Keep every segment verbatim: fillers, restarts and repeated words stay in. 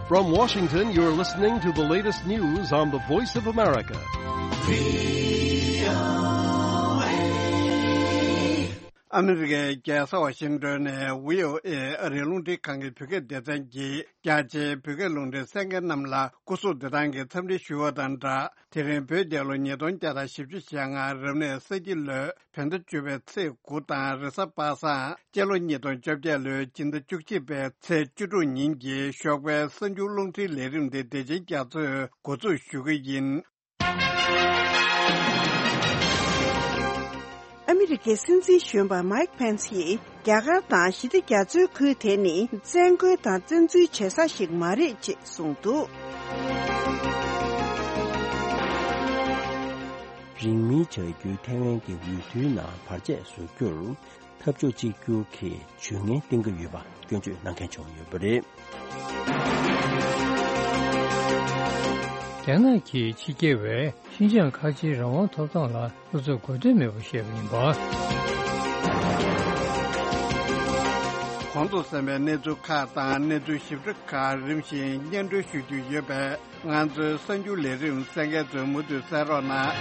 From Washington, you're listening to the latest news on the Voice of America. ཨ་མི་རི་ཀའི་རྒྱལ་ས་ཝ་ཤིང་ཏོན་ནས་བྷི་ཨོ་ཨེ་ཨ་རིའི་རླུང་འཕྲིན་ཁང་གི་བོད་སྐད་སྡེ་ཚན་གྱིས་རྒྱ་ཆེའི་བོད་སྐད་རླུང་འཕྲིན་གསན་མཁན་རྣམས་ལ་སྐུ་གཟུགས་བདེ་ཐང་གི་འཚམས་འདྲི་ཞུ་བ་དང་སྦྲགས། དེ་རིང་བོད་རྒྱལ་ལོ་ཉིས་སྟོང་བརྒྱ་དང་བཞི་བཅུ་ཞེ་ལྔ་རབ་གནས་ས་ཁྱི་ལོའི་བོད་ཟླ་བཅུ་པའི་ཚེས་དགུ་དང་རེས་གཟའ་པ་སངས་སྤྱི་ལོ་ཉིས་སྟོང་བཅོ་བརྒྱད་ལོའི་སྤྱི་ཟླ་བཅུ་གཅིག་པའི་ཚེས་བཅུ་དྲུག་ཉིན་གྱི་ཞོགས་པའི་གསར་འགྱུར་རླུང་འཕྲིན་ལས་རིམ་འདི་བདེ་ཆེན་རྒྱ་མཚོས་འགོ་འཛུགས་ཞུ་གི་ཡིན། ཨ་མི་རི་ཀའི་སྲིད་འཛིན་གཞོན་པ་མའིག་ཕེན་སི་ཡིས་རྒྱ་གར་དང་ཞི་བདེ་རྒྱ་མཚོའི་ཁུལ་དེ་ནི་བཙན་རྒོལ་དང་བཙན་འཛུལ་བྱེད་ས་ཞིག་མ་རེད་ཅེས་གསུངས་འདུག། རིང་མིན་བྱ་རྒྱུའི་ཐའེ་ཝན་གྱི་འོས་བསྡུའི་ནང་བར་ཆད་བཟོ་རྒྱུར་འཐབ་ཕྱོགས་གཅིག་གྱུར་གྱི་ཇུས་ངན་བཏིང་གི་ཡོད་པ་སྐྱོན་བརྗོད་གནང་མཁན་བྱུང་ཡོད་པ་རེད། རྒྱ་ནག་གིས་ཕྱི་རྒྱལ་བས་ཤིན་ཅང་ཁ་ཆེའི་རང་དབང་ཐོབ་ཐང་ལ་སོ་སོས་དགོས་འདུན་མེད་པར་བཤད་པ་ཡིན་པ། གོང་དུ་གསན་པའི་གནས་ཚུལ་ཁག་དང་གནས་ཚུལ་ཞིབ་ཕྲ་ཁག་རིམ་བཞིན་སྙན་སྒྲོན་ཞུ་རྒྱུ་ཡོད་པས། ང་ཚོའི་གསར་འགྱུར་ལས་རིམ་གསན་མཁན་ཚོས་མུ་མཐུད་གསན་རོགས་གནང་།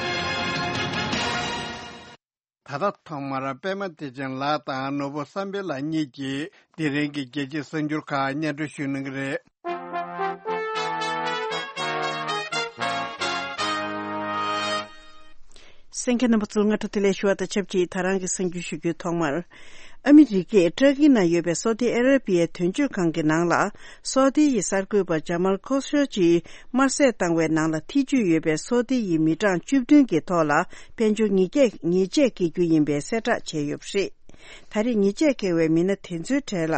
ད་ལྟ་ཐོག་མར་པད་མ་བདེ་ཆེན་ལགས་དང་ནོར་བུ་བསམ་འཕེལ་ལགས་གཉིས་ཀྱིས་དེ་རིང་གི་རྒྱལ་སྤྱིའི་གསར་འགྱུར་ཁག་སྙན་སྒྲོན་ཞུ་གནང་གི་རེད། གསན་མཁན་རྣམ་པ་ཚོར་སྔ་དྲོ་བདེ་ལེགས་ཞུ་བ་དང་ཆབས་ཅིག་ད་རང་གི་གསར་འགྱུར་ཞུ་རྒྱུའི་ཐོག་མར། ཨ་མི་རི་ཀས་ཏྲ་ཀི་ན་ཡོད་པའི་སོ་ཏི་ཨ་ར་པི་ཡའི་དོན་གཅོད་ཁང་གི་ནང་ལ་སོ་ཏི་ཡི་གསར་འགོད་པ་ཇ་མལ་ཁོ་ཤོ་ཇི་དམར་གསོད་བཏང་བའི་ནང་ལ་ཐེ་བྱུས་ཡོད་པའི་སོ་ཏི་ཡི་མི་གྲངས་བཅུ་བདུན་གྱི་ཐོག་ལ་དཔལ་འབྱོར་ཉེས་ཆད་ཉེས་ཆད་འགེལ་རྒྱུ་ཡིན་པའི་གསལ་བསྒྲགས་བྱས་ཡོད་པ་རེད། ད་རེས་ཉེས་ཆད་འགེལ་བའི་མི་སྣ་དེ་ཚོའི་གྲས་ལ་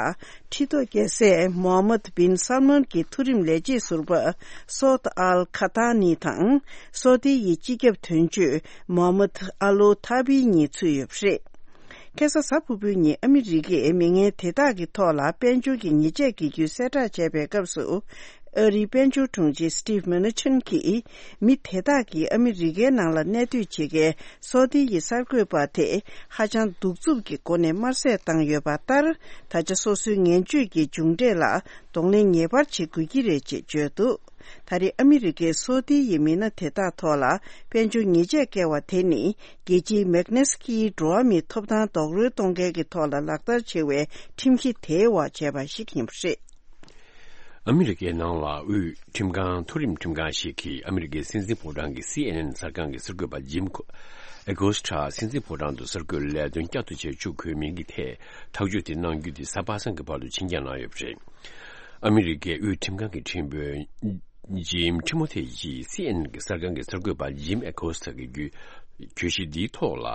ཁྲི་ཐོག་རྒྱལ་སྲས་མོ་ཧམ་མད་བིན་སལ་མཱན་གྱི་མཐོ་རིམ་ལས་བྱེད་ཟུར་པ་སོད་ཨལ་ཁ་ཐ་ནི་དང་སོ་ཏི་ཡི་སྤྱི་ཁྱབ་དོན་གཅོད་མོ་ཧམ་མད་ཨ་ལོ་ཐ་བི་གཉིས་ཚུད་ཡོད་པ་རེད། ཁ་སང་གཟའ་ཕུར་བུའི་ཉིན་ཨ་མི་རི་ཀས་མི་ངན་དེ་དག་གི་ཐོག་ལ་དཔལ་འབྱོར་གྱི་ཉེས་ཆད་འགེལ་རྒྱུའི་གསལ་བསྒྲགས་བྱས་པའི་སྐབས་སུ། ཨ་རིའི་དཔལ་འབྱོར་དྲུང་ཆེ་སི་ཊིབ་མེ་ནུ་ཆིན་གྱིས་མི་དེ་དག་གིས་ཨ་མི་རི་ཀའི་ནང་ལ་གནས་སྡོད་བྱེད་མཁན་སོ་ཏི་ཡི་གསར་འགོད་པ་དེ་ཧ་ཅང་གདུག་རྩུབ་ཀྱི་སྒོ་ནས་དམར་གསོད་བཏང་ཡོད་པ་ལྟར། ད་ཆ་སོ་སོའི་ངན་སྤྱོད་ཀྱི་མཇུག་འབྲས་ལ་གདོང་ལེན་ངེས་པར་བྱེད་དགོས་ཀྱི་རེད་ཅེས་བརྗོད་འདུག། ད་རེས་ཨ་མི་རི་ཀས་སོ་ཏི་ཡི་མི་སྣ་དེ་དག་ཐོག་ལ་དཔལ་འབྱོར་ཉེས་ཆད་བཀལ་བ་དེ་ནི། རྒྱལ་སྤྱིའི་མེག་ནེ་སི་ཀིའི་འགྲོ་བ་མིའི་ཐོབ་ཐང་རྡོག་རོལ་གཏོང་མཁན་གྱི་ཐོག་ལ་ལག་བསྟར་བྱེད་པའི་ཁྲིམས་གཞི་དེའི་འོག་བྱས་པ་ཞིག་ཡིན་པ་རེད། ཨ་མི་རི་ཀའི་ནང་ལ་དབུས་ཁྲིམས་ཁང་མཐོ་རིམ་ཁྲིམས་ཁང་ཞིག་གིས་ཨ་མི་རི་ཀའི་སྲིད་འཛིན་ཕོ་བྲང་གི་སི་ཨེན་ཨེན་གསར་ཁང་གི་གསར་འགོད་པ་ཇིམ་ཨེ་ཀོ་སི་ཊ་སྲིད་འཛིན་ཕོ་བྲང་དུ་གསར་འགོད་ལས་དོན་བསྐྱར་དུ་བྱས་བཅུག་དགོས་མིན་གྱི་ཐད་ཐག་གཅོད་དེ་གནང་རྒྱུ་དེ་གཟའ་པ་སངས་ཀྱི་བར་དུ་ཕྱིར་འགྱངས་གནང་ཡོད་པ་རེད། ཨ་མི་རི་ཀའི་དབུས་ཁྲིམས་ཁང་གི་ཁྲིམས་དཔོན་ཇིམ་ཁྲི་མོ་ཐེ་ཡིས་སི་ཨེན་ཨེན་གྱི་གསར་ཁང་གི་གསར་འགོད་པ་ཇིམ་ཨེ་ཀོ་སི་ཐ་གི་བརྒྱུད་གྱོད་གཞི་འདིའི་ཐོག་ལ་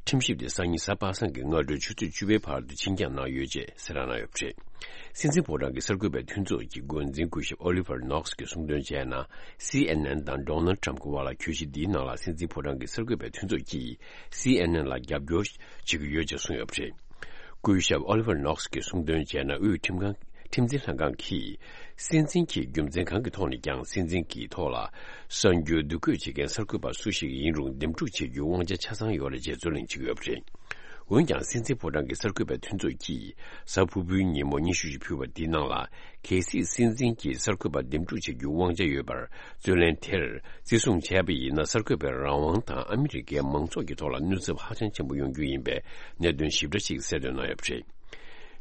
ཁྲིམས་ཞིབ་དེ་སང་ཉིན་གཟའ་པ་སངས་ཀྱི་སྔ་དྲོའི་ཆུ་ཚོད་བཅུ་པའི་བར་དུ་ཕྱིར་འགྱངས་གནང་ཡོད་ཅེས་གསལ་བསྒྲགས་གནང་ཡོད་པ་རེད། སྲིད་འཛིན་ཕོ་བྲང་གི་གསར་འགོད་པའི་མཐུན་ཚོགས་ཀྱི་འགོ་འཛིན་སྐུ་ཞབས་ཨོ་ལི་ཝར་ནོག་སི་གིས་གསུངས་དོན་བྱས་ན། སི་ཨེན་ཨེན་དང་ཌོ་ནལ་ཌི་ཊརམ་གྱི་དབར་ལ་གྱོད་གཞི་འདིའི་ནང་ལ་སྲིད་འཛིན་ཕོ་བྲང་གི་གསར་འགོད་པའི་མཐུན་ཚོགས་ཀྱིས་སི་ཨེན་ཨེན་ལ་རྒྱབ་སྐྱོར་བྱེད་ཀྱི་ཡོད་ཅེས་གསུངས་ཡོད་པ་རེད། སྐུ་ཞབས་ཨོ་ལི་ཝར་ནོག་སི་གིས་གསུངས་དོན་བྱས་ན། དབུས་ཁྲིམས་ཁང་། ཁྲིམས་འཛིན་ལྷན་ཁང་གིས་སྲིད་འཛིན་གྱི་རྒྱུ་མཚན་གང་གི་ཐོག་ནས་ཀྱང་སྲིད་འཛིན་གྱི་ཐོག་ལ་གསར་འགྱུར་བསྡུ་འགོད་བྱེད་མཁན་གསར་འགོད་པ་སུ་ཞིག་ཡིན་རུང་འདེམས་སྒྲུག་བྱེད་རྒྱུའི་དབང་ཆ་ཆ་ཚང་ཡོད་རེད་ཅེས་རྩོད་གླེང་བྱེད་ཀྱི་ཡོད་པ་རེད། འོན་ཀྱང་སྲིད་འཛིན་ཕོ་བྲང་གི་གསར་འགོད་པའི་མཐུན་ཚོགས་ཀྱིས་གཟའ་ཕུར་བུའི་ཉིན་མོ་སྙན་ཞུ་ཞིག་ཕུལ་བ་འདིའི་ནང་ལ། གལ་སྲིད་སྲིད་འཛིན་གྱིས་གསར་འགོད་པ་འདེམས་སྒྲུག་བྱེད་རྒྱུའི་དབང་ཆ་ཡོད་པར་རྩོད་ལེན་དེར་བརྩི་སྲུང་བྱས་པ་ཡིན་ན། གསར་འགོད་པའི་རང་དབང་དང་ཨ་མི་རི་ཀའི་མང་ཚོགས་ཀྱི་ཐོག་ལ་གནོད་ཚབས་ཧ་ཅང་ཆེན་པོ་ཡོང་རྒྱུ་ཡིན་པའི་གནད་དོན་ཞིབ་ཕྲ་ཞིག་གསལ་འདོན་གནང་ཡོད་པ་རེད།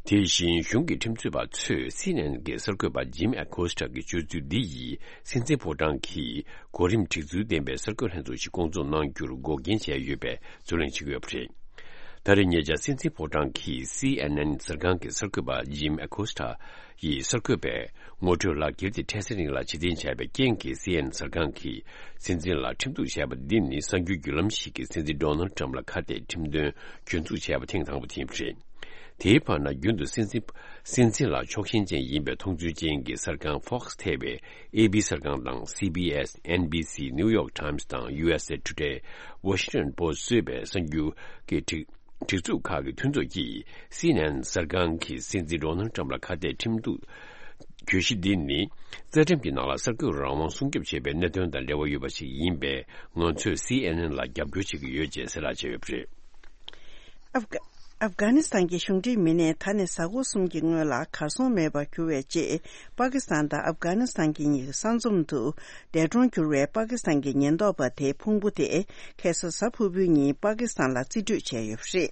དེ་བཞིན་གཞུང་གི་ཁྲིམས་རྩོད་པ་ཚོས་སི་ཨེན་ཨེན་གྱི་གསར་འགོད་པ་ཇིམ་ཨེ་ཀོ་སི་ཊ་གི་སྤྱོད་ཚུལ་འདི་ཡིས་སྲིད་འཛིན་ཕོ་བྲང་གིས་གོ་རིམ་སྒྲིག་ཚུལ་ལྡན་པའི་གསར་འགོད་ལྷན་ཚོགས་ཤིག་བསྐོང་ཚོགས་གནང་རྒྱུར་འགོག་རྐྱེན་བྱས་ཡོད་པའི་རྩོད་གླེང་བྱེད་ཀྱི་ཡོད་པ་རེད། ད་རེས་ཉེ་ཆར་སྲིད་འཛིན་ཕོ་བྲང་གི་སི་ཨེན་ཨེན་གསར་ཁང་གི་གསར་འགོད་པ་ཇིམ་ཨེ་ཀོ་སི་ཊ་ཡིས་གསར་འགོད་པའི་ངོ་སྤྲོད་ལག་འཁྱེར་དེ་འཕྲལ་སེལ་རིང་ལ་ཕྱིར་འཐེན་བྱས་པའི་རྐྱེན་གྱིས། སི་ཨེན་ཨེན་གསར་ཁང་གིས་སྲིད་འཛིན་ལ་ཁྲིམས་གཏུག་བྱས་པ་འདི་ནི་གསར་འགྱུར་བརྒྱུད་ལམ་ཞིག་གིས་སྲིད་འཛིན་ཌོ་ནལ་ཌི་ཊརམ་ཕ་ལ་ཁ་གཏད་ཁྲིམས་དོན་གྱོད་འཛུགས་བྱས་པ་ཐེངས་དང་པོ་དེ་ཡིན་པ་རེད། དེའི་བར་ན་རྒྱུན་དུ་སྲིད་འཛིན་སྲིད་འཛིན་ལ་ཕྱོགས་ཞེན་ཅན་ཡིན་པའི་མཐོང་ཚུལ་ཅན་གྱི་གསར་ཁང་Fox་ཐེ་བའི་ཨེ་བི་གསར་ཁང་དང་། སི་བི་ཨེས། ཨེན་བི་སི། New York Times་དང་། ཡུ་ཨེས་ཨེ་ཊུ་ཌེ། Washington Post་གཙོས་པའི་གསར་འགྱུར་གྱི་སྒྲིག་སྒྲིག་འཛུགས་ཁག་གི་མཐུན་ཚོགས་ཀྱིས་སི་ཨེན་ཨེན་གསར་ཁང་གིས་སྲིད་འཛིན་ཌོ་ནལ་ཌི་ཊརམ་ཕ་ལ་ཁ་གཏད་ཁྲིམས་གཏུག་གྱོད་གཞི་འདི་ནི་རྩ་ཁྲིམས་ཀྱི་ནང་ལ་གསར་འགོད་རང་དབང་སྲུང་སྐྱོབ་བྱེད་པའི་གནད་དོན་དང་འབྲེལ་བ་ཡོད་པ་ཞིག་ཡིན་པས། ང་ཚོས་སི་ཨེན་ཨེན་ལ་རྒྱབ་སྐྱོར་བྱེད་ཀྱི་ཡོད་ཅེས་གསལ་བསྒྲགས་བྱས་ཡོད་པ་རེད། ཨབ་གྷ། ཨབ་གྷ་ནི་སི་ཐན་གྱི་གཞུང་འབྲེལ་མི་སྣས་ད་ནས་གཟའ་འཁོར་གསུམ་གྱི་སྔོན་ལ་གར་སོང་མེད་པར་གྱུར་བའི་རྗེས། པ་ཀི་སི་ཐན་དང་ཨབ་གྷ་ནི་སི་ཐན་གྱི་གཉིས་ཀྱི་ས་མཚམས་དུ་འདས་གྲོངས་གྱུར་བའི་པ་ཀི་སི་ཐན་གྱི་ཉེན་རྟོག་པ་དེའི་ཕུང་པོ་དེ་ཁ་སང་གཟའ་ཕུར་བུའི་ཉིན་པ་ཀི་སི་ཐན་ལ་རྩིས་སྤྲོད་བྱས་ཡོད་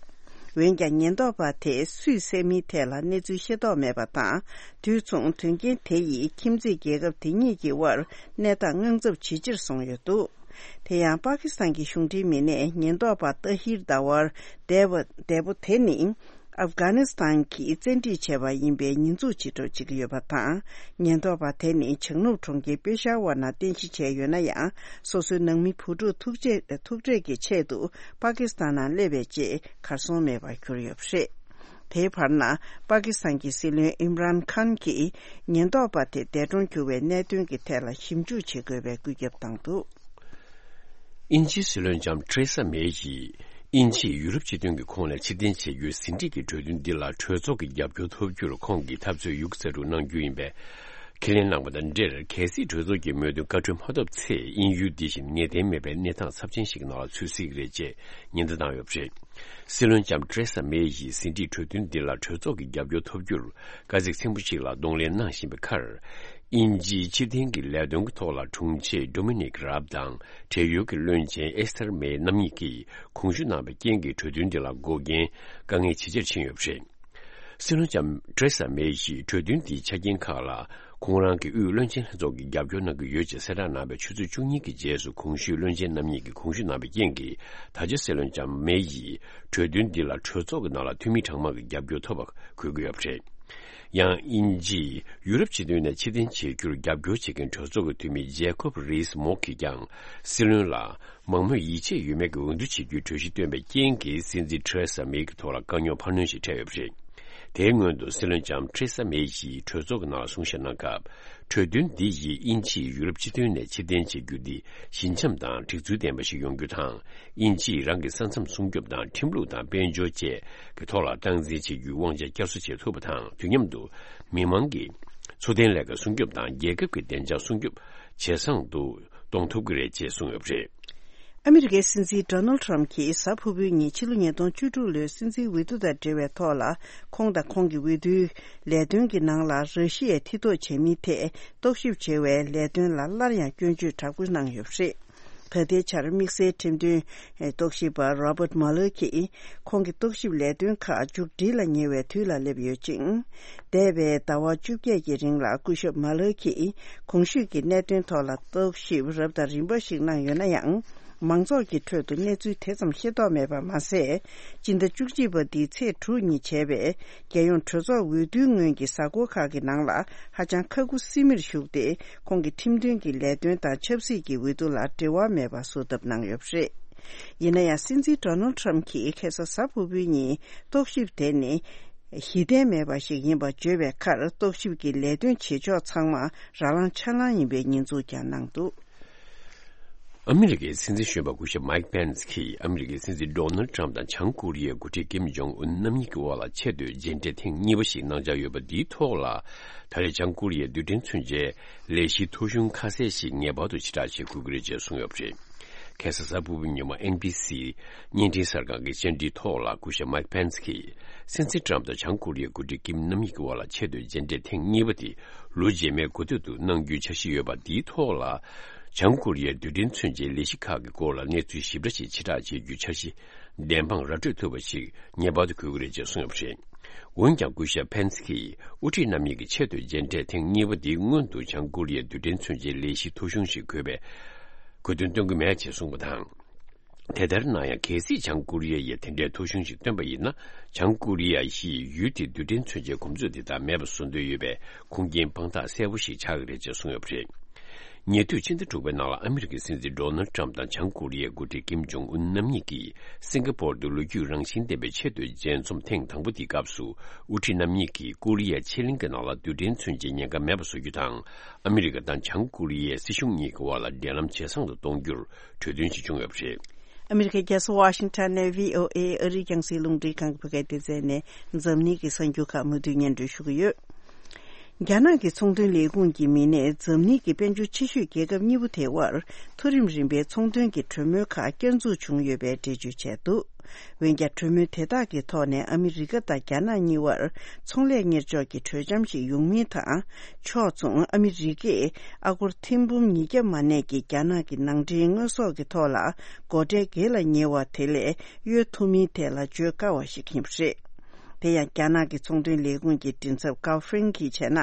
པ་རེད། འོན་ཀྱང་། ཉེན་རྟོག་པ་དེས་སུས་བསད་མིན་ཐད་ལ་གནས་ཚུལ་ཤེས་རྟོགས་མེད་པ་དང་། དུས་མཚུངས། དོན་རྐྱེན་དེ་ཡིས་ཁྱིམ་མཚེས་རྒྱལ་ཁབ་དེ་གཉིས་ཀྱི་དབར་གནས་སྟངས་དངངས་འཚབ་ཇེ་ཆེར་སོང་ཡོད་འདུག། དེ་ཡང་། པ་ཀི་སི་ཐན་གྱི་གཞུང་འབྲེལ་མི་སྣས་ཉེན་རྟོག་པ་ཏཱ་ཧིར་དཱ་ཝར་དེ་བ་དེ་བོ་དེ་ནི་ཨབ་གྷ་ནི་སི་ཐན་གྱིས་བཙན་ཁྲིད་བྱས་པ་ཡིན་པའི་ཉེས་འཛུགས་བྱེད་སྒྲུབ་བྱེད་ཀྱི་ཡོད་པ་དང་། ཉེན་རྟོག་པ་དེ་ནི་བྱང་ནུབ་གྲོང་ཁྱེར་པེ་ཤ་ཝར་ནང་རྟེན་གཞི་བྱས་ཡོད་ན་ཡང་། སོ་སོའི་ནང་མི་བུ་ཕྲུག་ཐུག་ཆེད་ཐུག་འཕྲད་ཀྱི་ཆེད་དུ་པ་ཀི་སི་ཐན་ནང་སླེབས་པའི་རྗེས་གར་སོང་མེད་པར་གྱུར་ཡོད་པ་རེད། དེའི་བར་ན། པ་ཀི་སི་ཐན་གྱི་སྲིད་བློན་ཨིམ་རན་ཁཱན་གྱིས་ཉེན་རྟོག་པ་དེ་འདས་གྲོངས་གྱུར་བའི་གནད་དོན་གྱི་ཐད་ལ་ཞིབ་འཇུག་བྱེད་དགོས་པའི་བཀོད་ཁྱབ་བཏང་འདུག། དབྱིན་ཇིའི་སྲིད་བློན་ལྕམ་ཐེ་རེ་ས་མེ་ཡིས་དབྱིན་ཇིས་ཡུ་རོབ་སྤྱི་མཐུན་གྱི་ཁོངས་ནས་ཕྱིར་འཐེན་བྱེད་རྒྱུའི་ཟིན་བྲིས་ཀྱི་གྲོས་མཐུན་འདི་ལ་གྲོས་ཚོགས་ཀྱི་རྒྱབ་སྐྱོར་ཐོབ་རྒྱུར་ཁོང་གིས་འཐབ་རྩོད་ཡོད་རྒུ་རྩལ་སྤྲུགས་གནང་རྒྱུ་ཡིན་པའི་ཁས་ལེན་གནང་བ་དང་འབྲེལ། གལ་སྲིད་གྲོས་ཚོགས་ཀྱི་མོས་མཐུན་བཀའ་འཁྲོལ་མ་ཐོབ་ཚེ། དབྱིན་ཡུལ་འདི་བཞིན་ངེས་གཏན་མེད་པའི་གནས་སྟངས་ཚབས་ཆེན་ཞིག་གི་ནང་ལ་ཚུད་སྲིད་ཀྱི་རེད་ཅེས་ཉེན་བརྡ་བཏང་ཡོད་པ་རེད། སྲིད་བློན་ལྕམ་ཐེ་རེ་ས་མེ་ཡིས་ཟིན་བྲིས་གྲོས་མཐུན་འདི་ལ་གྲོས་ཚོགས་ཀྱི་རྒྱབ་སྐྱོར་ཐོབ་རྒྱུར་དཀའ་ཚེགས་ཆེན་པོ་ཞིག་ལ་གདོང་ལེན་གནང་བཞིན་པའི་ཁར། དབྱིན་ཇིའི་ཕྱིར་འཐེན་གྱི་ལས་དོན་གྱི་ཐོག་ལ་དྲུང་ཆེ་ཌོ་མི་ནིག་རཱབ་དང་བགྲེས་ཡོལ་གྱི་བློན་ཆེན་ཨེ་སི་ཐར་མེ་རྣམ་གཉིས་ཀྱིས་གོང་ཞུ་གནང་བའི་རྐྱེན་གྱིས། གྲོས་མཐུན་འདི་ལ་འགོག་རྐྱེན་དཀའ་ངལ་ཇེ་ཆེར་ཕྱིན་ཡོད་པ་རེད། སྲིད་བློན་ལྕམ་ཐེ་རེ་ས་མེ་ཡིས་གྲོས་མཐུན་འདིའི་ཆ་རྐྱེན་ཁག་ལ། ཁོང་རང་གི་དབུས་བློན་ཆེན་ལྷན་ཚོགས་ཀྱི་རྒྱབ་སྐྱོར་གནང་གི་ཡོད་ཅེས་གསལ་བསྒྲགས་གནང་བའི་ཆུ་ཚོད་བཅུ་གཉིས་ཀྱི་རྗེས་སུ། གོང་ཞུས་བློན་ཆེན་རྣམ་གཉིས་ཀྱིས་གོང་ཞུ་གནང་བའི་རྐྱེན་གྱིས། ད་ཆ་སྲིད་བློན་ལྕམ་མེ་ཡིས་གྲོས་མཐུན་འདི་ལ་གྲོས་ཚོགས་ཀྱི་ནང་ལ་འཐུས་མི་གྲངས་མང་གི་རྒྱབ་སྐྱོར་ཐོབ་པ་གོ་གི་ཡོད་པ་རེད། ཡང་། དབྱིན་ཇིས་ཡུ་རོབ་སྤྱི་མཐུན་ནས་ཕྱིར་འཐེན་བྱེད་རྒྱུར་རྒྱབ་སྐྱོར་བྱེད་མཁན་གྲོས་ཚོགས་ཀྱི་འཐུས་མི་ཇེ་ཀོབ་རིས་མོག་གིས་ཀྱང་། སྲིད་བློན་ལ་མང་མོས་ཡིད་ཆེས་ཡོད་མེད་ཀྱི་འོས་བསྡུ་བྱེད་རྒྱུའི་གྲོས་གཞི་བཏོན་པའི་རྐྱེན་གྱིས། སྲིད་འཛིན་ཐེ་རེ་ས་མེ་གི་ཐོག་ལ་དཀའ་རྙོག་འཕར་སྣོན་ཞིག་འཕྲད་ཡོད་པ་རེད། དེའི་སྔོན་དུ་སྲིད་བློན་ལྕམ་ཐེ་རེ་ས་མེ་ཡིས་གྲོས་ཚོགས་ཀྱི་ནང་ལ་གསུང་བཤད་གནང་སྐབས། གྲོས་མཐུན་འདི་ཡིས་དབྱིན་ཇིས་ཡུ་རོབ་སྤྱི་མཐུན་ནས་ཕྱིར་འཐེན་བྱེད་རྒྱུ་འདི་ཞི་འཇམ་དང་སྒྲིག་ཚུལ་ལྡན་པ་ཞིག་ཡོང་རྒྱུ་དང་། དབྱིན་ཇིས་རང་གི་ས་མཚམས་སྲུང་སྐྱོབ་དང་། ཁྲིམས་ལུགས་དང་། དཔལ་འབྱོར་བཅས་ཀྱི་ཐོག་ལ་སྟངས་འཛིན་བྱེད་རྒྱུའི་དབང་ཆ་བསྐྱར་གསོ་བྱེད་ཐུབ་པ་དང་། དུས་མཉམ་དུ་མི་མང་གི་འཚོ་རྟེན་ལས་ཀ་སྲུང་སྐྱོབ་དང་། རྒྱལ་ཁབ་ཀྱི་བདེ་འཇགས་སྲུང་སྐྱོབ་ཇེ་བཟང་དུ་གཏོང་ཐུབ་ཀྱི་རེད་ཅེས་གསུངས་ཡོད་པ་རེད། ཨ་མི་རི་ཀའི་སྲིད་འཛིན་ཌོ་ནལ་ཌི་ཊརམ་གྱིས་གཟའ་ཕུར་བུའི་ཉིན་ཕྱི་ལོ་ཉིས་སྟོང་བཅུ་དྲུག་ལོའི་སྲིད་འཛིན་འོས་བསྡུ་དང་འབྲེལ་བའི་ཐོག་ལ། ཁོང་དང་ཁོང་གི་འོས་བསྡུའི་ལས་དོན་གྱི་ནང་ལ་ར་ཤི་ཡས་མཐིལ་གཏུགས་བྱས་མིན་ཐད་རྟོག་ཞིབ་བྱེད་པའི་ལས་དོན་ལ་སླར་ཡང་སྐྱོན་བརྗོད་དྲག་པོ་གནང་ཡོད་པ་རེད། ད་ལྟའི་ཆར་དམིགས་བསལ་ཁྲིམས་དོན་རྟོག་ཞིབ་པ་རོ་བརྟ་མ་ལར་གྱིས། ཁོང་གི་རྟོག་ཞིབ་ལས་དོན་ཁག་མཇུག་སྒྲིལ་ལ་ཉེ་བའི་དུས་ལ་སླེབས་ཡོད་ཅིང་། འདས་པའི་ཟླ་བ་བཅོ་བརྒྱད་ཀྱི་རིང་ལ་སྐུ་ཞབས་མ་ལར་གྱིས་གོང་ཞུས་ཀྱི་གནད་དོན་ཐོག་ལ་རྟོག་ཞིབ་རབ་དང་རིམ་པ་ཞིག་གནང་ཡོད་ན་ཡང་། མང་ཚོགས་ཀྱི་ཁྲོད་དུ་གནས་ཚུལ་དེ་ཙམ་ཤེས་རྟོགས་མེད་པ་མ་ཟད། སྤྱི་ཟླ་བཅུ་གཅིག་པ་འདིའི་ཚེས་དྲུག་ཉིན་བྱས་པའི་རྒྱལ་ཡོངས་གྲོས་ཚོགས་འོས་བསྡུའི་སྔོན་གྱི་གཟའ་འཁོར་ཁག་གི་ནང་ལ་ཧ་ཅང་ཁ་ཁུ་སིམ་མེར་ཞུགས་ཏེ། ཁོང་གི་ཁྲིམས་དོན་གྱི་ལས་དོན་དང་ཆབ་སྲིད་ཀྱི་འོས་བསྡུ་ལ་འབྲེལ་བ་མེད་པ་བཟོ་ཐབས་གནང་ཡོད་པ་རེད། ཡིན་ན་ཡང་། སྲིད་འཛིན་ཌོ་ནལ་ཌི་ཊརམ་གྱིས་ཁ་སང་གཟའ་ཕུར་བུའི་ཉིན་རྟོག་ཞིབ་དེ་ནི་གཞི་རྟེན་མེད་པ་ཞིག་ཡིན་པ་བརྗོད་པའི་ཁར། རྟོག་ཞིབ་ཀྱི་ལས་དོན་བྱེད་ཕྱོགས་ཚང་མ་ར་ལངས་ཆ་ལངས་ཡིན་པའི་ཉེས་འཛུགས་ཀྱང་གནང་འདུག། ཨ་མི་རི་ཀའི་སྲིད་འཛིན་གཞོན་པ་སྐུ་ཞབས་མའིག་པེན་སི་གིས། ཨ་མི་རི་ཀའི་སྲིད་འཛིན་ཌོ་ནལ་ཌི་ཊརམ་དང་བྱང་ཀོ་རི་ཡའི་འགོ་ཁྲིད་ཀིམ་ཇོང་ཨུན་རྣམ་གཉིས་ཀྱི་དབར་ལ་ཆེས་མཐོའི་མཇལ་འཕྲད་ཐེངས་གཉིས་པ་ཞིག་གནང་འཆར་ཡོད་པ་འདིའི་ཐོག་ལ། ད་རེས་བྱང་ཀོ་རི་ཡའི་རྡུལ་ཕྲན་མཚོན་ཆའི་ལས་གཞིའི་ཐོ་གཞུང་ཁ་གསལ་ཞིག་ངེས་པར་དུ་ཕྱིར་བསྒྲགས་བྱེད་དགོས་ཀྱི་རེད་ཅེས་གསུངས་ཡོད་པ་རེད། ཁ་སང་གཟའ་ཕུར་བུའི་ཉིན་མོ་ཨེན་བྷི་སི་བརྙན་འཕྲིན་གསར་ཁང་གི་བཅར་འདྲིའི་ཐོག་ལ། སྐུ་ཞབས་མའིག་པེན་སི་གིས། སྲིད་འཛིན་ཊརམ་དང་བྱང་ཀོ་རི་ཡའི་འགོ་ཁྲིད་ཀིམ་རྣམ་གཉིས་ཀྱི་དབར་ལ་ཆེས་མཐོའི་མཇལ་འཕྲད་ཐེངས་གཉིས་པ་དེ། ལོ་རྗེས་མའི་འགོ་སྟོད་དུ་གནང་རྒྱུའི་འཆར་གཞི་ཡོད་པ་འདིའི་ཐོག་ལ། བྱང་ཀོ་རི་ཡའི་རྡུལ་ཕྲན་མཚོན་ཆའི་ལས་གཞི་ཁག་གི་སྐོར་ལ་གནས་ཚུལ་ཞིབ་ཕྲ་ཞིག་ཕྱིར་བསྒྲགས་བྱེད་རྒྱུའི་འཆར་གཞི་བདེན་དཔང་ར་སྤྲོད་ཐུབ་པ་ཞིག་ངེས་པར་དུ་དགོས་ཀྱི་རེད་ཅེས་གསུངས་ཡོད་པ་རེད། འོན་ཀྱང་། སྐུ་ཞབས་པེན་སི་གིས་དབུ་ཁྲིད་རྣམ་གཉིས་ཀྱི་ཆེས་མཐོའི་མཇལ་འཕྲད་ཐེངས་གཉིས་པ་འདིའི་སྔོན་དུ་བྱང་ཀོ་རི་ཡའི་རྡུལ་ཕྲན་མཚོན་ཆའི་ལས་གཞིའི་ཐོ་གཞུང་ཞིག་དགོས་པའི་དགོས་འདུན་བཏོན་གྱི་མེད་ཅེས་གསུངས་པ་དང་། དེ་ལྟར་ན་ཡང་། གལ་སྲིད་བྱང་ཀོ་རི་ཡ་ཡིས་དེ་འདྲའི་ཐོ་གཞུང་ཞིག་བཏོན་པ་ཡིན་ན། བྱང་ཀོ་རི་ཡ་ཡིས་ཡུལ་དེའི་རྡུལ་ཕྲན་མཚོན་ཆའི་གོམས་སྲོལ་དེ་དག་མེད་པ་བཟོ་འདོད་ཡོད་པའི་ཁུངས་སྐྱེལ་དཔང་རྟགས་གསལ་པོ་ཞིག་ཆགས་ཀྱི་རེད་ཅེས་གསུངས་ཡོད་པ་རེད། ཉེ་དུས་ཕྱི་ཟླ་དྲུག་པའི་ནང་ལ། ཨ་མི་རི་ཀའི་སྲིད་འཛིན་ཌོ་ནལ་ཌི་ཊརམ་དང་བྱང་ཀོ་རི་ཡའི་འགོ་ཁྲིད་ཀིམ་ཇོང་ཨུན་རྣམ་གཉིས་ཀྱིས། སིང་ག་པོར་དུ་ལོ་རྒྱུས་རང་བཞིན་ལྡན་པའི་ཆེས་མཐོའི་མཇལ་འཛོམས་ཐེངས་དང་པོ་དེའི་སྐབས་སུ། དབུ་ཁྲིད་རྣམ་གཉིས་ཀྱིས་ཀོ་རི་ཡའི་ཕྱེད་གླིང་གི་ནང་ལ་རྡུལ་ཕྲན་མཚོན་ཆའི་ཉེན་ཁ་མེད་པ་བཟོ་རྒྱུ་དང་། ཨ་མི་རི་ཀ་དང་བྱང་ཀོ་རི་ཡའི་སྲིད་གཞུང་གཉིས་ཀྱི་དབར་ལ་འབྲེལ་ལམ་ཇེ་བཟང་དུ་གཏོང་རྒྱུར་གྲོས་མཐུན་ཞིག་བྱུང་ཡོད་པ་རེད། ཨ་མི་རི་ཀའི་རྒྱལ་ས་ཝ་ཤིང་ཊོན་ནས་བྷི་ཨོ་ཨེ་ཨ་རིའི་རྒྱང་སྲིང་རླུང་འཕྲིན་ཁང་གི་བོད་སྐད་སྡེ་ཚན་ནས་འཛམ་གླིང་གི་གསར་འགྱུར་ཁག་མུ་མཐུད་སྙན་སྒྲོན་ཞུ་གི་ཡོད། རྒྱ་ནག་གི་ཚོང་དོན་ལས་ཁུངས་ཀྱི་མི་སྣས་འཛམ་གླིང་གི་དཔལ་འབྱོར་ཆེ་ཤོས་རྒྱལ་ཁབ་གཉིས་པོ་དེ་དབར་མཐོ་རིམ་རིམ་པའི་ཚོང་དོན་གྱི་གྲོས་མོལ་ཁག་བསྐྱར་འཛུགས་བྱུང་ཡོད་པའི་འགྲེལ་བརྗོད་བྱས་འདུག། འོན་ཀྱང་གྲོས་མོལ་དེ་དག་གི་ཐོག་ནས་ཨ་མི་རི་ཀ་དང་རྒྱ་ནག་གཉིས་དབར་ཚོང་ལས་གཉེར་ཕྱོགས་ཀྱི་གྲོས་འཆམ་ཞིག་ཡོང་མིན་དང་། ཕྱོགས་མཚུངས་ཨ་མི་རི་ཀས་ཨ་སྒོར་ཐེར་འབུམ་ཉིས་བརྒྱ་མ་གནས་ཀྱི་རྒྱ་ནག་གི་ནང་འདྲེན་དངོས་ཟོག་གི་ཐོག་ལ་སྒོ་ཁྲལ་སྒེར་ལ་ཉེ་བ་དེ་ལས་གཡོལ་ཐུབ་མིན་ཐད་ལ་བརྗོད་དཀའ་བ་ཞིག་ཡིན་པ་རེད། དེ་ཡང་རྒྱ་ནག་གི་ཚོང་དོན་ལས་ཁུངས་ཀྱི་མགྲིན་ཚབ་ཀའོ་ཧྥེང་གིས་བྱས་ན།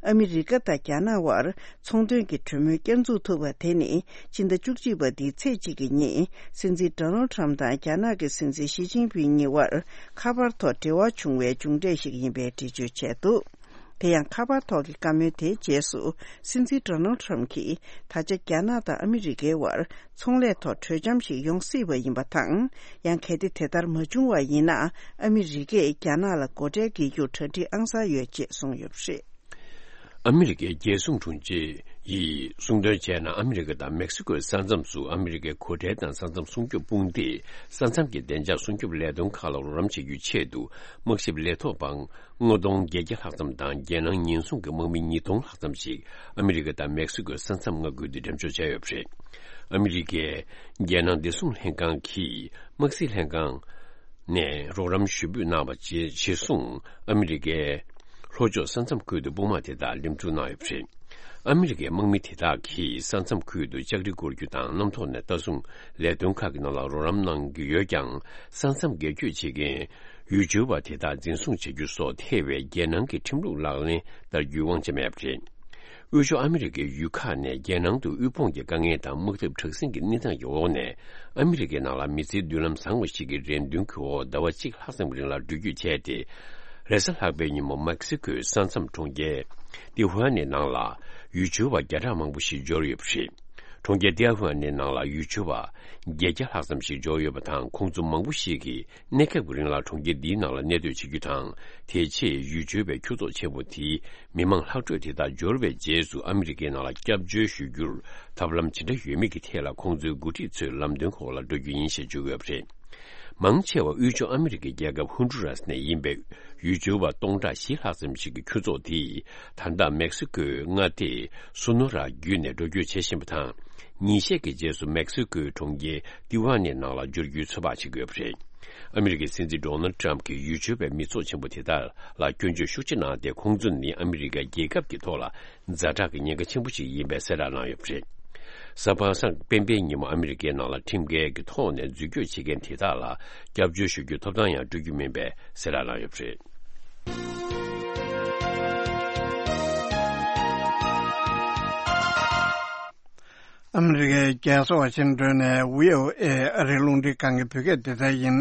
ཨ་མི་རི་ཀ་དང་རྒྱ་ནག་དབར་ཚོང་དོན་གྱི་གྲོས་མོལ་བསྐྱར་འཛུགས་ཐུབ་པ་དེ་ནི་ཕྱི་ཟླ་བཅུ་གཅིག་པ་འདིའི་ཚེས་གཅིག་གི་ཉིན་སྲིད་འཛིན་ཌོ་ནལ་ཁྲམ་དང་རྒྱ་ནག་གི་སྲིད་འཛིན་ཞི་ཅིན་ཕིང་གཉིས་དབར་ཁ་པར་ཐོག་འབྲེལ་བ་བྱུང་བའི་མཇུག་འབྲས་ཤིག་ཡིན་པའི་འགྲེལ་བརྗོད་བྱས་འདུག། དེ་ཡང་ཁ་པར་ཐོག་གི་བཀའ་མོལ་དེའི་རྗེས་སུ་སྲིད་འཛིན་ཌོ་ནལ་ཁྲམ་གྱིས་ད་ཆ་རྒྱ་ནག་དང་ཨ་མི་རི་ཀའི་དབར་ཚོང་ལས་ཐོག་གྲོས་འཆམ་ཞིག་ཡོང་སྲིད་པ་ཡིན་པ་དང་། ཡང་གལ་ཏེ་དེ་ལྟར་མ་བྱུང་བ་ཡིན་ན་ཨ་མི་རི་ཀས་རྒྱ་ནག་ལ་སྒོ་ཁྲལ་འགེལ་རྒྱུར་གྲ་སྒྲིག་ཨང་གསར་ཡོད་ཅེས་གསུངས་ཡོད་པ་རེད། ཨ་མི་རི་ཀའི་རྒྱལ་སྲུང་དྲུང་ཆེ་ཡིས་གསུངས་དོན་བྱས་ན། ཨ་མི་རི་ཀ་དང་མེག་སི་ཀོའི་ས་མཚམས་སུ་ཨ་མི་རི་ཀའི་སྒོ་ཁྲལ་དང་ས་མཚམས་སྲུང་སྐྱོབ་དཔུང་སྡེས་ས་མཚམས་ཀྱི་བདེ་འཇགས་སྲུང་སྐྱོབ་ལས་དོན་ཁག་ལ་རོགས་རམ་བྱེད་རྒྱུའི་ཆེད་དུ། དམག་ཞབས་ལས་ཐོག་པ་ལྔ་སྟོང་བརྒྱད་བརྒྱ་ལྷག་ཙམ་དང་། རྒྱལ་ནང་ཉེན་སྲུང་གི་དམག་མི་ཉིས་སྟོང་ལྷག་ཙམ་ཞིག་ཨ་མི་རི་ཀ་དང་མེག་སི་ཀོའི་ས་མཚམས་མངའ་ཁུལ་དུ་འགྲེམས་འཇོག་བྱས་ཡོད་པ་རེད། ཨ་མི་རི་ཀའི་རྒྱལ་ནང་བདེ་སྲུང་ལྷན་ཁང་གིས་དམག་སྲིད་ལྷན་ཁང་ནས་རོགས་རམ་ཞུ་འབོད་གནང་བ་རྗེས་གཞིར་བཟུང་ཨ་མི་རི་ཀའི་ལྷོ་ཕྱོགས་ས་མཚམས་ཁུལ་དུ་དཔུང་དམག་དེ་དག་འགྲིམ་འགྲུལ་གནང་ཡོད་པ་རེད། ཨ་མི་རི་ཀའི་དམག་མི་དེ་དག་གིས་ས་མཚམས་ཁུལ་དུ་ལྕགས་རི་བསྐོར་རྒྱུ་དང་། གནམ་ཐོག་ནས་ལྟ་སྲུང་ལས་དོན་ཁག་གི་ནང་ལ་རོགས་རམ་གནང་གི་ཡོད་ཀྱང་། ས་མཚམས་སྒེར་གཅོད་བྱེད་མཁན་ཡུལ་སྦྱོར་བ་དེ་དག་འཛིན་བཟུང་བྱ་རྒྱུ་སོགས་ཐེ་བའི་རྒྱལ་ནང་གི་ཁྲིམས་ལུགས་ལག་ལེན་བསྟར་རྒྱུའི་དབང་ཆ་མེད་པ་རེད། དབུས་ཕྱོགས་ཨ་མི་རི་ཀའི་ཡུལ་ཁག་ནས་རྒྱལ་ནང་དུ་དབུལ་ཕོངས་ཀྱི་དཀའ་ངལ་དང་དམག་འཐབ་དྲག་ཟིང་གི་གནས་སྟངས་ཀྱི་འོག་ནས། ཨ་མི་རི་ཀའི་ནང་ལ་མི་ཚེའི་མདུན་ལམ་བཟང་བ་ཞིག་གི་རེ་འདུན་གྱི་འོག་ཟླ་བ་གཅིག་ལྷག་ཙམ་རིང་ལ་འགྲུལ་སྐྱོད་བྱས་ཏེ། རེས་གཟའ་ལྷག་པའི་ཉིན་མོ་མེག་སི་ཀོའི་ས་མཚམས་གྲོང་ཁྱེར་ཏི་ཧུའ་ནི་ནང་ལ་ཡུལ་སྦྱོར་བ་བརྒྱ་ཕྲག་མང་པོ་ཞིག་འབྱོར་ཡོད་པ་རེད། གྲོང་ཁྱེར་ཏི་ཧུའ་ནི་ནང་ལ་ཡུལ་སྦྱོར་བ་བརྒྱད་བརྒྱ་ལྷག་ཙམ་ཞིག་འབྱོར་ཡོད་པ་དང་། ཁོང་ཚོ་མང་པོ་ཞིག་གིས་གནས་སྐབས་ཀྱི་རིང་ལ་གྲོང་ཁྱེར་འདིའི་ནང་ལ་གནས་སྡོད་བྱེད་རྒྱུ་དང་། དེ་རྗེས་ཡུལ་སྦྱོར་བའི་ཁྱུ་ཚོགས་ཆེན་པོ་དེའི་མི་མང་ལྷག་འཕྲོས་དེ་དག་འབྱོར་བའི་རྗེས་སུ་ཨ་མི་རི་ཀའི་ནང་ལ་སྐྱབས་བཅོལ་ཞུ་རྒྱུར་ཐབས་ལམ་ཇི་འདྲ་ཡོད་མེད་ཀྱི་ཐད་ལ་ཁོང་ཚོའི་འགོ་ཁྲིད་ཚོས་ལམ་སྟོན་འོག་ལ་འགྲོ་རྒྱུ་ཡིན་ཞེས་བརྗོད་ཡོད་པ་རེད། མང་ཆེ་བ་དབུས་ཕྱོགས་ཨ་མི་རི་ཀའི་རྒྱལ་ཁབ་ཧོན་ཌུ་རཱས་ནས་ཡིན་པའི་ཡུལ་སྦྱོར་བ་སྟོང་ཕྲག་བཞི་ལྷག་ཙམ་ཞིག་གི་ཁྱུ་ཚོགས་དེས་ད་ལྟ་མེག་སི་ཀོའི་མངའ་སྡེ་སོ་ནོ་ར་བརྒྱུད་ནས་འགྲོ་སྐྱོད་བྱེད་བཞིན་པ་དང་། ཉིན་ཤས་ཀྱི་རྗེས་སུ་མེག་སི་ཀོའི་གྲོང་ཁྱེར་ཏི་ཝ་ནི་ནང་ལ་འབྱོར་རྒྱུའི་ཚོད་དཔག་བྱེད་ཀྱི་ཡོད་པ་རེད། ཨ་མི་རི་ཀའི་སྲིད་འཛིན་ཌོ་ནལ་ཏྲམ་གྱིས་ཡུལ་སྦྱོར་བའི་མི་ཚོགས་ཆེན་པོ་དེ་དག་ལ་སྐྱོན་བརྗོད་ཤུགས་ཆེ་གནང་སྟེ། ཁོང་ཚོ་ནི་ཨ་མི་རི་ཀ་རྒྱལ་ཁབ་ཀྱི་ཐོག་ལ་ཛ་དྲག་གི་ཉེན་ཁ་ཆེན་པོ་ཞིག་ཡིན་པའི་གསལ་བསྒྲགས་གནང་ཡོད་པ་རེད། གཟའ་པ་སངས་སྤེན་པའི་ཉིན་མོ་ཨ་མི་རི་ཀའི་ནང་ལ་ཁྲིམས་འགལ་གྱི་ཐོག་ནས་འཛུལ་སྐྱོད་བྱེད་མཁན་དེ་དག་ལ་སྐྱབས་བཅོལ་ཞུ་རྒྱུའི་ཐོབ་ཐང་ཡང་སྤྲོད་རྒྱུ་མིན་པའི་གསལ་བསྒྲགས་གནང་ཡོད་པ་རེད། ཨ་མི་རི་ཀའི་རྒྱལ་ས་ཝ་ཤིང་ཏོན་ནས་བྷི་ཨོ་ཨེ་ཨ་རིའི་རླུང་འཕྲིན་ཁང་གི་བོད་སྐད་སྡེ་ཚན་ཡིན།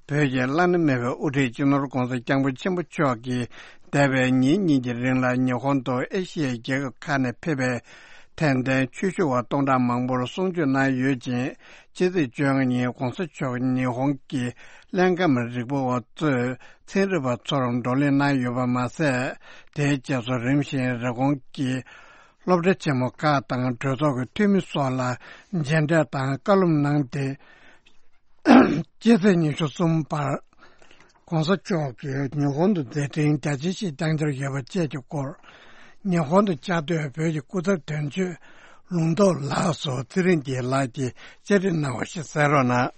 བོད་ཀྱི་བླ་ན་མེད་པའི་དབུ་ཁྲིད་སྤྱི་ནོར་༧གོང་ས་༧སྐྱབས་མགོན་ཆེན་པོ་མཆོག་གིས་འདས་པའི་ཉིན་གཉིས་ཀྱི་རིང་ལ་ཉི་ཧོང་དང་ཨེ་ཤི་ཡའི་རྒྱལ་ཁབ་ཁག་ནས་ཕེབས་པའི་དད་ལྡན་ཆོས་ཞུ་བ་སྟོང་ཕྲག་མང་པོར་གསུང་ཆོས་གནང་ཡོད་ཅིང་། ཕྱི་ཚེས་བཅོ་ལྔ་ཉིན་༧གོང་ས་མཆོག་ཉི་ཧོང་གི་ཀླད་རྒྱམ་རིག་པ་བ་གཙོས་ཚན་རིག་པ་ཚོར་བགྲོ་གླེང་གནང་ཡོད་པ་མ་ཟད། དེའི་རྗེས་སུ་རིམ་བཞིན་རི་ཀོན་གྱི་སློབ་གྲྭ་ཆེན་མོ་ཁག་དང་གྲོས་ཚོགས་ཀྱི་འཐུས་མི་སོགས་ལ་མཇལ་འཕྲད་དང་བཀའ་སློབ་གནང་སྟེ། སྤྱི་ཚེས་ཉི་ཤུ་གསུམ་བར་༧གོང་ས་མཆོག་གིས་ཉི་ཧོང་དུ་མཛད་འཕྲིན་རྒྱ་ཆེ་ཞིག་བསྐྱངས་འཆར་ཡོད་པ་བཅས་ཀྱི་སྐོར། ཉི་ཧོང་དུ་བཅའ་སྡོད་བོད་ཀྱི་སྐུ་ཚབ་དོན་གཅོད་ལུང་རྟོགས་ལགས་སུ་ཚེ་རིང་རྒྱལ་ལགས་ཀྱིས་བཅར་འདྲི་གནང་བ་ཞིག་གསན་རོགས་གནང་།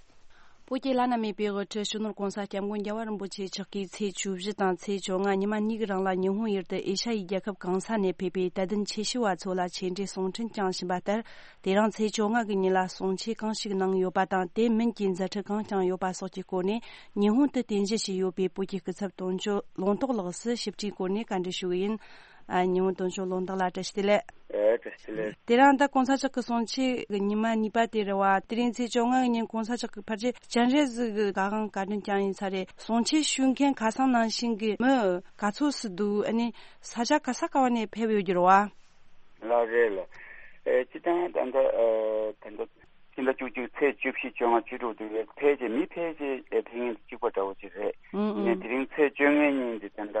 བོད་ཀྱི་བླ་ན་མེད་པའི་དབུ་ཁྲིད་སྤྱི་ནོར་༧གོང་ས་༧སྐྱབས་མགོན་རྒྱལ་བ་རིན་པོ་ཆེ་མཆོག་གིས་ཚེས་བཅུ་བཞི་དང་ཚེས་བཅོ་ལྔ་ཉི་མ་གཉིས་ཀྱི་རིང་ལ་ཉི་ཧོང་ཡུལ་དུ་ཨེ་ཤ་ཡའི་རྒྱལ་ཁབ་གང་ས་ནས་ཕེབས་པའི་དད་ལྡན་ཆོས་ཞུ་བ་ཚོ་ལ་ཆེད་འགྲེལ་གསུང་འཕྲིན་བསྐྱངས་བཞིན་པ་ལྟར། དེ་རིང་ཚེས་བཅོ་ལྔ་གི་ཉིན་ལ་གསུང་ཆོས་གང་ཞིག་གནང་ཡོད་པ་དང་། དེ་མིན་གྱི་མཛད་འཕྲིན་གང་བསྐྱངས་ཡོད་པ་སོགས་ཀྱི་སྐོར་ནས་ཉི་ཧོང་དུ་རྟེན་གཞི་བྱས་ཡོད་པའི་བོད་ཀྱི་སྐུ་ཚབ་དོན་གཅོད་ལུང་རྟོགས་ལགས་སུ་ཞིབ་ཕྲའི་སྐོར་ནས་བཀའ་འདྲི་ཞུ་གི་ཡིན། ཨ། ཉི་ཧོང་དོན་གཅོད་ལུང་རྟོགས་ལགས་བཀྲ་ཤིས་བདེ་ལེགས། ཨེ། བཀྲ་ཤིས་བདེ་ལེགས། དེ་རིང་ད་༧གོང་ས་མཆོག་གི་གསུང་ཆོས་ཀྱི་ཉི་མ་གཉིས་པ་དེ་རེད་བ། དེ་རིང་ཚེས་བཅོ་ལྔ་གི་ཉིན་༧གོང་ས་མཆོག་གི་ཕལ་ཆེར་སྤྱན་རས་གཟིགས་ཀྱི་ག་གང་བཀའ་དྲིན་བསྐྱངས་ཡིན་ས་རེད། གསུང་ཆོས་ཞུ་མཁན་ཁ་སང་ནང་བཞིན་གྱི་མི་ག་ཚོད་སུ་འདུག་ཨ་ནི་ས་ཆ་ག་ས་ག་བ་ནས་ཕེབས་ཡོད་རྒྱུ་རེད་བ། ལགས་རེད་ལགས། ཨེ། སྤྱིར་བཏང་ད་ལྟ་ཨེ་ད་ལྟ་སྤྱི་ཟླ་བཅུ་གཅིག་ཚེས་བཅུ་བཞི་བཅོ་ལྔ་བཅུ་དྲུག་དེ་ཕལ་ཆེར་མི་ཕལ་ཆེར་ཨེ་ཕེབས་མཁན་གཅིག་པ་འདྲ་བོ་ཅིག་རེད། ཨུང་ཨུང་། ནས་དེ་རིང་ཚེས་བཅོ་ལྔའི་ཉིན་དེ་ད་ལྟ་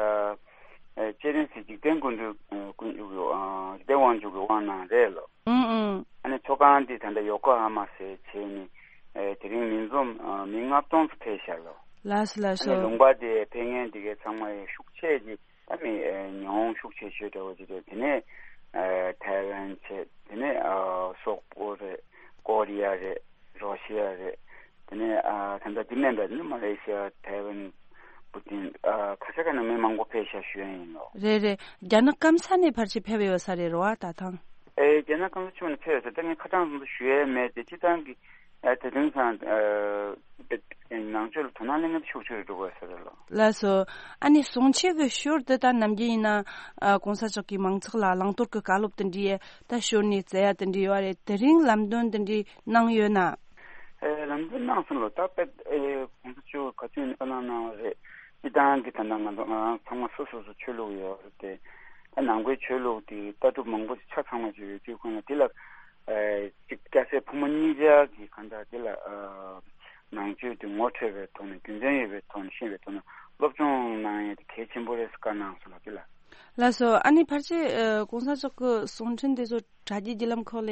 ཨེ་སྤྱན་རས་གཟིགས་འཇིག་རྟེན་མགོན་པོའི་ཨེ་དབང་ཕྱུག་གི་ཨ་འཇིག་རྟེན་དབང་ཕྱུག་གི་དབང་གནང་རེད་ལོ། ཨུང་ཨུང་། ཨ་ནི་ཚོགས་ཁང་འདི་ད་ལྟ་ཡོ་ཀོ་ཧ་མ་ཟེར་བྱས་ནས་ཨེ་དེ་རིང་མི་འཛོམས་ཨེ་མི་ལྔ་སྟོང་ཙམ་ཕེབས་ཤག་ལོ། ལགས་སོ་ལགས་ཨ་ནི་སོ། ལུང་པ་དེ་ཕེབས་མཁན་དེ་གའི་ཚང་མ་ཡང་ཤུགས་ཆེ་ཅིག་ཨ་མི་ཨེ། ཉི་ཧོང་ཤུགས་ཆེ་ཤོས་འདྲ་བོ་ཅིག་རེད། དེ་ནས་ཨ་ཐའེ་ཝན་བྱས། དེ་ནས་ཨ་སོག་པོ་རེད། ཀོ་རི་ཡ་རེད། རོ་ཤི་ཡ་རེད། དེ་ནས་ཨ་ད་ལྟ་འདི་མིན་པ་ནི་མ་ལེ་ཤི་ཡ། ཐའེ་ཝན། བུ་ཏིན། ཨ་ཁ་ཤས་ཁ་ནས་མི་མང་པོ་ཕེབས་ཤག་ཞུ་ཡ་ཡིན་ལོ། རེད་རེད། རྒྱ་ནག་སྐམ་ས་ནས་ཕལ་ཆེར་ཕེབས་ཡོད་ས་རེད་རོ་ཨ་ད་ཐེངས། ཨེ་རྒྱ་ནག་སྐམ་ས་ཕྱོགས་ནས་ཕེབས་ཡོད་ས། ད་ངས་ཁ་གྲངས་ཙམ་དུ་ཞུ་ཡ་མེད་དེ། སྤྱིར་བཏང་གི་ཨ་དེ་དོན་སང་ཨ་ནང་ཆོས་ལ་དོ་སྣང་གླེང་མཁན་ཤུགས་ཆེ་རུ་འགྲོ་དགོས་ས་རེད་ལོ། ལགས་སོ། ཨ་ནི་གསུང་ཆོས་ཀྱི་ཞོར་དུ་ད་ནམ་རྒྱུན་ཡིན་ན་ཨ་གོང་ས་མཆོག་གིས་མང་ཚོགས་ལ་བླང་དོར་གྱི་བཀའ་སློབ་དེ་འདྲའི་ད་ཞོར་ནས་སྩལ་ཡ་དེ་འདྲ་ཡོད་རེད། དེ་རིང་ལམ་སྟོན་དེ་འདྲ་གནང་ཡོད་ན། ཨེ་ལམ་སྟོན་གནང་སོང་ལོ། ད་དཔེ་ཨེ་གོང་ས་མཆོག་ག་དུས་ནས་བཀའ་གནང་གནང་བ་རེད། སྤྱིར་བཏང་གི་ད་ལྟ་ང་ཚོ་ང་རང་ཚང་མ་སོ་སོ་སོ་ཆོས་ལུགས་ཡོད་རེད་དེ། ད་ནང་པའི་ཆོས་ལུགས་དེ་ལྟ་གྲུབ་མང་པོ་ཞིག་ཆ་ཚང་བ་ཞིག་ཡོད་དུས་ཁོང་ལ་དེ་ལ་ཨེ་གཅིག་སྐྱ་སེར་ཕོ་མོ་གཉིས་ཆ་གི་གང་ལྟར་དེ་ལ་ཨ་ནང་ཆོས་དེ་ངོ་འཕྲོད་པའི་ཐོག་ནས། རྒྱུ་མཚན་ཡོད་པའི་ཐོག་ནས། ཤེས་པའི་ཐོག་ནས་སློབ་སྦྱོང་གནང་ཡས་དེ་གལ་ཆེན་པོ་རེད་ཟེར་བཀའ་གནང་སོང་ལ་དེ་ལ། ལགས་སོ། ཨ་ནི་ཕལ་ཆེར་ཨ་གོང་ས་མཆོག་གི་གསུང་འཕྲིན་དེ་ཚོ་དྲ་རྒྱའི་བརྒྱུད་ལམ་ཁག་ལ་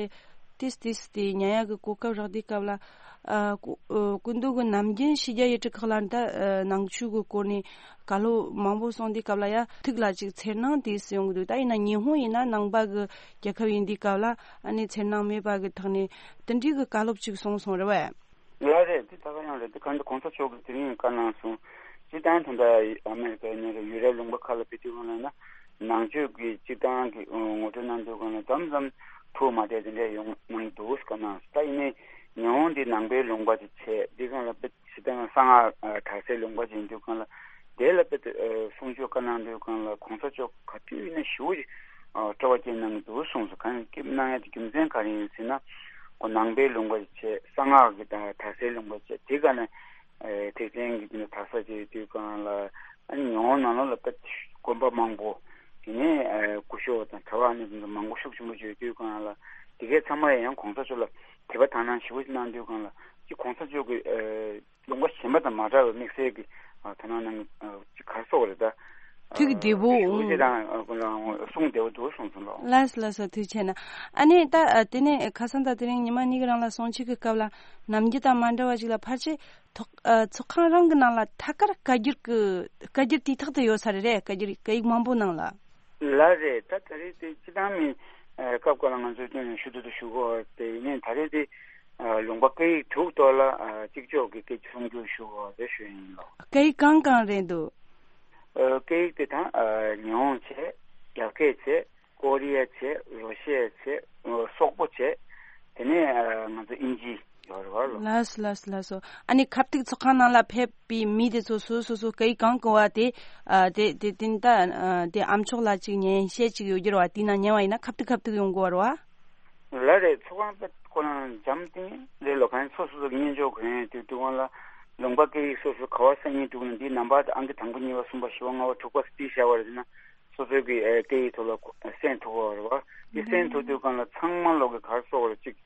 ཏིས་ཏིས་དེ་ཉན་ཡག་གི་གོ་སྐབས་རག་དུས་སྐབས་ལ། ཨ་སྐུ་ཨ་སྐུ་མདུན་གྱི་ནམ་རྒྱུན་ཕྱི་རྒྱལ་ཡུལ་གྲུ་ཁག་ལ་ད་ཨ་ནང་ཆོས་ཀྱི་སྐོར་ནས་བཀའ་སློབ་མང་པོ་གསུང་དུས་སྐབས་ལ་ཡ་ཐུགས་ལ་ཅིག་འཚེར་སྣང་དེ་ཡོང་གི་འདུག་ད་ཡིན་ན་ཉི་ཧོང་ཡིན་ན་ནང་པ་གི་རྒྱལ་ཁབ་ཡིན་དུས་སྐབས་ལ། ཨ་ནི་འཚེར་སྣང་མེད་པ་གི་ཐོག་ནས་དེ་འདྲའི་གི་བཀའ་སློབ་ཅིག་གསུངས་སོང་རེད་བས། ལགས་རེད། དེ་ད་ག་ཡང་རེད། དེ་གང་ལྟར་གོང་ས་མཆོག་གིས་དེ་རིང་བཀའ་གནང་སོང་། སྤྱིར་བཏང་ད་ལྟ་ཨ་མེ་རི་ཀ་ཡིན་ན་རེད། ཡུ་རོབ་ལུང་པ་ཁག་ལ་ཕེབས་དུས་སྒང་ལ་ཡིན་ན། ནང་ཆོས་ཀྱི་སྤྱིར་བཏང་གི་ངོ་སྤྲོད་གནང་དུས་སྒང་ལ་མཚམས་མཚམས་ཐུགས་མ་བདེ་དེ་འདྲ་ཡོང་གནང་འདུག་བཀའ་གནང་སོང་། ད་ཡིན་ནའི་ཉི་ཧོང་འདི་ནང་པའི་ལུང་པ་ཅིག་བྱས། འདི་སྒང་ལ་དཔེ་སྤྱིར་བཏང་གསང་སྔགས་ཨ་དར་སའི་ལུང་པ་ཅིག་ཡིན་དུས་སྒང་ལ། དེ་ལ་དཔེ་ཨ་གསུང་ཆོས་བཀའ་གནང་དུས་སྒང་ལ་གོང་ས་མཆོག་ག་དུས་ཡིན་ན་ཞེ་པོ་ཅིག་ཨ་སྤྲོ་བ་སྐྱེས་གནང་གི་འདུག་གསུངས་སོང་། གང་ཡིན་སྐྱེས་གནང་ཡ་དེ་རྒྱུ་མཚན་ག་རེ་ཡིན་ཟེར་ན། ཁོ་ནང་པའི་ལུང་པ་ཅིག་བྱས། གསང་སྔགས་ཀྱི་དང་དར་སའི་ལུང་པ་བྱས། དེ་ག་ནས་ཨེ་ཐེག་ཆེན་གྱི་དེ་ནས་དར་ས་བྱས་དུས་སྒང་ལ། ཨ་ནི་ཉི་ཧོང་ནང་ལོགས་ལ་དཔེ་དགོན་པ་མང་པོ། དེ་ནས་ཨེ་སྐུ་ཞབས་དང་གྲྭ་པ་ནི་མང་པོ་ཤུགས་ཆེན་པོ་བྱས་དུས་སྒང་ལ། དེ་གའི་ཚང་མ་ཡང་གོང་ས་མཆོག་ལ་དད་པ་དག་སྣང་ཞེ་པོ་ཅིག་གནང་དུས་སྒང་ལ། ཅིག་གོང་ས་མཆོག་གི་ཨེ་ལུང་པ་གཞན་པ་དང་མ་འདྲ་བའི་དམིགས་བསལ་གྱི་ཨ་དོ་སྣང་གནང་། ཨ་ཅིག་ག་རེ་ཟེར་དགོས་རེད་ད། ཐུགས་བདེ་པོ། ཨ་ཞེ་པོ་ཅིག་དང་ཨ་གསུང་བདེ་པོ་འདུག་གསུངས་སོང་ལོ། ལགས་སོ་ལགས་སོ། ཐུགས་རྗེ་ཆེ་གནང་། ཨ་ནི་ད་ཨ་དེ་ནས་ཁ་སང་ད་དེ་རིང་ཉི་མ་གཉིས་ཀྱི་རིང་ལ་གསུང་ཆོས་ཀྱི་སྐབས་ལ་ནམ་རྒྱུན་དང་མ་འདྲ་བ་ཞིག་ལ་ཕལ་ཆེར་ཐོག་ཨ་ཚོགས་ཁང་རང་གི་ནང་ལ་ཐད་ཀར་བཀའ་འགྱུར་གྱི་བཀའ་འགྱུར་དུས་ཐོག་ཏུ་ཡོད་ས་རེད། རེད། བཀའ་འགྱུར་སྐད་ཡིག་མང་པོ་ནང་ལ། ལགས་རེད། ད་ད་རེས་དེ་སྤྱིར་བཏང་མི་ཨ་སྐབས་འགའ་ལ་ང་ཚོས་སྐྱོན་ཞུ་དུ་དུ་ཞུ་གོ་དེ་ཡིན་ནའི་ད་རེས་དེ་ཨ་ལུང་པ་སྐད་ཡིག་དྲུག་ཐོག་ལ་ཨ་གཅིག་ལྕོགས་ཀྱི་སྐད་ཆ་གསུང་རྒྱུ་ཞུ་གོ་རེ་ཞུ་ཡིན་ལོ། སྐད་ཡིག་གང་གང་རེད་འདུག་ཨ་སྐད་ཡིག་དེ་དང་ཨ་ཉི་ཧོང་བྱས། རྒྱ་སྐད་བྱས། ཀོ་རི་ཡ་བྱས། རོ་ཤི་ཡ་བྱས། ཨ་སོག་པོ་བྱས། དེ་ནས་ཨ་ང་ཚོ་དབྱིན་ཇི་ཡོད་རེད་བ་ལོ། ལགས་སོ་ལགས་སོ་ལགས་སོ། ཨ་ནི་ཁ་ཐུག་ཚོགས་ཁང་ནང་ལ་ཕེབས་པའི་མི་དེ་ཚོ་སོ་སོ་སོ་སྐད་ཡིག་གང་གོ་བ་དེ་ཨ་དེ་དེ་དེ་ད་ཨ་དེ་ཨ་མཆོག་ལ་ཅིག་ཉན་བཤད་ཅིག་ཡོད་རྒྱུ་རེད་བ། དེ་ནང་ཉན་བ་ཡིན་ན་ཁ་ཐུག་ཁ་ཐུག་ཡོང་དགོས་རེད་བ། ལགས་རེད། ཚོགས་ཁང་དཔེ་ཁོ་རང་འཇམ་ཐིང་རེད་ལོ། གང་ཡིན་སོ་སོ་སོ་གི་སྙན་ཅོག་གོན་ཡས་དུས་དུས་སྒང་ལ་ལུང་པ་སྐད་ཡིག་སོ་སོ་ག་བ་གསར་རྙིང་འདུག་ན། འདི་ནམ་བར་དུ་ཨང་ཀི་དང་པོ་གཉིས་པ་གསུམ་པ་བཞི་པ་ལྔ་པ་དྲུག་པ་ཟེར་བྲིས་བཞག་པ་རེད་ཟེར་ན། སོ་སོའི་གི་ཨེ་སྐད་ཡིག་ཐོག་ལ་གསན་ཐུབ་པ་རེད་བ། འདི་གསན་ཐུབ་དུས་སྒང་ལ་ཚང་མ་ལོག་གི་ག་རེ་ཟེར་དགོས་རེད། ཅིག་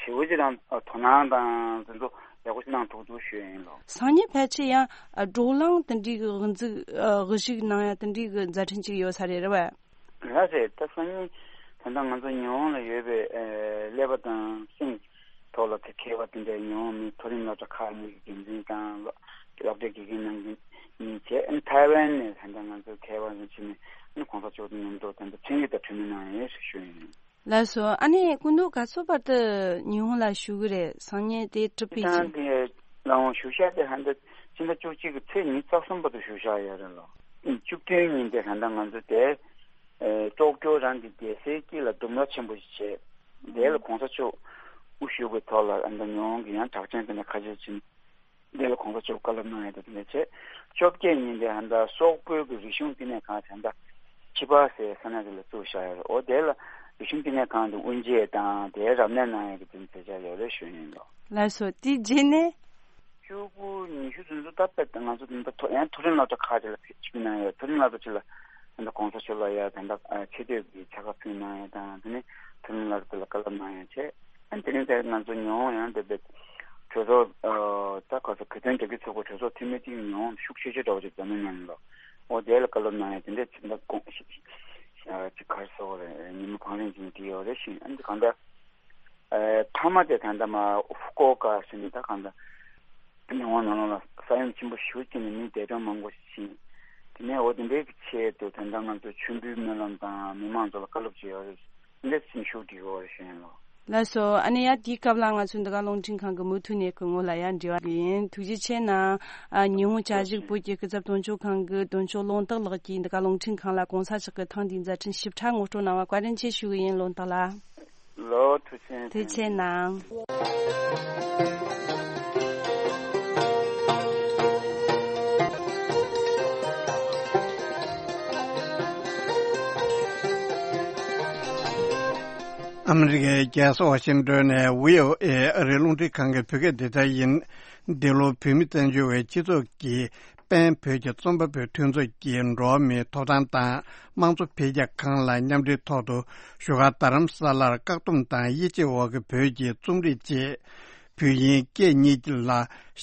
ཞེ་པོ་ཅིག་རང་དོ་སྣང་དང་དེ་ཚོ་ཡག་པོ་ཞིག་གནང་ཐུབ་འདུག་ཞུ་ཡ་ཡིན་ལོ། སང་ཉིན་ཕལ་ཆེར་ཡང་བགྲོ་གླེང་དེ་འདྲའི་གི་དབུ་འཛུགས་དབུ་བཞུགས་གནང་ཡ་དེ་འདྲའི་གི་མཛད་འཕྲིན་ཅིག་ཡོད་ས་རེད། རེད་བས། ལགས་རེད། ད་སང་ཉིན་ད་ལྟ་ང་ཚོ་ཉི་ཧོང་ལ་ཡོད་པའི་ཨེ་ཀླད་པ་དང་སེམས་ཐོག་ལ་དེ་མཁས་པ་དེ་འདྲའི་ཉི་ཧོང་མི་མཐོ་རིམ་སློབ་གྲྭ་ཁག་གཉིས་ཀྱི་འགན་འཛིན་དང་སློབ་གྲྭའི་དགེ་རྒན་རྣམ་གཉིས་བྱས། ཨ་ནི་ཐའེ་ཝན་ནས་ད་ལྟ་ང་ཚོ་མཁས་པ་ཞིག་ཕྱིན་ནས། ཨ་ནི་གོང་ས་མཆོག་དང་མཉམ་དུ་ད་ལྟ་ཚན་རིག་དང་འཕྲིན་ལས་གནང་ཡས་ཞེས་ཞུ་ཡིན། ལགས་སོ། ཨ་ནི་སྐུ་མདུན་ག་ཚོད་བར་དུ་ཉི་ཧོང་ལ་བཞུགས་ཀྱི་རེད། སང་ཉིན་དེ་གྲུབ་པའི་རྗེས། ད་ལྟ་ལའང་བཞུགས་ཤག་དེ་ཧ་ད་ཕྱི་ཟླ་བཅུ་གཅིག་གི་ཚེས་ཉི་ཤུ་རྩ་གསུམ་བར་དུ་བཞུགས་ཤག་ཡོད་རེད་ལོ། བཅུ་བདུན་ཉིན་དེ་ད་ལྟ་ང་ཚོ་དེ་ཨེ་ཀྲོག་ཀྱོ་རང་གི་རྒྱལ་སའི་དཀྱིལ་ལ་ལྡུམ་ར་ཆེན་པོ་ཞིག་བྱས། དེ་ལ་གོང་ས་མཆོག་དབུ་བཞུགས་པའི་ཐོག་ལ་ཨ་ད་ཉི་ཧོང་གི་ཡང་གྲགས་ཅན་དེ་འདྲ་ཁ་ཤས་ཕྱིན། དེ་ལ་གོང་ས་མཆོག་བཀའ་སློབ་གནང་ཡ་དེ་འདྲ་བྱས། བཅོ་བརྒྱད་ཉིན་དེ་ཧ་ད་སོག་པོའི་གི་རིག་གཞུང་བསྟི་གནས་ཁང་དེ་འདྲ་ཕྱི་པ་ཟེར་ས་གནས་དེ་ལ་བཙུགས་བཞག་ཡོད་རེད། འོ་དེ་ལ་རིག་གཞུང་བསྟི་གནས་ཁང་དེ་དབུ་འབྱེད་དང་དེའི་རབ་གནས་གནང་ཡ་གི་དེ་མཛད་འཆར་ཡོད་རེད་ཞུ་ཡིན་ལོ། ལགས་སོ། དེ་རྗེས་ནས་བཅུ་དགུ་ཉི་ཤུ་དེ་ཚོ་ད་དཔེ་ང་ཚོ་དེ་འདྲ་མཐོ་ཡང་མཐོ་རིམ་སློབ་གྲྭ་ཁག་ཅིག་ལ་ཕེབས་ཅིག་གནང་ཡོད། མཐོ་རིམ་སློབ་གྲྭ་ཅིག་ལ་ཨ་ནི་གོང་ས་མཆོག་ལ་ཡ་ད་ལྟ་ཆེ་བསྟོད་ཀྱི་ཕྱག་དཀར་ཕུལ་གནང་ཡ་དང་། དེ་ནས་མཐོ་རིམ་སློབ་གྲྭ་དེ་ལ་བཀའ་སློབ་གནང་ཡ་བྱས། ཨ་ནི་དེ་རིང་དེར་ང་ཚོ་ཉི་ཧོང་ཡང་དེ་བས་གྲོས་ཚོགས་ཨ་ད་ག་ཚོད་གོ་སྟོན་རྒྱག་རྒྱུ་ཚོགས་པ་གྲོས་ཚོགས་འཐུས་མི་གཅིག་ཉི་ཧོང་ཤུགས་ཆེ་ཤོས་འདྲ་བོ་ཅིག་འཛམ་གླིང་ནང་ལ། འོ་དེ་ལ་བཀའ་སློབ་གནང་ཡ་དེ་འདྲས་ཕྱིན་ད་དགོངས་ཅིག་ག་རེ་ཟེར་དགོས་རེད། ཉི་མ་བང་རིམ་ཅིག་བྲིས་ཡོད་རེད་ཤིང་། ཨ་ནི་གང་ལྟར། ཨེ་མཐའ་མ་དེ་ད་ལྟ་མ་ཧྥུ་ཀུ་ཨོ་ཀ་ཟེར་ནས་ད་གང་ལྟར་ཉི་ཧོང་ནང་ལོགས་ལ་ས་ཡོམ་ཆེན་པོ་ཞེ་པོ་ཅིག་ནས་མི་འདས་གྲོངས་མང་པོ་ཞིག་ཕྱིན། དེ་ནས་འོ་དེ་འདྲའི་གི་ཆེད་དུ་དོན་དམ་ང་ཚོ་མཆོད་འབུལ་སྨོན་ལམ་དང་མི་མང་ཚོ་ལ་བཀའ་སློབ་བྱེད་ཡོད་རེད། འདི་འདྲ་ཞིག་ཞུ་དགོས་རེད་ཞུ་ཡིན་ལོ། ལགས་སོ། ཨ་ནི་ཡ་དེའི་སྐབས་ལ་ང་ཚོའི་འདི་ག་རླུང་འཕྲིན་ཁང་གི་མུ་མཐུད་ནས་སྐུ་ངོ་ལ་ཡང་འབྲེལ་བ་ཡིན། ཐུགས་རྗེ་ཆེ་གནང་། ཨ། ཉི་ཧོང་བཅའ་བཞུགས་བོད་ཀྱི་སྐུ་ཚབ་དོན་གཅོད་ཁང་གི་དོན་གཅོད་ལུང་རྟགས་ལགས་ཀྱིས་འདི་ག་རླུང་འཕྲིན་ཁང་ལ་གོང་ས་མཆོག་གི་ཐེངས་འདིའི་མཛད་འཕྲིན་ཞིབ་ཕྲ་ངོ་སྤྲོད་གནང་བར་བཀའ་དྲིན་ཆེ་ཞུ་གི་ཡིན། ལུང་རྟགས་ལགས། ལོ། ཐུགས་རྗེ་ཆེ། ཐུགས་རྗེ་ཆེ་གནང་། ཨ་མི་རི་ཀའི་རྒྱལ་ས་ཝ་ཤིང་ཏོན་ནས་བྷི་ཨོ་ཨེ་ཨ་རིའི་རླུང་འཕྲིན་ཁང་གི་བོད་སྐད་སྡེ་ཚན་ཡིན། འདི་ལོ་བོད་མི་བཙན་བྱོལ་བའི་སྤྱི་ཚོགས་ཀྱི་པེན་བོད་ཀྱི་རྩོམ་པ་པོའི་མཐུན་ཚོགས་ཀྱི་འགྲོ་བ་མིའི་ཐོབ་ཐང་དང་དམངས་གཙོ་འཕེལ་རྒྱས་ཁང་ལ་མཉམ་འབྲེལ་ཐོག་ཏུ་བཞུགས་སྒར་རྡ་རམ་ས་ལར་བཀག་སྡོམ་དང་དབྱེ་འབྱེད་འོག་གི་བོད་ཀྱི་རྩོམ་རིག་བཅས་བོད་དབྱིན་སྐད་གཉིས་ལ་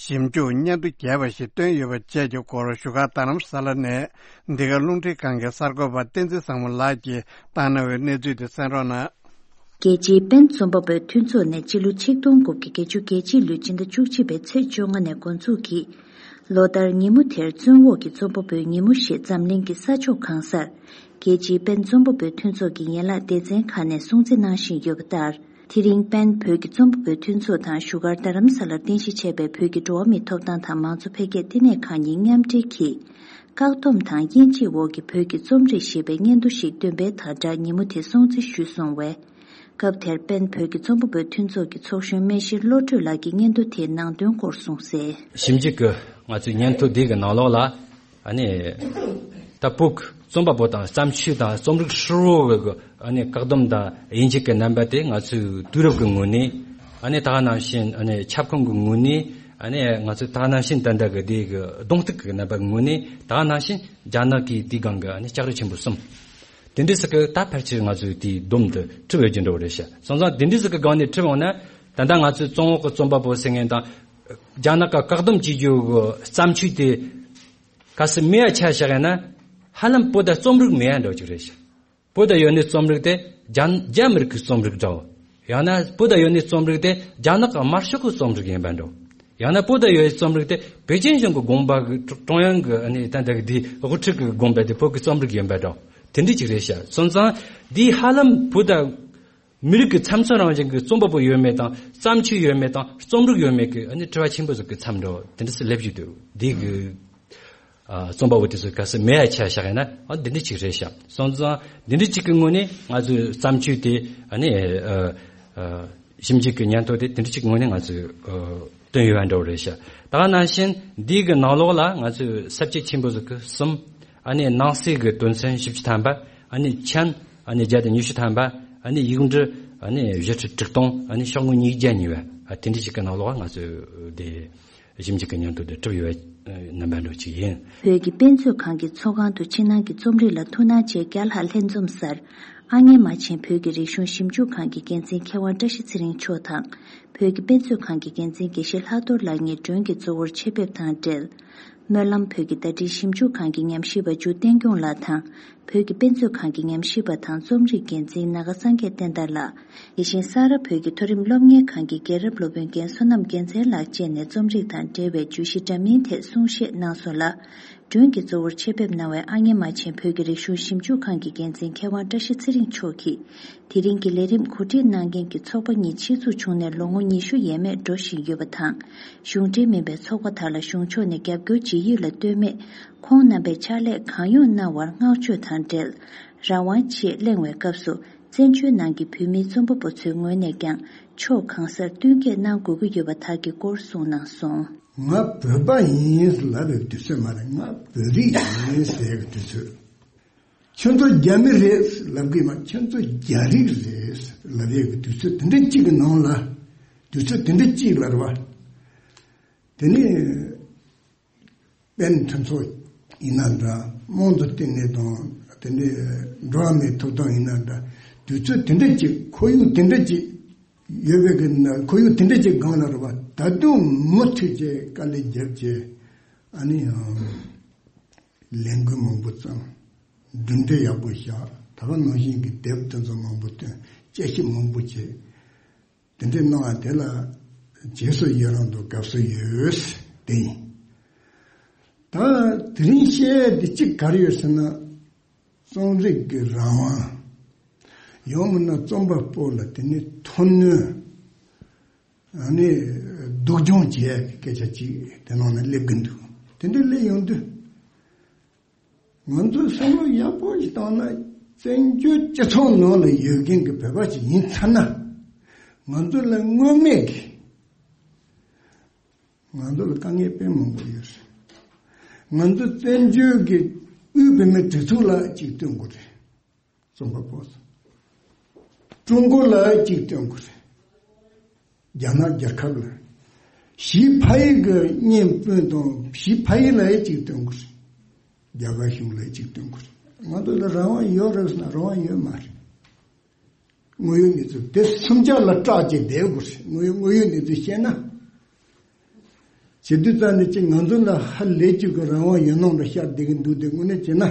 ཞིབ་འཇུག་སྙན་ཐོ་རྒྱས་པ་ཞིག་བཏོན་ཡོད་པ་བཅས་ཀྱི་སྐོར་བཞུགས་སྒར་རྡ་རམ་ས་ལ་ནས་འདི་ག་རླུང་འཕྲིན་ཁང་གི་གསར་འགོད་པ་བསྟན་འཛིན་བཟང་མོ་ལགས་ཀྱིས་བཏང་གནང་བའི་གནས་ཚུལ་དེ་གསན་རོགས་གནང་། རྒྱལ་སྤྱིའི་པེན་རྩོམ་པ་པོའི་མཐུན་ཚོགས་ནས་སྤྱི་ལོ་ཆིག་སྟོང་དགུ་བརྒྱ་བརྒྱད་ཅུ་གྱ་གཅིག་ལོའི་སྤྱི་ཟླ་བཅུ་གཅིག་པའི་ཚེས་བཅོ་ལྔ་ནས་འགོ་འཛུགས་ཀྱིས། ལོ་ལྟར་ཉིན་མོ་དེར་བཙོན་འོག་གི་རྩོམ་པ་པོའི་ཉིན་མོ་ཞེས་འཛམ་གླིང་གི་ས་ཕྱོགས་གང་སར། རྒྱལ་སྤྱིའི་པེན་རྩོམ་པ་པོའི་མཐུན་ཚོགས་ཀྱི་ཡན་ལག་སྡེ་ཚན་ཁག་ནས་སྲུང་བརྩི་གནང་བཞིན་ཡོད་པ་ལྟར། དེ་རིང་པེན་བོད་ཀྱི་རྩོམ་པ་པོའི་མཐུན་ཚོགས་དང་བཞུགས་སྒར་རྡ་རམ་ས་ལར་རྟེན་གཞི་བྱས་པའི་བོད་ཀྱི་འགྲོ་བ་མིའི་ཐོབ་ཐང་དང་མང་གཙོ་འཕེལ་རྒྱས་ལྟེ་གནས་ཁག་གཉིས་མཉམ་འབྲེལ་གྱིས། བཀག་སྡོམ་དང་དབྱེ་འབྱེད་འོག་གི་བོད་ཀྱི་རྩོམ་རིག་ཞེས་པའི་སྙན་ཐོ་ཞིག་འདོན་པའི་དང་སྦྲགས་ཉིན་མོ་དེ་སྲུང་བརྩི་ཞུས་སོང་བས། སྐབས་དེར་པེན་བོད་ཀྱི་རྩོམ་པ་པོའི་མཐུན་ཚོགས་ཀྱི་ཚོགས་གཞོན་སྨན་ཤེས་བློ་གྲོས་ལགས་ཀྱིས་སྙན་ཐོ་དེའི་ནང་དོན་སྐོར་གསུངས་གསལ། ཞིབ་འཇུག་གི་ང་ཚོའི་སྙན་ཐོ་འདི་གི་ནང་ལོགས་ལ། ཨ་ནི། ད་བོད་ཀྱི་རྩོམ་པ་པོ་དང་བརྩམས་ཆོས་དང་རྩོམ་རིག་ཧྲིལ་བོ་གི་ཨ་ནི་བཀག་སྡོམ་དང་དབྱེ་འབྱེད་ཀྱི་རྣམ་པ་དེ་ང་ཚོའི་དུས་རབས་ཀྱི་ངོས་ནས། ཨ་ནི་ད་ག་ནང་བཞིན་ཨ་ནི་ཁྱབ་ཁོངས་ཀྱི་ངོས་ནས། ཨ་ནི་ང་ཚོས་ད་ག་ནང་བཞིན་ད་ལྟ་གི་དེ་གི་གདོང་གཏུག་གི་རྣམ་པ་ངོས་ནས་ད་ག་ནང་བཞིན་རྒྱ་ནག་གི་དེའི་སྒང་གི་ཨ་ནི་ལྕགས་རི་ཆེན་པོ་གསུམ། དེ་འདྲའི་ཟིག་གི་ད་ཕལ་ཆེར་ང་ཚོས་དེའི་སྡོམ་དུ་གྲུབ་ཡོད་ཀྱི་འགྲོ་བ་རེད་ཤག་སོང་ཙང་དེ་འདྲའི་ཟིག་གི་སྒང་ནས་གྲུབ་ཡོང་ན། ད་ལྟ་ང་ཚོས་བཙོན་འོག་གི་རྩོམ་པ་པོ་ཟེར་མཁན་དང་། རྒྱ་ནག་གི་བཀག་སྡོམ་བྱེད་རྒྱུ་གི་བརྩམས་ཆོས་དེ། གལ་སྲིད་མེད་ཡ་ཆ་བཞག་ཡ་ན། ཧ་ལམ་བོད་ད་རྩོམ་རིག་མེད་ཡ་འགྲོ་གི་རེད་ཤག་བོད་ད་ཡོད་ནི་རྩོམ་རིག་དེ་རྒྱ་རྒྱ་མི་རིགས་ཀྱི་རྩོམ་རིག་འདྲ་བོ། ཡང་ན་བོད་ད་ཡོད་ནི་རྩོམ་རིག་དེ་རྒྱ་ནག་གི་དམར་ཤོག་གི་རྩོམ་རིག་ཡིན་པ་འདྲ་བོ། ཡང་ན་བོད་ད་ཡོད་ནི་རྩོམ་རིག་དེ་པེ་ཅིན་གཞུང་གི་དགོངས་པ་གི་ཀྲུང་དབྱང་གི་ཨ་ནི་ད་ལྟ་གི་དེའི་དབུ་ཁྲིད་ཀྱི་དགོངས་པ་དེ་བོད་ཀྱི་རྩོམ་རིག་ཡིན་པ་འདྲ་བོ། དེ་འདྲ་ཅིག་རེད་ཤག་སོང་ཙང་དེའི་ཧ་ལམ་བོད་ད་མི་རིགས་ཀྱི་ཚབ་མཚོན་རང་བཞིན་གྱི་རྩོམ་པ་པོ་ཡོད་མེད་དང་བརྩམས་ཆོས་ཡོད་མེད་དང་རྩོམ་རིག་ཡོད་མེད་ཀྱི་ཨ་ནི་དྲི་བ་ཆེན་པོ་ཟིག་གི་མཚམས་འདྲ་བོ་དེ་འདྲ་ཟིག་སླེབས་ཀྱི་འདུག་འདི་གི། ཨ། རྩོམ་པ་པོ་དེ་ཚོ་གལ་སྲིད་མེད་ཡ་ཆ་བཞག་ཡིན་ན། ཨ། འདི་འདྲ་ཅིག་རེད་ཤག་སོང་ཙང་འདི་འདྲ་ཅིག་གི་ངོས་ནས་ང་ཚོའི་བརྩམས་ཆོས་དེ་ཨ་ནི། ཨ། ཨ། ཞིབ་འཇུག་གི་སྙན་ཐོ་དེ་འདི་འདྲ་ཅིག་ངོས་ནས་ང་ཚོས། ཨ། བཏོན་ཡོད་པ་འདྲ་བོ་རེད་ཤག་ད་ག་ནང་བཞིན་འདི་གི་ནང་ལོགས་ལ་ང་ཚོས་ས་བཅད་ཆེན་པོ་ཟིག་གི་གསུམ། ཨ་ནི་ནང་གསེས་ཀྱི་དོན་ཚན་བཞི་བཅུ་ཐམ་པ། ཨ་ནི་མཆན། ཨ་ནི་བརྒྱ་དང་ཉི་ཤུ་ཐམ་པ། ཨ་ནི་ཡིག་འབྲུ། ཨ་ནི་བཞི་ཁྲི་དྲུག་སྟོང་། ཨ་ནི་ཤོག་ངོས་ཉིས་བརྒྱ་གཉིས་པ། ཨ། དེ་འདྲ་ཅིག་གི་ནང་ལོགས་ལ་ང་ཚོས་དེ། ཞིབ་འཇུག་གི་སྙན་ཐོ་དེ་གྲུབ་ཡོད་པའི་རྣམ་པ་འདྲ་ཅིག་ཡིན། བོད་ཀྱི་དཔེ་མཛོད་ཁང་གི་ཚོགས་ཁང་དུ་ཕྱི་ནང་གི་རྩོམ་རིག་ལ་ཐུགས་སྣང་བྱེད་བརྒྱ་ལྷག་ལྷན་འཛོམས་སར། ཨ་མྱེས་རྨ་ཆེན་བོད་ཀྱི་རིག་གཞུང་ཞིབ་འཇུག་ཁང་གི་འགན་འཛིན་མཁས་དབང་བཀྲ་ཤིས་ཚེ་རིང་མཆོག་དང་། བོད་ཀྱི་དཔེ་མཛོད་ཁང་གི་འགན་འཛིན་དགེ་བཤེས་ལྷག་རྡོར་ལགས་གཉིས་མགྲོན་གྱི་གཙོ་བོར་ཆེད་ཕེབས་དང་འབྲེལ། སྨོན་ལམ་བོད་ཀྱི་བརྡ་འཕྲིན་ཞིབ་འཇུག་ཁང་གི་ཉམས་ཞིབ་པ་འཇུ་བསྟན་སྐྱོང་ལགས་དང་། བོད་ཀྱི་དཔེ་མཛོད་ཁང་གི་ཉམས་ཞིབ་པ་དང་རྩོམ་རིག་འགན་འཛིན་ནཱ་ག་སངས་རྒྱས་བསྟན་དར་ལགས། དེ་བཞིན་ས་རཱ་བོད་ཀྱི་མཐོ་རིམ་སློབ་གཉེར་ཁང་གི་རྒན་རབས་སློབ་དཔོན་རྒན་བསོད་ནམས་རྒྱལ་མཚན་ལགས་བཅས་ནས་རྩོམ་རིག་དང་འབྲེལ་བའི་བརྗོད་གཞི་འདྲ་མིན་ཐད་གསུང་བཤད་གནང་སོང་ལ། མགྲོན་གྱི་གཙོ་བོར་ཆེད་ཕེབས་གནང་བའི་ཨ་མྱེས་རྨ་ཆེན་བོད་ཀྱི་རིག་གཞུང་ཞིབ་འཇུག་ཁང་གི་འགན་འཛིན་མཁས་དབང་བཀྲ་ཤིས་ཚེ་རིང་མཆོག་གིས། དེ་རིང་གི་ལས་རིམ་གོ་སྒྲིག་གནང་མཁན་གྱི་ཚོགས་པ་གཉིས་ཆེད་འཛུགས་བྱུང་ནས་ལོ་ངོ་ཉི་ཤུ་ཡས་མས་འགྲོ་བཞིན་ཡོད་པ་དང་། གཞུང་འབྲེལ་མིན་པའི་ཚོགས་པ་དག་ལ་གཞུང་ཕྱོགས་ནས་རྒྱབ་སྐྱོར་བྱེད་ཡུལ་ལ་ལྟོས་མེད། ཁོང་རྣམ་པས་ཕྱག་ལས་གང་ཡོང་གནང་བར་བསྔགས་བརྗོད་དང་འབྲེལ། རང་དབང་ཆེད་གླེང་བའི་སྐབས་སུ། བཙན་བྱོལ་ནང་གི་བོད་མིའི་རྩོམ་པ་པོ་ཚོའི་ངོས་ནས་ཀྱང་ཕྱོགས་གང་སར་བསྟུན་མཁས་གནང་དགོས་ཀྱི་ཡོད་པ་དག་གི་སྐོར་གསུངས་གནང་སོང་། ང་བོད་པ་ཡིན་ལབ་པའི་དུས་ཚོད་མ་རེད། ང་བོད་རིགས་ཡིན་ཟེར་བའི་དུས་ཚོད། ཁྱོད་ཚོ་རྒྱ་མི་རེད་ལབ་གི་མ། ཁྱོད་ཚོ་རྒྱ་རིགས་རེད་ལབ་ཡས་ཀྱི་དུས་ཚོད་དེ་འདྲ་གཅིག་གི་ནང་ལ། དུས་ཚོད་དེ་འདྲ་གཅིག་ལ་རེད་བ། དེ་ནས་པེན་མཐུན་ཚོགས་ཡིན་ན་འདྲ། དམངས་གཙོ་ལྟེ་གནས་དང་དེ་འདྲའི་འགྲོ་བ་མིའི་ཐོབ་ཐང་ཡིན་ན་འདྲ། དུས་ཚོད་དེ་འདྲ་གཅིག་ཁོར་ཡུག་དེ་འདྲ་གཅིག་ཡོད་པའི་གི་ཁོར་ཡུག་དེ་འདྲ་གཅིག་སྒང་ལ་རེད་བ། ད་དུང་མུ་མཐུད་བྱས་དཀའ་ལས་བརྒྱབ་བྱས། ཨ་ནི་ཡང་ལས་འགུལ་མང་པོ་བརྩམས། གྲུབ་འབྲས་ཡག་པོ་བཞག་ད་ག་ནང་བཞིན་གྱི་དེབ་དེ་ཚོ་མང་པོ་བཏོན། དཔྱད་ཞིབ་མང་པོ་བྱས། དེ་འདྲའི་གནང་བ་དེ་ལ་རྗེས་སུ་ཡི་རང་དང་དགའ་བསུ་ཡོད། དེ་ཡིན། ད་དེ་རིང་བཤད་ཡ་དེ་གཅིག་ག་རེ་ཡོད་ཟེར་ན། རྩོམ་རིག་གི་རང་དབང་། ཡང་མིན་ན་རྩོམ་པ་པོ་ལ་དེ་ནི་མཐུན་སྣོན། ཨ་ནི་སྡུག་སྦྱོང་བྱེད་ཡ་གི་སྐད་ཆ་གཅིག་དེ་ནང་ན་སླེབས་ཀྱི་འདུག་དེ་འདྲ་སླེབས་ཡོང་དུས། ང་ཚོས་བསམ་བློ་ཡག་པོ་ཞིག་བཏང་ན། བཙན་བྱོལ་སྤྱི་ཚོགས་ནང་ལ་ཡོད་མཁན་གྱི་བོད་པ་ཞིག་ཡིན་ཚར་ན། ང་ཚོ་ལ་དངོས་གནས་ཀྱི། ང་ཚོ་ལ་དཀའ་ངལ་དཔེ་མང་པོ་ཡོད་རེད། ང་ཚོ་བཙན་བྱོལ་གྱི་དབུས་བོད་མིའི་སྒྲིག་འཛུགས་ལ་གཅིག་སྟོན་དགོས་རེད། རྩོམ་པ་པོ་ཚོ། ཀྲུང་གོ་ལ་གཅིག་སྟོན་དགོས་རེད། རྒྱ་ནག་རྒྱལ་ཁབ་ལ། ཞི་ཕ་ཡི་གི་གཉེན་སྤུན་དང་ཞི་ཕ་ཡི་ལ་གཅིག་སྟོན་དགོས་རེད། རྒྱ་གར་གཞུང་ལ་གཅིག་སྟོན་དགོས་རེད། ང་ཚོ་ལ་རང་དབང་ཡོད་རེད་ཟེར་ན་རང་དབང་ཡོད་མ་རེད། དངོས་ཡོད་གནས་ཚུལ་དེ་སུམ་ཆ་ལ་སྐྲག་བྱས་བསྡད་དགོས་རེད། དངོས་ཡོད་དངོས་ཡོད་གནས་ཚུལ་བཤད་ན། བྱེད་དུས་ཙམ་ནས་ཅིག་ང་ཚོ་ལ་ཧ་ལས་ཅིག་གི་རང་དབང་ཡོད་ནང་ལ་ཤར་བསྡད་ཀྱི་འདུག་དེ་དངོས་གནས་བྱས་ན།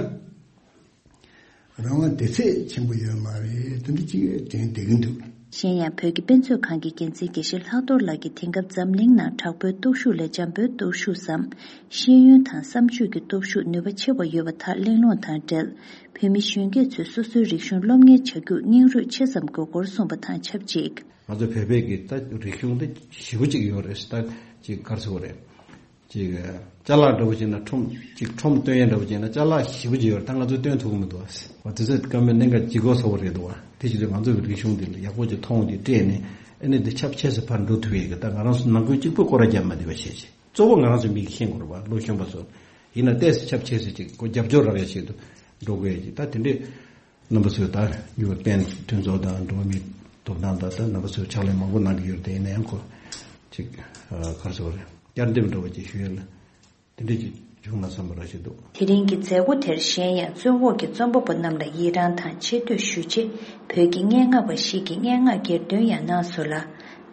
རང་དབང་དེ་ཚད་ཆེན་པོ་ཡོད་མ་རེད། དེ་འདྲ་ཅིག་དྲན་བསྡད་ཀྱི་འདུག་གཞན་ཡང་བོད་ཀྱི་དཔེ་མཛོད་ཁང་གི་འགན་འཛིན་དགེ་བཤེས་ལྷག་རྡོར་ལགས་ཀྱིས་དེང་སྐབས་འཛམ་གླིང་ནང་དྲག་པོའི་སྟོབས་ཤུགས་ལས་འཇམ་པོའི་སྟོབས་ཤུགས་སམ། ཤེས་ཡོན་དང་བསམ་སྤྱོད་ཀྱི་སྟོབས་ཤུགས་ནུས་པ་ཆེ་བ་ཡོད་པ་དག་གླེང་སློང་དང་འབྲེལ། བོད་མི་གཞོན་སྐྱེས་ཚོས་སོ་སོའི་རིག་གཞུང་སློབ་གཉེར་བྱ་རྒྱུར་སྙིང་རུས་ཆེ་ཙམ་དགོས་སྐོར་གསུངས་པ་དང་ཆབས་ཅིག་ང་ཚོ་བོད་པའི་གི་ད་རིག་གཞུང་དེ་ཞེ་པོ་ཅིག་ཡོད་རེད། ད་ཅིག་ག་རེ་ཟེར་དགོས་རེད། ཅིག་ཅ་ལག་འདྲ་བོ་བྱས་ན་ཁྲོམ་ཅིག་ཁྲོམ་སྟོན་ཡས་འདྲ་བོ་བྱས་ན་ཅ་ལག་ཞེ་པོ་ཅིག་ཡོད་རེད། ད་ང་ཚོ་སྟོན་ཐུབ་ཀྱི་མི་འདུག་བ། དེ་ཚོ་སྐར་མའི་གནད་འགག་ལྗིད་ཁོག་ཚ་པོ་རེད་འདུག་བ། དེ་བྱེད་དུས་ང་ཚོ་གི་རིག་གཞུང་འདི་ལ་ཡག་པོ་ཅིག་མཐོང་ཅིག་སྤྲད་ནས་ཨ་ནི་འདི་ཁྱབ་ཆེ་སུ་ཕར་འགྲོ་ཐུབ་ཡས་ཀྱི། ད་ང་རང་ཚོ་ནང་ཁུལ་གཅིག་པུ་སྐོར་ར་རྒྱབ་མ་བསྡད་པ་བྱས་ཅིག་གཙོ་བོ་ང་རང་ཚོ་མི་གིས་ཤེས་དགོས་རེད་བ། ལོ་གཞོན་པ་ཚོ་ཡིན་ན་ཏོག་ཙམ་ཁྱབ་ཆེ་སུ་ཅིག་ཁོ་རྒྱབ་སྐྱོར་རག་ཡ་ཆེད་དུ་འགྲོ་དགོས་ཡ་ཅིག་ད་དེ་འདྲས་རྣམ་པ་ཚོས་ད་ཡུ་ཨེན་མཐུན་ཚོགས་དང་འགྲོ་བ་མིའི་ཐོབ་ཐང་དང་ད་རྣམ་པ་ཚོས་ཕྱག་ལས་མང་པོ་གནང་གི་ཡོད་རེད། དེ་ཡིན་ན་ཡང་ཁོ་ཅིག་ག་རེ་ཟེར་དགོས་རེད། བསྐྱར་འདེམས་འདྲ་བོ་ཅིག་ཞུ་ཡ་ལ་དེ་འདྲས་ཅིག་བྱུང་ན་བསམ་པ་རང་ཞིག་འདུག་དེ་རིང་གི་མཛད་སྒོ་དེར་གཞན་ཡང་བཙོན་འོག་གི་རྩོམ་པ་པོ་རྣམས་ལ་ཡི་རངས་དང་ཆེ་བསྟོད་ཞུ་ཆེད་བོད་ཀྱི་སྙན་ངག་པ་ཞིག་གིས་སྙན་ངག་གྱེར་འདོན་ཡང་གནང་སོང་ལ།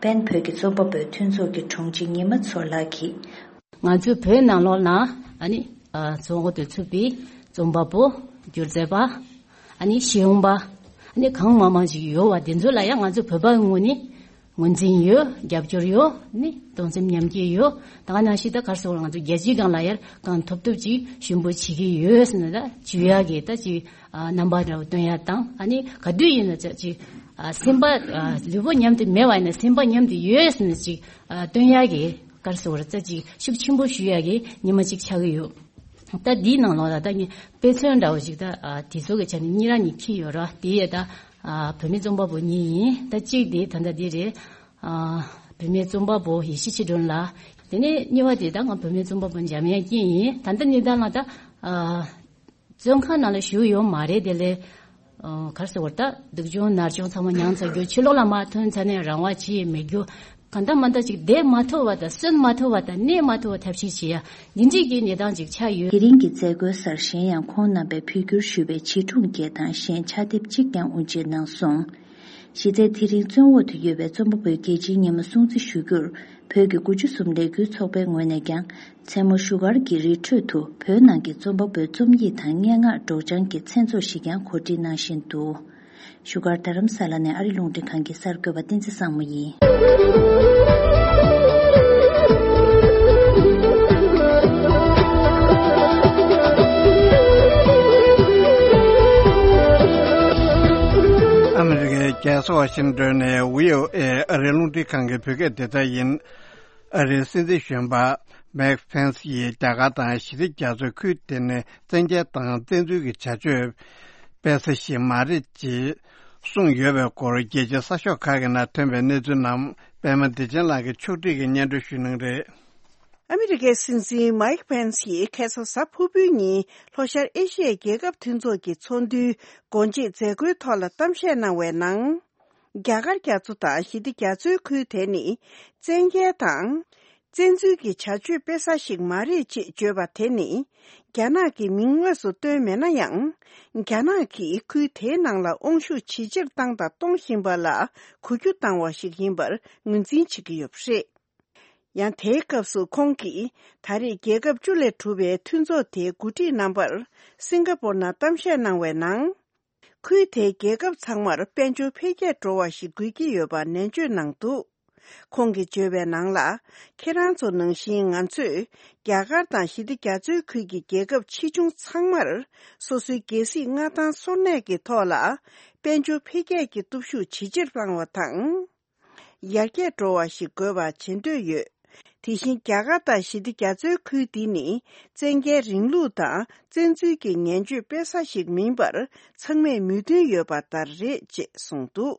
པེན་བོད་ཀྱི་རྩོམ་པ་པོའི་མཐུན་ཚོགས་ཀྱི་དྲུང་ཆེ་ཉི་མ་མཚོ་ལགས་ཀྱིས། ང་ཚོའི་བོད་ནང་ལོགས་ན་ཨ་ནི་ཨ་རྫོང་འོག་ཏུ་ཚུད་པའི་རྩོམ་པ་པོ། སྒྱུ་རྩལ་པ། ཨ་ནི་ཤེས་ཡོན་པ། ཨ་ནི་གང་མང་མང་ཞིག་ཡོད་བ། དེ་ཚོ་ལ་ཡང་ང་ཚོ་བོད་པའི་ངོས་ནས་ངོས་འཛིན་ཡོད། རྒྱབ་སྐྱོར་ཡོད། ཨ་ནི་གདུང་སེམས་མཉམ་སྐྱེད་ཡོད། ད་ག་ནང་བཞིན་ད་ག་རེ་ཟེར་དགོས་རེད། ང་ཚོ་རྒྱལ་སྤྱིའི་སྒང་ལ་ཡར་གང་ཐུབ་ཐུབ་ཅིག་ཞུ་འབོད་བྱེད་ཀྱི་ཡོད་ཟེར་ན། ད་ཞུ་ཡག་གི་ད་ཅིག་ཨ་རྣམ་པ་འདྲ་བོ་སྟོན་ཡ་དང་། ཨ་ནི་ག་དུས་ཡིན་ན་ཅིག་ཨ་སེམས་པ་ཨ་ལུས་པོ་མཉམ་དུ་མེད་པ་ཡིན་ན་སེམས་པ་མཉམ་དུ་ཡོད་ཟེར་ནས་ཅིག་ཨ་སྟོན་ཡག་གི་ག་རེ་ཟེར་དགོས་རེད། རྩ་ཅིག་ཤུགས་ཆེན་པོ་ཞུ་ཡག་གི་ཉི་མ་ཅིག་ཆགས་ཀྱི་ཡོད། ད་འདིའི་ནང་ལོགས་ལ་ད་ངས་དཔེ་མཚོན་འདྲ་བོ་ཞིག་ད་ཨ་དེ་ཚོ་གི་ཆ་ནས་གཉིས་རང་གཉིས་འཁྱེར་ཡོད་ར། དེ་ཡས་ད་ཨ་བུད་མེད་རྩོམ་པ་པོ་གཉིས་ཡིན། ད་གཅིག་དེ་ད་ལྟ་འདི་རེད། ཨ་བུད་མེད་རྩོམ་པ་པོ་ཡེ་ཤེས་ཆོས་སྒྲོན་ལགས། དེ་ནས་གཉིས་པ་དེ་ད་ང་བུད་མེད་རྩོམ་པ་པོ་འཇམ་དབྱངས་སྐྱིད་ཡིན། ད་ལྟ་ནི་ད་ང་ད་ཨ་བཙོན་ཁང་ནང་ལ་བཞུགས་ཡོད་མ་རེད། དེ་ལས་ཨ་ག་རེ་ཟེར་དགོས་རེད། ད་སྡུག་སྦྱོང་ནར་སྦྱོང་ཚང་མ་མྱངས་ཚར་རྒྱུ། ཕྱི་ལོགས་ལ་མར་ཐོན་ཚར་ནས་རང་དབང་ཅི་ཡང་མེད་རྒྱུ། གང་ལྟར་མ་ལྟར་ཅིག་བསྡད་མ་ཐུབ་པ་དང་གསོན་མ་ཐུབ་པ་དང་གནས་མ་ཐུབ་པ་ཐབས་ཤེས་བྱེད་ཡ་འདི་འདྲས་ཀྱི་གནས་སྟངས་ཅིག་ཆགས་ཡོད། དེ་རིང་གི་མཛད་སྒོའི་སར་གཞན་ཡང་ཁོང་རྣམ་པས་འབོད་སྐྱོར་ཞུས་པའི་བྱིས་སྒྲུང་བརྒྱད་དང་གཞན་ཕྱག་དེབ་གཅིག་ཀྱང་དབུ་འབྱེད་གནང་སོང་། གཞི་རྩའི་དེ་རིང་བཙོན་འོག་ཏུ་ཡོད་པའི་རྩོམ་པ་པོའི་རྒྱལ་སྤྱིའི་ཉི་མ་སྲུང་བརྩི་ཞུ་རྒྱུར་བོད་ཀྱི་དགུ་བཅུ་གསུམ་ལས་འགུལ་ཚོགས་པའི་ངོས་ནས་ཀྱང་མཚན་མོ་བཞུགས་སྒར་གྱི་རི་ཁྲོད་དུ་བོད་ནང་གི་རྩོམ་པ་པོའི་རྩོམ་ཡིག་དང་སྙན་ངག་སྒྲོག་སྦྱང་གི་མཚན་ཚོགས་ཤིག་ཀྱང་གོ་སྒྲིག་གནང་བཞིན་འདུག་བཞུགས་སྒར་རྡ་རམ་ས་ལ་ནས་ཨ་རི་རླུང་འཕྲིན་ཁང་གི་གསར་འགོད་པ་བསྟན་འཛིན་བཟང་མོ་ཡིན། ཨ་མི་རི་ཀའི་རྒྱལ་ས་ཝ་ཤིང་ཏོན་ནས་བྷི་ཨོ་ཨེ་ཨ་རིའི་རླུང་འཕྲིན་ཁང་གི་བོད་སྐད་སྡེ་ཚན་ཡིན། ཨ་རིའི་སྲིད་འཛིན་གཞོན་པ་མེག་ཕེན་སི་ཡིས་རྒྱ་གར་དང་ཞི་བདེ་རྒྱ་མཚོའི་ཁུལ་དེ་ནས་བཙན་རྒྱལ་དང་བཙན་འཛུལ་གྱི་བྱ་སྤྱོད་སྤེལ་ས་ཞིག་མ་རེད་ཅེས་གསུངས་ཡོད་པའི་སྐོར་རྒྱལ་སྤྱིའི་གསར་ཤོག་ཁག་གི་ནང་ཐོན་པའི་གནས་ཚུལ་རྣམས་པད་མ་བདེ་ཆེན་ལགས་ཀྱིས་ཕྱོགས་སྒྲིག་གིས་སྙན་སྒྲོན་ཞུ་གནང་རེད། ཨ་མི་རི་ཀའི་སྲིད་འཛིན་མཱིག་པེན་སི་ཡིས་ཁ་སང་གཟའ་ཕུར་བུའི་ཉིན་ལྷོ་ཤར་ཨེ་ཤི་ཡའི་རྒྱལ་ཁབ་མཐུན་ཚོགས་ཀྱི་ཚོགས་འདུའི་སྒོ་འབྱེད་མཛད་སྒོའི་ཐོག་ལ་གཏམ་བཤད་གནང་བའི་ནང་། རྒྱ་གར་རྒྱ་མཚོ་དང་ཞི་བདེ་རྒྱ་མཚོའི་ཁུལ་དེ་ནི་བཙན་རྒྱལ་དང་། བཙན་འཛུལ་གྱི་བྱ་སྤྱོད་སྤེལ་ས་ཞིག་མ་རེད་ཅེས་བརྗོད་པ་དེ་ནི། རྒྱ་ནག་གི་མིང་དངོས་སུ་བཏོན་མེད་ན་ཡང་། རྒྱ་ནག་གིས་ཁུལ་དེའི་ནང་ལ་དབང་ཤུགས་ཇེ་ཆེར་བཏང་དང་གཏོང་བཞིན་པ་ལ་གུས་བཀུར་བཏང་བ་ཞིག་ཡིན་པར་ངོས་འཛིན་བྱེད་ཀྱི་ཡོད་པ་རེད། ཡང་དེའི་སྐབས་སུ་ཁོང་གིས་ད་རེས་རྒྱལ་ཁབ་བཅུ་ལས་གྲུབ་པའི་མཐུན་ཚོགས་དེའི་འགོ་ཁྲིད་རྣམ་པར་སིང་ག་པོར་ནང་གཏམ་བཤད་གནང་བའི་ནང་། ཁུལ་དེའི་རྒྱལ་ཁབ་ཚང་མར་དཔལ་འབྱོར་འཕེལ་རྒྱས་འགྲོ་བ་ཞིག་དགོས་ཀྱི་ཡོད་པ་ནན་བརྗོད་གནང་འདུག་ཁོང་གིས་བརྗོད་པའི་ནང་ལ། ཁྱེད་རང་ཚོ་ནང་བཞིན་ང་ཚོས་རྒྱ་གར་དང་ཞི་བདེ་རྒྱ་མཚོའི་ཁུལ་གྱི་རྒྱལ་ཁབ་ཆེ་ཆུང་ཚང་མར་སོ་སོའི་རྒྱལ་སྲིད་མངའ་ཐང་སོར་གནས་ཀྱི་ཐོག་ལ་དཔལ་འབྱོར་འཕེལ་རྒྱས་ཀྱི་སྟོབས་ཤུགས་ཇེ་ཆེར་བཏང་བ་དང་། ཡར་རྒྱས་འགྲོ་བ་ཞིག་དགོས་པ་བྱེད་འདོད་ཡོད། དེ་བཞིན་རྒྱ་གར་དང་ཞི་བདེ་རྒྱ་མཚོའི་ཁུལ་འདི་ནི་བཙན་རྒྱལ་རིང་ལུགས་དང་བཙན་འཛུལ་གྱི་ངན་སྤྱོད་སྤེལ་ས་ཞིག་མིན་པར་ཚང་མས་མོས་མཐུན་ཡོད་པ་ལྟར་རེད་ཅེས་གསུངས་འདུག་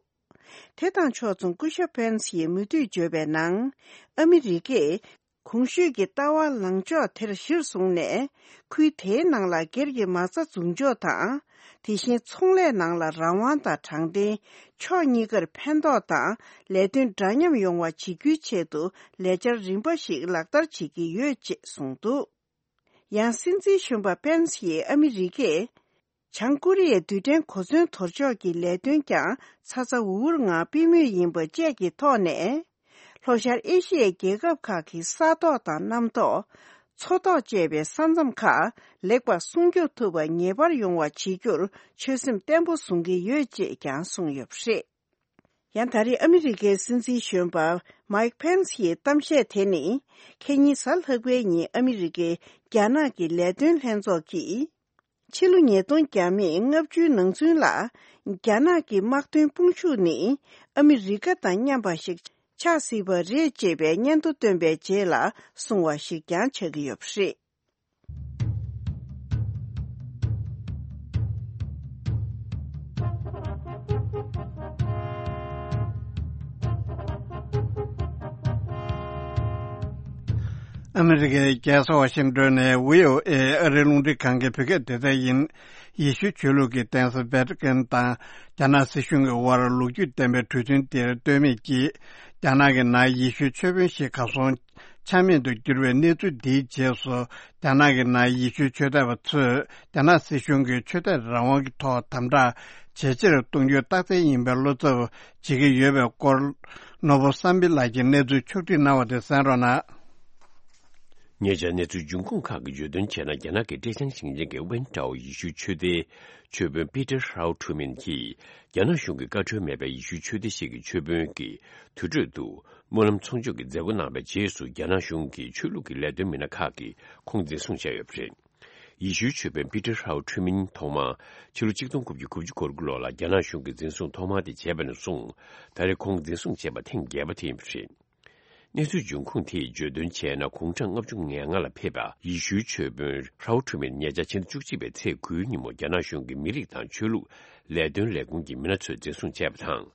དེ་དང་ཕྱོགས་མཚུངས་སྐུ་ཞབས་ཕེན་སི་ཡིས་མུ་མཐུད་བརྗོད་པའི་ནང་། ཨ་མི་རི་ཀས་གོང་ཞུས་ཀྱི་ལྟ་བ་ལངས་ཕྱོགས་དེར་གཞིར་བཟུང་ནས། ཁུལ་དེའི་ནང་ལ་སྒེར་གྱི་མ་རྩ་འཛུགས་འཇོག་དང་། དེ་བཞིན་ཚོང་ལས་ནང་ལ་རང་དབང་དང་དྲང་བདེན། ཕྱོགས་གཉིས་ཀར་ཕན་ཐོགས་དང་ལས་དོན་འདྲ་མཉམ་ཡོང་བ་བྱེད་རྒྱུའི་ཆེད་དུ་ལས་འཆར་རིམ་པ་ཞིག་ལག་བསྟར་བྱེད་ཀྱི་ཡོད་ཅེས་གསུངས་འདུག་ཡང་སྲིད་འཛིན་གཞོན་པ་ཕེན་སི་ཡིས་ཨ་མི་རི་ཀས། བྱང་ཀོ་རི་ཡའི་རྡུལ་ཕྲན་གོ་མཚོན་དོར་ཕྱོགས་ཀྱི་ལས་དོན་ཀྱང་ཚ་ཚ་འུར་འུར་ངང་སྤེལ་མུས་ཡིན་པ་བཅས་ཀྱི་ཐོག་ནས། ལྷོ་ཤར་ཨེ་ཤི་ཡའི་རྒྱལ་ཁབ་ཁག་གི་ས་ཐོག་དང་གནམ་ཐོག་མཚོ་ཐོག་བཅས་པའི་ས་མཚམས་ཁག་ལེགས་པར་སྲུང་སྐྱོབ་ཐུབ་པ་ངེས་པར་ཡོང་བ་བྱེད་རྒྱུར་ཆོད་སེམས་བརྟན་པོ་བཟུང་གི་ཡོད་ཅེས་ཀྱང་གསུངས་ཡོད་པ་རེད། ཡང་ད་རེས་ཨ་མི་རི་ཀའི་སྲིད་འཛིན་གཞོན་པ་མའིག་ཕེན་སི་ཡི་གཏམ་བཤད་དེ་ནི། ཁེ་ཉིན་གཟའ་ལྷག་པའི་ཉིན་ཨ་མི་རི་ཀའི་རྒྱ་ནག་གི་ལས་དོན་ལྷན་ཚོགས་ཀྱིས། ཕྱི་ལོ་ཉིས་སྟོང་བརྒྱ་མེད་ལྔ་བཅུའི་ནང་ཚུན་ལ། རྒྱ་ནག་གི་དམག་དོན་དཔུང་ཤུགས་ནི་ཨ་མི་རི་ཀ་དང་མཉམ་པ་ཞིག་ཆགས་སྲིད་པ་རེད་ཅེས་པའི་སྙན་ཐོ་བཏོན་པའི་རྗེས་ལ་གསུངས་པ་ཞིག་ཀྱང་ཆགས་ཀྱི་ཡོད་པ་རེད། ཨ་མི་རི་ཀའི་རྒྱལ་ས་ཝ་ཤིང་ཏོན་ནས་ཝི་ཨོ་ཨེ་ཨ་རིའི་རླུང་འཕྲིན་ཁང་གི་བོད་སྐད་སྡེ་ཚན་ཡིན། ཡེ་ཤུའི་ཆོས་ལུགས་ཀྱི་གདན་ས་ཝེ་ཏི་ཀན་དང་རྒྱ་ནག་སྲིད་གཞུང་གི་དབར་ལོ་རྒྱུས་ལྡན་པའི་གྲོས་མཐུན་དེར་ལྟོས་མེད་ཀྱིས། རྒྱ་ནག་གི་ནང་ཡེ་ཤུའི་ཆོས་དཔོན་ཞིག་གར་སོང་ཆ་མེད་དུ་གྱུར་བའི་གནས་ཚུལ་འདིའི་རྗེས་སུ། རྒྱ་ནག་གི་ནང་ཡེ་ཤུའི་ཆོས་དད་པ་ཚོས་རྒྱ་ནག་སྲིད་གཞུང་གིས་ཆོས་དད་རང་དབང་གི་ཐོག་དམ་དྲག་ཇེ་ཆེར་གཏོང་རྒྱུའི་རྟགས་མཚན་ཡིན་པའི་བློ་འཚབ་བྱེད་ཀྱི་ཡོད་པའི་སྐོར། ནོར་བུ་བསམ་འཕེལ་ལགས་ཀྱིས་གནས་ཚུལ་ཕྱོགས་བསྒྲིགས་གནང་བ་དེ་གསན་རོགས་གནང་། ཉེ་ཆར་གནས་ཚུལ་འབྱུང་ཁུངས་ཁག་གིས་བརྗོད་དོན་བྱས་ན། རྒྱ་ནག་གི་ཀྲེ་ཅང་ཞིང་ཆེན་གྱི་ཝན་ཀྲའོ་ཡེ་ཤུའི་ཆོས་སྡེའི་ཆོས་དཔོན་པི་ཏར་ཧྲའོ་ཁྲུ་མིན་གྱིས། རྒྱ་ནག་གཞུང་གི་བཀའ་འཁྲོལ་མེད་པའི་ཡེ་ཤུའི་ཆོས་སྡེ་ཞིག་གི་ཆོས་དཔོན་གྱི་དུར་ཁྲོད་དུ་སྨོན་ལམ་ཚོགས་ཆུང་གི་མཛད་སྒོ་གནང་བའི་རྗེས་སུ། རྒྱ་ནག་གཞུང་གི་ཆོས་ལུགས་ཀྱི་ལས་དོན་མི་སྣ་ཁག་གིས་ཁོང་འཛིན་བཟུང་བྱས་ཡོད་པ་རེད། ཡེ་ཤུའི་ཆོས་དཔོན་པི་ཏར་ཧྲའོ་ཁྲུ་མིན་ཐོག་མར་ཕྱི་ལོ་ཆིག་སྟོང་དགུ་བརྒྱ་དགུ་བཅུ་གོ་དགུ་ལོ་ལ་རྒྱ་ནག་གཞུང་གིས་འཛིན་བཟུང་ཐོག་མ་དེ་བྱས་པ་ནས་བཟུང་། ད་རེས་ཁོང་འཛིན་བཟུང་བྱས་པ་ཐེངས་བརྒྱད་པ་དེ་ཡིན་པ་རེད། གནས་ཚུལ་འབྱུང་ཁུངས་དེས་བརྗོད་དོན་བྱས་ན། དགུང་གྲངས་ལྔ་བཅུ་ང་ལྔ་ལ་ཕེབས་པ་ཡེ་ཤུའི་ཆོས་དཔོན་ཧྲའོ་ཁྲུ་མིན་ཉེ་ཆར་ཕྱི་ཟླ་བཅུ་གཅིག་པའི་ཚེས་དགུའི་ཉིན་མོ་རྒྱ་ནག་གཞུང་གི་མི་རིགས་དང་ཆོས་ལུགས་ལས་དོན་ལས་ཁུངས་ཀྱི་མི་སྣ་ཚོས་འཛིན་བཟུང་བྱས་པ་དང་།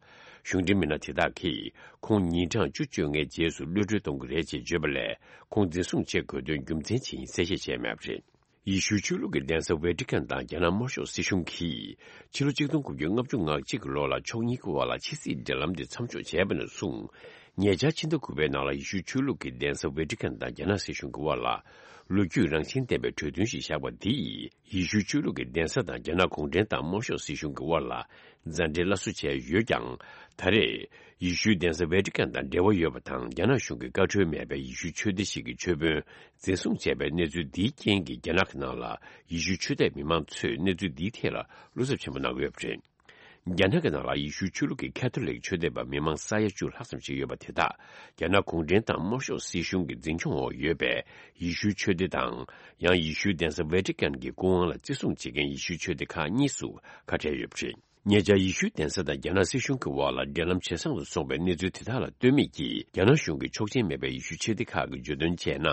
གཞུང་འབྲེལ་མི་སྣ་དེ་དག་གིས་ཁོང་ཉིན་གྲངས་བཅུ་བཅོ་ལྔའི་རྗེས་སུ་གློད་གྲོལ་གཏོང་གི་རེད་ཅེས་བརྗོད་པ་ལས། ཁོང་འཛིན་བཟུང་བྱེད་དགོས་དོན་རྒྱུ་མཚན་ཇི་ཡིན་གསལ་བཤད་བྱས་མེད་པ་རེད། ཡེ་ཤུའི་ཆོས་ལུགས་ཀྱི་གདན་ས་ཝེ་ཏི་ཀན་དང་རྒྱ་ནག་དམར་ཤོག་སྲིད་གཞུང་གིས། ཕྱི་ལོ་ཆིག་སྟོང་དགུ་བརྒྱ་ལྔ་བཅུ་ང་གཅིག་གི་ལོ་ལ་ཕྱོགས་གཉིས་ཀྱི་དབར་ལ་ཕྱི་སྲིད་འབྲེལ་ལམ་དེ་མཚམས་འཇོག་བྱས་པ་ནས་བཟུང་། ཉེ་ཆར་ཕྱི་ཟླ་དགུ་པའི་ནང་ལ་ཡེ་ཤུའི་ཆོས་ལུགས་ཀྱི་གདན་ས་ཝེ་ཏི་ཀན་དང་རྒྱ་ནག་སྲིད་གཞུང་གི་དབར་ལ། ལོ་རྒྱུས་རང་བཞིན་ལྡན་པའི་གྲོས་མཐུན་ཞིག་བཞག་པ་འདིས། ཡེ་ཤུའི་ཆོས་ལུགས་ཀྱི་གདན་ས་དང་རྒྱ་ནག་གུང་ཁྲན་ཏང་དམར་ཤོག་སྲིད་གཞུང་གི་དབར་ལ། མཛའ་འབྲེལ་སླར་གསོ་བྱས་ཡོད་ཀྱང་། ད་རེས། ཡེ་ཤུའི་གདན་ས་ཝེ་ཏི་ཀན་དང་འབྲེལ་བ་ཡོད་པ་དང་། རྒྱ་ནག་གཞུང་གི་བཀའ་འཁྲོལ་མེད་པའི་ཡེ་ཤུའི་ཆོས་སྡེ་ཞིག་གི་ཆོས་དཔོན་འཛིན་བཟུང་བྱས་པའི་གནས་ཚུལ་འདིའི་རྐྱེན་གྱིས། རྒྱ་ནག་གི་ནང་ལ་ཡེ་ཤུའི་ཆོས་དད་མི་མང་ཚོས་གནས་ཚུལ་འདིའི་ཐད་ལ་བློ་འཚབ་ཆེན་པོ་གནང་གི་ཡོད་པ་རེད། རྒྱ་ནག་གི་ནང་ལ་ཡེ་ཤུའི་ཆོས་ལུགས་ཀྱི་ཁ་ཐོ་ལིག་ཆོས་དད་པ་མི་མང་ས་ཡ་བཅུ་ལྷག་ཙམ་ཞིག་ཡོད་པ་དེ་དག་རྒྱ་ནག་གུང་ཁྲན་ཏང་དམར་ཤོག་སྲིད་གཞུང་གི་འཛིན་སྐྱོང་འོག་ཡོད་པའི་ཡེ་ཤུའི་ཆོས་སྡེ་དང་། ཡང་ཡེ་ཤུའི་གདན་ས་ཝེ་ཏི་ཀན་གྱི་སྐུ་དབང་ལ་བརྩི་སྲུང་བྱེད་མཁན་ཡེ་ཤུའི་ཆོས་སྡེ་ཁག་གཉིས་སུ་ཁ་བྲལ་ཡོད་པ་རེད། ཉེ་ཆར་ཡེ་ཤུའི་གདན་ས་དང་རྒྱ་ནག་སྲིད་གཞུང་གི་དབར་ལ་འབྲེལ་ལམ་ཇེ་བཟང་དུ་སོང་བའི་གནས་ཚུལ་དེ་དག་ལ་ལྟོས་མེད་ཀྱིས། རྒྱ་ནག་གཞུང་གིས་ཆོག་མཆན་མེད་པའི་ཡེ་ཤུའི་ཆོས་སྡེ་ཁག་གི་བརྗོད་དོན་བྱས་ན།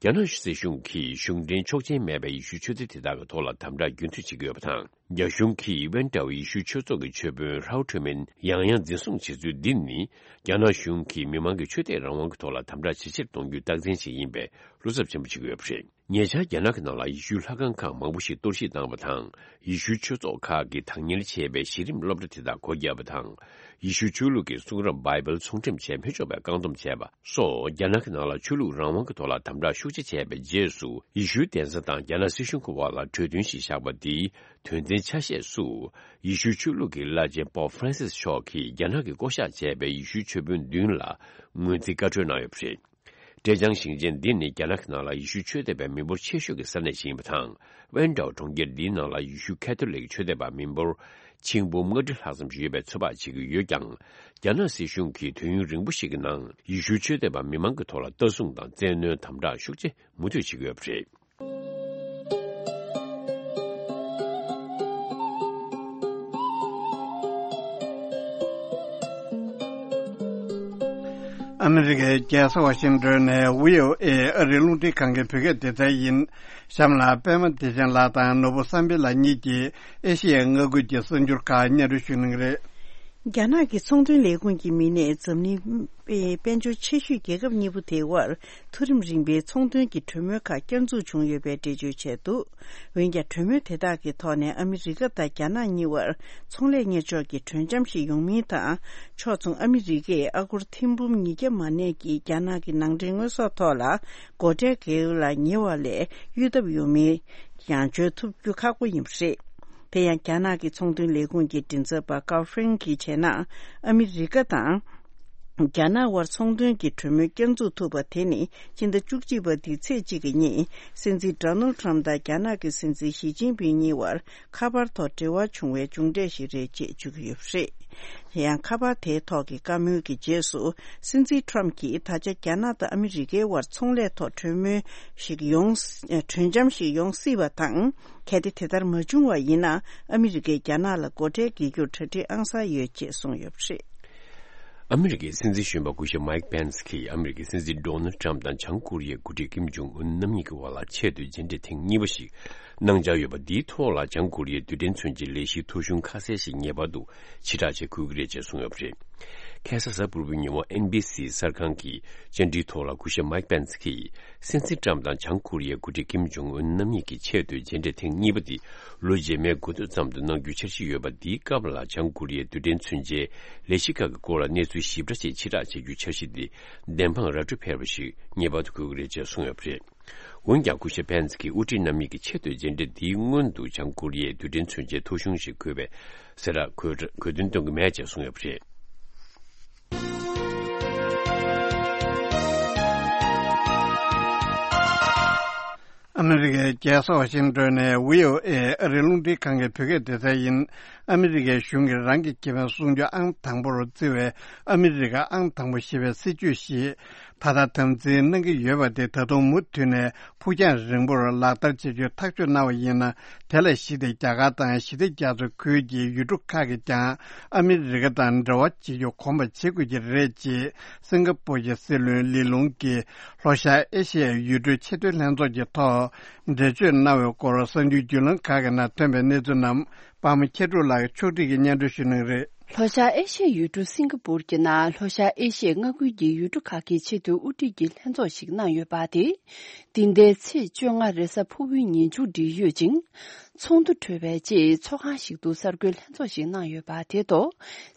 རྒྱ་ནག་སྲིད་གཞུང་གིས་གཞུང་འབྲེལ་ཆོག་མཆན་མེད་པའི་ཡེ་ཤུའི་ཆོས་སྡེ་དེ་དག་གི་ཐོག་ལ་དམ་དྲག་རྒྱུན་མཐུད་བྱེད་ཀྱི་ཡོད་པ་དང་། རྒྱ་གཞུང་གིས་ཝན་ཀྲའོ་ཡེ་ཤུའི་ཆོས་ཚོགས་ཀྱི་ཆོས་དཔོན་ཧྲའོ་ཁྲུ་མིན་ཡང་ཡང་འཛིན་བཟུང་བྱེད་ཚུལ་འདི་ནི། རྒྱ་ནག་གཞུང་གིས་མི་མང་གི་ཆོས་དད་རང་དབང་གི་ཐོག་ལ་དམ་དྲག་ཇེ་ཆེར་གཏོང་རྒྱུའི་རྟགས་མཚན་ཞིག་ཡིན་པས་བློ་འཚབ་ཆེན་པོ་བྱེད་ཀྱི་ཡོད་པ་རེད། ཉེ་ཆར་རྒྱ་ནག་གི་ནང་ལ་ཡེ་ཤུའི་ལྷ་ཁང་ཁག་མང་པོ་ཞིག་གཏོར་བཤིག་བཏང་བ་དང་། ཡེ་ཤུའི་ཆོས་ཚོགས་ཁག་གིས་བདག་གཉེར་བྱས་པའི་གཞི་རིམ་སློབ་གྲྭ་དེ་དག་སྒོ་བརྒྱབ་པ་དང་། ཡེ་ཤུའི་ཆོས་ལུགས་ཀྱི་གསུང་རབ་བྷའི་བལ་ཚོང་འགྲེམས་བྱས་མི་ཆོག་པའི་བཀག་སྡོམ་བྱས་པ་སོགས། རྒྱ་ནག་གི་ནང་ལ་ཆོས་ལུགས་རང་དབང་གི་ཐོག་ལ་དམ་དྲག་ཤུགས་ཆེ་བྱས་པའི་རྗེས་སུ། ཡེ་ཤུའི་གདན་ས་དང་རྒྱ་ནག་སྲིད་གཞུང་གི་དབར་ལ་གྲོས་མཐུན་ཞིག་བཞག་པ་འདིའི་དོན་ཚན་ཆ་ཤས་སུ། ཡེ་ཤུའི་ཆོས་ལུགས་ཀྱི་བླ་ཆེན་པོབ་ཧྥ་རན་སིས་མཆོག་གིས་རྒྱ་ནག་གིས་བསྐོ་གཞག་བྱས་པའི་ཡེ་ཤུའི་ཆོས་དཔོན་བདུན་ལ་ངོས་འཛིན་བཀའ་འཁྲོལ་གནང་ཡོད་པ་རེད། ཀྲེ་ཅང་ཞིང་ཆེན་འདི་ནི་རྒྱ་ནག་གི་ནང་ལ་ཡེ་ཤུ་ཆོས་དད་པའི་མི་འབོར་ཆེ་ཤོས་ཀྱི་ས་གནས་ཤིག་ཡིན་པ་དང་། ཝན་ཀྲའོ་གྲོང་ཁྱེར་འདིའི་ནང་ལ་ཡེ་ཤུ་ཁ་ཐོ་ལིག་ཆོས་དད་པ་མི་འབོར་ཆིག་འབུམ་ལྔ་ཁྲི་ལྷག་ཙམ་ཞིག་ཡོད་པའི་ཚོད་དཔག་བྱེད་ཀྱི་ཡོད་ཀྱང་། རྒྱ་ནག་སྲིད་གཞུང་གིས་དུས་ཡུན་རིང་པོ་ཞིག་གི་ནང་ཡེ་ཤུ་ཆོས་དད་པ་མི་མང་གི་ཐོག་ལ་ལྟ་སྲུང་དང་བཙན་གནོན་དམ་དྲག་ཤུགས་ཆེ་མུ་མཐུད་བྱེད་ཀྱི་ཡོད་པ་རེད། ཨ་མི་རི་ཀའི་རྒྱལ་ས་ཝ་ཤིང་ཏོན་ནས་བྷི་ཨོ་ཨེ་ཨ་རིའི་རླུང་འཕྲིན་ཁང་གི་བོད་སྐད་སྡེ་ཚན་ཡིན། གཤམ་ལ་པད་མ་བདེ་ཆེན་ལགས་དང་ནོར་བུ་བསམ་འཕེལ་ལགས་གཉིས་ཀྱིས་ཨེ་ཤི་ཡའི་མངའ་ཁུལ་གྱི་གསར་འགྱུར་ཁག་སྙན་སྒྲོན་ཞུ་གནང་གི་རེད། རྒྱ་ནག་གི་ཚོང་དོན་ལས་ཁུངས་ཀྱི་མི་སྣས་འཛམ་གླིང་དཔལ་འབྱོར་ཆེ་ཤོས་རྒྱལ་ཁབ་གཉིས་པོ་དེའི་དབར་མཐོ་རིམ་རིམ་པའི་ཚོང་དོན་གྱི་གྲོས་མོལ་ཁག་བསྐྱར་འཛུགས་བྱུང་ཡོད་པའི་འགྲེལ་བརྗོད་བྱས་འདུག། འོན་ཀྱང་། གྲོས་མོལ་དེ་དག་གི་ཐོག་ནས་ཨ་མི་རི་ཀ་དང་རྒྱ་ནག་གཉིས་བར་ཚོང་ལས་གཉེར་ཕྱོགས་ཀྱི་གྲོས་འཆམ་ཞིག་ཡོང་མིན་དང་། ཕྱོགས་མཚུངས་ཨ་མི་རི་ཀས་ཨ་སྒོར་ཐེར་འབུམ་ཉིས་བརྒྱ་མ་གནས་ཀྱི་རྒྱ་ནག་གི་ནང་འདྲེན་དངོས་ཟོག་ཐོག་ལ་སྒོ་ཁྲལ་བརྒལ་ལ་ཉེ་བ་ལས་གཡོལ་ཐབས་ཡོད་མེད་ཡང་བརྗོད་ཐུབ་རྒྱུ་ཁག་པོ་ཡིན་པ་རེད། དེ་ཡང་རྒྱ་ནག་གི་ཚོང་དོན་ལས་ཁུངས་ཀྱི་མགྲིན་ཚབ་པ་ཀའོ་ཧྥེང་གིས་བྱས་ན། ཨ་མི་རི་ཀ་དང་། རྒྱ་ནག་དབར་ཚོང་དོན་གྱི་གྲོས་མོལ་བསྐྱར་འཛུགས་ཐུབ་པ་དེ་ནི་སྤྱི་ཟླ་བཅུ་གཅིག་པ་འདིའི་ཚེས་གཅིག་གི་ཉིན་སྲིད་འཛིན་ཌོ་ནལ་ཊམ་དང་རྒྱ་ནག་གི་སྲིད་འཛིན་ཞི་ཅིན་ཕིང་གཉིས་བར་ཁ་པར་ཐོག་འབྲེལ་བ་བྱུང་བའི་མཇུག་འབྲས་ཤིག་རེད་ཅེས་བརྗོད་ཀྱི་ཡོད་པ་རེད། དེ་ཡང་ཁ་པར་དེའི་ཐོག་གི་བཀའ་མོལ་གྱི་རྗེས་སུ་སྲིད་འཛིན་ཊམ་གྱིས་ད་ཆ་རྒྱ་ནག་དང་ཨ་མི་རི་ཀའི་དབར་ཚོང་ལས་ཐོག་གྲོས་མོལ་ཞིག་ཡོང་། གྲོས་འཆམ་ཞིག་ཡོང་སྲིད་པ་དང་། གལ་ཏེ་དེ་ལྟར་མ་བྱུང་བ་ཡིན་ན། ཨ་མི་རི་ཀས་རྒྱ་ནག་ལ་སྒོ་ཁྲལ་འགེལ་རྒྱུར་གྲ་སྒྲིག་ཨང་གསར་ཡོད་ཅེས་གསུངས་ཡོད་པ་རེད། ཨ་མི་རི་ཀའི་སྲིད་འཛིན་གཞོན་པ་སྐུ་ཞབས་མའིག་པེན་སི་གིས་ཨ་མི་རི་ཀའི་སྲིད་འཛིན་ཌོ་ནལ་ཊམ་དང་བྱང་ཀོ་རི་ཡའི་འགོ་ཁྲིད་ཀིམ་ཇོང་ཨུན་རྣམ་གཉིས་ཀྱི་དབར་ལ་ཆེས་མཐོའི་མཇལ་འཕྲད་ཐེངས་གཉིས་པ་ཞིག་གནང་འཆར་ཡོད་པ་འདིའི་ཐོག་ལ། བྱང་ཀོ་རི་ཡའི་རྡུལ་ཕྲན་མཚོན་ཆའི་ལས་གཞིའི་ཐོ་གཞུང་ཁ་གསལ་ཞིག་ངེས་པར་དུ་ཕྱིར་བསྒྲགས་བྱེད་དགོས་ཀྱི་རེད་ཅེས་གསུངས་ཡོད་པ་རེད། ཁ་སང་གཟའ་ཕུར་བུའི་ཉིན་མོ་ཨེན་བྷི་སི་གསར་ཁང་གི་བཅར་འདྲིའི་ཐོག་ལ་སྐུ་ཞབས་མའིག་པེན་སི་གིས། སྲིད་འཛིན་ཊམ་དང་བྱང་ཀོ་རི་ཡའི་འགོ་ཁྲིད་ཀིམ་ཇོང་ཨུན་རྣམ་གཉིས་ཀྱི་ཆེས་མཐོའི་མཇལ་འཕྲད་ཐེངས་གཉིས་པ་འདི་ལོ་རྗེས་མའི་འགོ་སྟོད་ཙམ་དུ་གནང་རྒྱུའི་འཆར་གཞི་ཡོད་པ། འདིའི་སྐབས་ལ་བྱང་ཀོ་རི་ཡའི་རྡུལ་ཕྲན་མཚོན་ཆའི་ལས་གཞི་ཁག་གི་སྐོར་ལ་གནས་ཚུལ་ཞིབ་ཕྲ་ཞིག་ཕྱིར་བསྒྲགས་བྱ་རྒྱུའི་འཆར་གཞི་འདི་བདེན་དཔང་ར་སྤྲོད་ཕེབས་པ་ཞིག་ངེས་པར་དུ་དགོས་ཀྱི་རེད་ཅེས་གསུངས་ཡོད་པ་རེད། འོན་ཀྱང་སྐུ་ཞབས་པེན་སི་གིས་དབུ་ཁྲིད་རྣམ་གཉིས་ཀྱི་ཆེས་མཐོའི་མཇལ་འཕྲད་འདིའི་སྔོན་དུ་བྱང་ཀོ་རི་ཡའི་རྡུལ་ཕྲན་མཚོན་ཆའི་ཐོ་གཞུང་ཞིག་དགོས་པའི་གསལ་བསྒྲགས་གོ་གོ་དོན་སྟོན་གྱི་མེད་ཅེས་གསུངས་ཡོད་པ་རེད། ཨ་མི་རི་ཀའི་རྒྱལ་ས་ཝ་ཤིང་ཏོན་ནས་བྷི་ཨོ་ཨེ་ཨ་རིའི་རླུང་འཕྲིན་ཁང་གི་བོད་སྐད་སྡེ་ཚན་ཡིན། ཨ་མི་རི་ཀའི་གཞུང་གིས་རང་གི་ཁེ་ཕན་སྲུང་རྒྱུ་ཨང་དང་པོར་བརྩི་བའི་ཨ་མི་རི་ཀ་ཨང་དང་པོ་ཞེས་པའི་སྲིད་ཇུས་ཤིག་ད་ལྟ་དམ་འཛིན་གནང་གི་ཡོད་པ་དེ་ད་དུང་མུ་མཐུད་ནས་ཕུགས་རྒྱང་རིང་པོར་ལག་བསྟར་བྱེད་རྒྱུའི་ཐག་གཅོད་གནང་བ་ཡིན་ན། དེ་ལ་གཞིགས་ཏེ་རྒྱ་གར་དང་ཞི་བདེ་རྒྱ་མཚོའི་ཁུལ་གྱི་ཡུལ་གྲུ་ཁག་གིས་ཀྱང་ཨ་མི་རི་ཀ་དང་འབྲེལ་བ་བྱེད་རྒྱུ་གོམ་པ་འབྱེད་དགོས་ཀྱི་རེད་ཅེས་སིང་ག་པུར་གྱི་སྲིད་བློན་ལི་ལུང་གིས་ལྷོ་ཤར་ཨེ་ཤི་ཡའི་ཡུལ་གྲུའི་ཆེས་མཐོའི་ལྷན་ཚོགས་ཀྱི་ཐོག་འགྲེལ་བརྗོད་གནང་བའི་སྐོར་གསར་འགྱུར་བརྒྱུད་ལམ་ཁག་གི་ནང་ཐོན་པའི་གནས་ཚུལ་རྣམས་པདྨ་མཁྱེན་གྲུབ་ལགས་ཕྱོགས་སྒྲིག་གིས་སྙན་སྒྲོན་ཞུ་གནང་གི་རེད། ལྷོ་ཤར་ཨེ་ཤི་ཡའི་ཡུལ་གྲུ་སིང་ག་པུར་གྱི་ནང་ལྷོ་ཤར་ཨེ་ཤི་ཡའི་མངའ་ཁུལ་གྱི་ཡུལ་གྲུ་ཁག་གི་ཆེས་མཐོའི་དབུ་ཁྲིད་ཀྱི་ལྷན་ཚོགས་ཤིག་གནང་ཡོད་པ་དེ། འདི་ཟླའི་ཚེས་བཅོ་ལྔ་རེས་གཟའ་ཕུར་བུའི་ཉིན་མཇུག་སྒྲིལ་ཡོད་ཅིང་། ཚོགས་འདུ་གྲོལ་བའི་རྗེས་ཚོགས་ཁང་ཞིག་ཏུ་གསར་འགོད་ལྷན་ཚོགས་ཤིག་གནང་ཡོད་པ་དེ་ཐོག་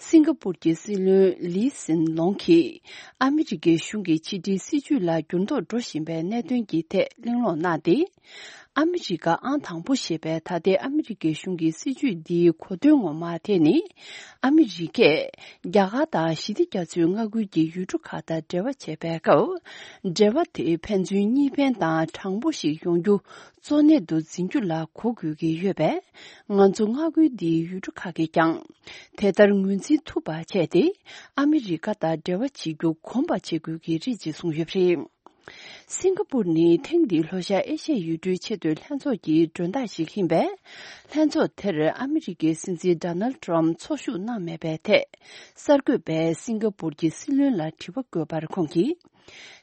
སིང་ག་པུར་གྱི་སྲིད་བློན་ལི་སིན་ལོང་གིས། ཨ་མི་རི་ཀའི་གཞུང་གི་ཕྱི་འབྲེལ་སྲིད་ཇུས་ལ་འགྱུར་ལྡོག་འགྲོ་བཞིན་པའི་གནད་དོན་གྱི་ཐད་གླེང་སློང་གནང་སྟེ། ཨ་མི་རི་ཀ་ཨང་དང་པོ་ཞེས་པའི་ད་ལྟའི་ཨ་མི་རི་ཀའི་གཞུང་གི་སྲིད་ཇུས་འདིའི་གོ་དོན་ངོ་མ་དེ་ནི། ཨ་མི་རི་ཀས་རྒྱ་གར་དང་ཞི་བདེ་རྒྱ་མཚོའི་མངའ་ཁུལ་གྱི་ཡུལ་གྲུ་ཁག་དང་འབྲེལ་བ་བྱེད་པའི་སྐབས། འབྲེལ་བ་དེ་ཕན་ཚུན་གཉིས་ཕན་དང་དྲང་པོ་ཞིག་ཡོང་རྒྱུ་གཙོ་གནད་དུ་འཛིན་རྒྱུ་ལ་གོ་དགོས་ཀྱི་ཡོད་པས། ང་ཚོ་མངའ་ཁུལ་འདིའི་ཡུལ་གྲུ་ཁག་གིས་ཀྱང་། དེ་ལྟར་ངོས་འཛིན་ཐུབ་པ་བྱས་ཏེ། ཨ་མི་རི་ཀ་དང་འབྲེལ་བ་བྱེད་རྒྱུ་གོམ་པ་འབྱེད་དགོས་ཀྱི་རེད་ཅེས་གསུངས་ཡོད་པ་རེད། སིང་ག་པུར་ནི་ཐེངས་འདིའི་ལྷོ་ཤར་ཨེ་ཤི་ཡའི་ཡུལ་གྲུའི་ཆེས་མཐོའི་ལྷན་ཚོགས་ཀྱི་མགྲོན་བདག་ཞིག་ཡིན་པས། ལྷན་ཚོགས་དེར་ཨ་མི་རི་ཀའི་སྲིད་འཛིན་ཌོ་ནལ་ཊམ་ཚོགས་ཞུགས་གནང་མེད་པའི་ཐད། གསར་འགོད་པས་སིང་ག་པུར་གྱི་སྲིད་བློན་ལ་དྲི་བ་བཀོད་པར་ཁོང་གིས།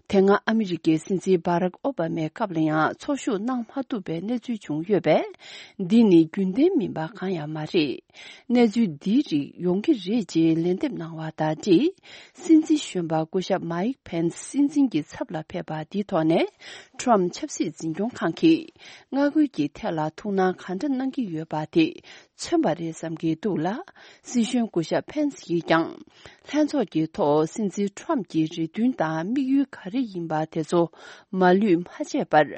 དེ་སྔ་ཨ་མི་རི་ཀའི་སྲིད་འཛིན་སྦ་རག་ཨོ་བྷ་མའི་སྐབས་ལ་ཡང་ཚོགས་ཞུགས་གནང་མ་ཐུབ་པའི་གནས་ཚུལ་བྱུང་ཡོད་པས། འདི་ནི་རྒྱུན་ལྡན་མིན་པ་གང་ཡང་མ་རེད། གནས་ཚུལ་འདིའི་རིགས་ཡོང་གི་རེད་ཅེས་ལན་འདེབས་གནང་བ་དང་འབྲེལ། སྲིད་འཛིན་གཞོན་པ་སྐུ་ཞབས་མའིག་ཕེན་སི་སྲིད་འཛིན་གྱི་ཚབ་ལ་ཕེབས་པ་འདིའི་ཐོག་ནས། ཊམ་ཆབ་སྲིད་འཛིན་སྐྱོང་ཁང་གིས་མངའ་ཁུལ་གྱི་ཐད་ལ་ཐུགས་སྣང་གང་འདྲ་གནང་གི་ཡོད་པ་དེ་མཚོན་པ་རེད་བསམ་གྱི་འདུག་ལ། སྲིད་གཞུང་སྐུ་ཞབས་ཕེན་སི་ཡིས་ཀྱང་། ལྷན་ཚོགས་ཀྱི་ཐོག་སྲིད་འཛིན་ཊམ་གྱི་རེ་འདུན་དང་དམིགས་ཡུལ་ག་རེ་ཡིན་པ་དེ་ཚོ་མ་ལུས་མ་བརྗེད་པར་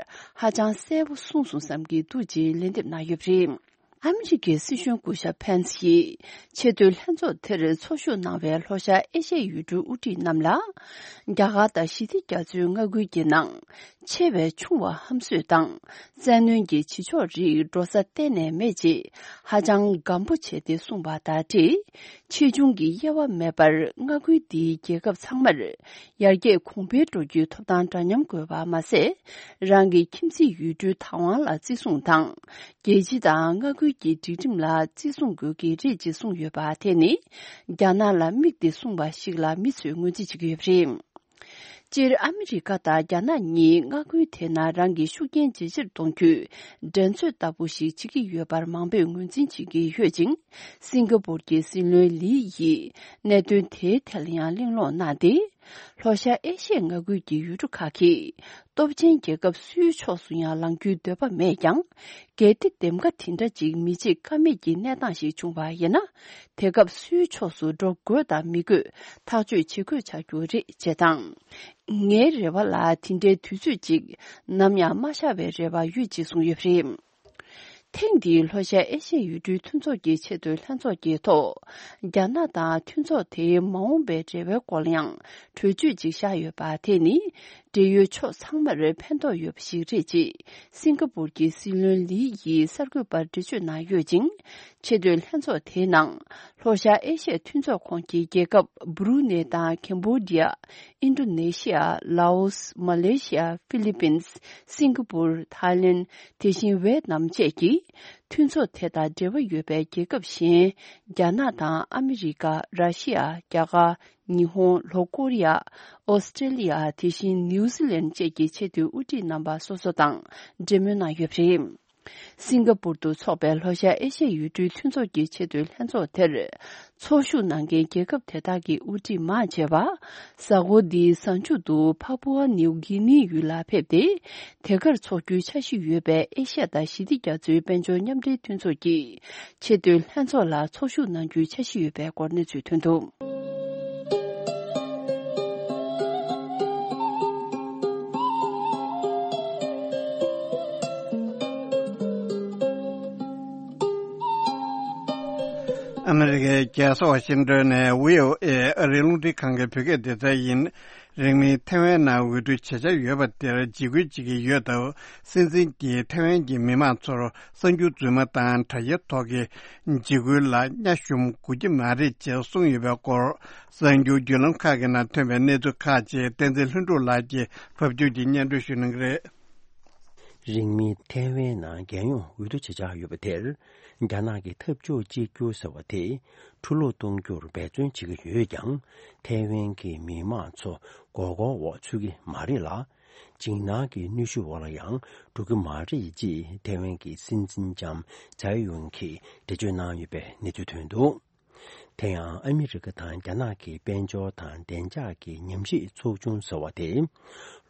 ཧ་ཅང་གསལ་པོ་གསུངས་སོང་བསམ་གྱི་འདུག་ཅེས་ལན་འདེབས་གནང་ཡོད་པ་རེད། ཨ་མི་རི་ཀའི་སྲིད་གཞུང་སྐུ་ཞབས་ཕན་སི་ཡིས་ཆེས་མཐོའི་ལྷན་ཚོགས་དེར་ཚོགས་ཞུགས་གནང་བའི་ལྷོ་ཤར་ཨེ་ཤ་ཡའི་ཡུལ་གྲུའི་དབུ་ཁྲིད་རྣམས་ལ། རྒྱ་གར་དང་ཞི་བདེ་རྒྱ་མཚོའི་མངའ་ཁུལ་གྱི་ནང་ཆེ་བའི་ཆུང་བ་ཧམ་བཟོས་དང་བཙན་གནོན་གྱི་བྱེད་ཕྱོགས་རིགས་འགྲོ་ས་གཏན་ནས་མེད་ཅེས་ཧ་ཅང་སྒམ་པོ་བྱས་ཏེ་གསུངས་པ་དང་འབྲེལ། ཆེ་ཆུང་གི་དབྱེ་བ་མེད་པར་མངའ་ཁུལ་འདིའི་རྒྱལ་ཁབ་ཚང་མར་ཡར་རྒྱས་གོང་འཕེལ་འགྲོ་རྒྱུའི་ཐོབ་ཐང་འདྲ་མཉམ་དགོས་པ་མ་ཟད། རང་གི་ཁྱིམ་མཚེས་ཡུལ་གྲུའི་བདག་དབང་ལ་བརྩི་སྲུང་དང་། རྒྱལ་སྤྱི་དང་མངའ་ཁུལ་གྱི་སྒྲིག་ཁྲིམས་ལ་བརྩི་སྲུང་དགོས་ཀྱི་རེད་ཅེས་གསུངས་ཡོད་པ་དེ་ནི། རྒྱ་ནག་ལ་དམིགས་ཏེ་གསུངས་པ་ཞིག་ལ་མི་ཚོས་ངོས་འཛིན་བྱེད་ཀྱི་ཡོད་པ་རེད། སྤྱིར་ཨ་མི་རི་ཀ་དང་རྒྱ་ནག་གཉིས་མངའ་ཁུལ་དེ་ན་རང་གི་ཤུགས་རྐྱེན་ཇེ་ཆེར་གཏོང་རྒྱུའི་འགྲན་རྩོད་ལྟ་བུ་ཞིག་བྱེད་ཀྱི་ཡོད་པར་མང་པོས་ངོས་འཛིན་བྱེད་ཀྱི་ཡོད་ཅིང་། སིང་ག་པུར་གྱི་སྲིད་བློན་ལི་ཡིས་གནད་དོན་དེའི་ཐད་ལ་ཡང་གླེང་སློང་གནང་སྟེ། ལྷོ་ཤར་ཨེ་ཤི་ཡའི་མངའ་ཁུལ་གྱི་ཡུལ་གྲུ་ཁག་གིས་སྟོབས་ཆེན་རྒྱལ་ཁབ་སུའི་ཕྱོགས་སུ་ཡང་ལངས་རྒྱུའི་འདོད་པ་མེད་ཀྱང་། གལ་ཏེ་འདེམས་ཀ་དེ་འདྲ་ཅིག་མི་བྱེད་ཀ་མེད་ཀྱི་གནས་སྟངས་ཤིག་བྱུང་བ་ཡིན་ན། དེ་སྐབས་སུའི་ཕྱོགས་སུ་འགྲོ་དགོས་དང་མི་དགོས་ཐག་གཅོད་བྱེད་དགོས་ཆགས་རྒྱུ་རེད་ཅེས་དང་། ངའི་རེ་བ་ལ་དེ་འདྲའི་དུས་ཚོད་ཅིག་ནམ་ཡང་མ་ཤར་བའི་རེ་བ་ཡོད་ཅེས་གསུངས་ཡོད་པ་རེད། ཐེངས་འདིའི་ལྷོ་ཤར་ཨེ་ཤ་ཡའི་ཡུལ་གྲུའི་མཐུན་ཚོགས་ཀྱི་ཆེས་མཐོའི་ལྷན་ཚོགས་ཀྱི་ཐོག་རྒྱ་ནག་དང་མཐུན་ཚོགས་དེའི་མ་འོངས་པའི་འབྲེལ་བའི་སྐོར་ལ་ཡང་གྲོས་ཆོད་ཅིག་བཞག་ཡོད་པ་དེ་ནི། འབྲེལ་ཡོད་ཕྱོགས་ཚང་མར་ཕན་ཐོགས་ཡོད་པ་ཞིག་རེད་ཅེས་སིང་ག་པུར་གྱི་སྲིད་བློན་ལི་ཡིས་གསར་འགོད་པར་འགྲེལ་བརྗོད་གནང་ཡོད་ཅིང་། ཆེས་མཐོའི་ལྷན་ཚོགས་དེའི་ནང་ལྷོ་ཤར་ཨེ་ཤ་ཡའི་མཐུན་ཚོགས་ཁོངས་ཀྱི་རྒྱལ་ཁབ་སྦུ་རུ་ནེ་དང་ཁེམ་བྷོ་ཌི་ཡ། ཨིན་ཌོ་ནེ་ཤི་ཡ། ལའོ་སི། མ་ལེ་ཤི་ཡ། ཧྥི་ལི་པིན། སིང་ག་པུར། ཐའི་ལེན། དེ་བཞིན་ཝེ་ཏི་ནམ་བཅས་ཀྱི་མཐུན་ཚོགས་དེ་དང་འབྲེལ་བ་ཡོད་པའི་རྒྱལ་ཁབ་གཞན། རྒྱ་ནག་དང་ཨ་མི་རི་ཀ། ར་ཤི་ཡ། རྒྱ་གར། ཉི་ཧོང་། ལྷོ་ཀོ་རི་ཡ། ཨོ་སི་ཀྲེ་ལི་ཡ། དེ་བཞིན་ནིའུ་ཛི་ལན་བཅས་ཀྱི་ཆེས་མཐོའི་དབུ་ཁྲིད་རྣམ་པ་སོ་སོ་དང་འབྲེལ་མོལ་གནང་ཡོད་པ་རེད། སིང་ག་པུར་དུ་འཚོགས་པའི་ལྷོ་ཤར་ཨེ་ཤ་ཡའི་ཡུལ་གྲུའི་མཐུན་ཚོགས་ཀྱི་ཆེས་མཐོའི་ལྷན་ཚོགས་དེར་ཚོགས་ཞུགས་གནང་མཁན་རྒྱལ་ཁབ་དེ་དག་གི་དབུ་ཁྲིད་མང་ཆེ་བ་གཟའ་འཁོར་འདིའི་གཟའ་མཇུག་ཏུ་ཕ་པུ་ཨ་ནིའུ་གི་ནིའི་ཡུལ་ལ་ཕེབས་ཏེ། དེ་གར་འཚོགས་རྒྱུའི་འཆར་གཞི་ཡོད་པའི་ཨེ་ཤ་ཡ་དང་ཞི་བདེ་རྒྱ་མཚོའི་དཔལ་འབྱོར་མཉམ་འབྲེལ་མཐུན་ཚོགས་ཀྱི་ཆེས་མཐོའི་ལྷན་ཚོགས་ལ་ཚོགས་ཞུགས་གནང་རྒྱུའི་འཆར་གཞི་ཡོད་པའི་སྐོར་གནས་ཚུལ་ཐོན་འདུག་ཨ་མི་རི་ཀའི་རྒྱལ་ས་ཝ་ཤིང་ཏོན་ནས་བྷི་ཨོ་ཨེ་ཨ་རིའི་རླུང་འཕྲིན་ཁང་གི་བོད་སྐད་སྡེ་ཚན་ཡིན། རིང་མིན་ཐེ་ཝན་ནང་འོས་བསྡུ་བྱེད་འཆར་ཡོད་པ་དེར་འཇིགས་སྐུལ་བྱེད་ཀྱི་ཡོད་སྟབས། སྲིད་འཛིན་གྱིས་ཐེ་ཝན་གྱི་མི་མང་ཚོར་གསར་འགྱུར་རྫུན་མ་དང་དྲ་རྒྱའི་ཐོག་གི་འཇིགས་སྐུལ་ལ་བརྙ་ཞུམ་དགོས་ཀྱི་མ་རེད་ཅེས་གསུངས་ཡོད་པའི་སྐོར། གསར་འགྱུར་བརྒྱུད་ལམ་ཁག་གི་ནང་ཐོན་པའི་གནས་ཚུལ་ཁག་ཅིག་བསྟན་འཛིན་ལྷུན་གྲུབ་ལགས་ཀྱིས་ཕབ་སྒྱུར་གྱིས་སྙན་སྒྲོན་ཞུ་གནང་གི་རེད། རིང་མིན་ཐེ་ཝན་ནང་རྒྱལ་ཡོངས་འོས་བསྡུ་བྱེད་འཆར་ཡོད་པ་དེར། རྒྱ་ནག་གི་འཐབ་ཕྱོགས་གཅིག་གྱུར་ཟེར་བ་དེ་འཕྲུལ་སློག་གཏོང་རྒྱུར་འབད་བརྩོན་བྱེད་ཀྱི་ཡོད་ཀྱང་། ཐེ་ཝན་གྱི་མི་མང་ཚོ་མགོ་སྐོར་འོག་ཚུད་ཀྱི་མ་རེད་ལ། འཇིགས་སྣང་གི་གནོན་ཤུགས་འོག་ལ་ཡང་འགྲོ་གི་མ་རེད་ཅེས་ཐེ་ཝན་གྱི་སྲིད་འཛིན་ལྕམ་ཙའེ་ཡུན་གྱིས་འགྲེལ་བརྗོད་གནང་ཡོད་པའི་གནས་ཚུལ་ཐོན་འདུག་དེ་ཡང་ཨ་མི་རི་ཀ་དང་རྒྱ་ནག་གི་དཔལ་འབྱོར་དང་བདེ་འཇགས་ཀྱི་ཉམས་ཞིབ་ཚོགས་ཆུང་ཟེར་བ་དེ།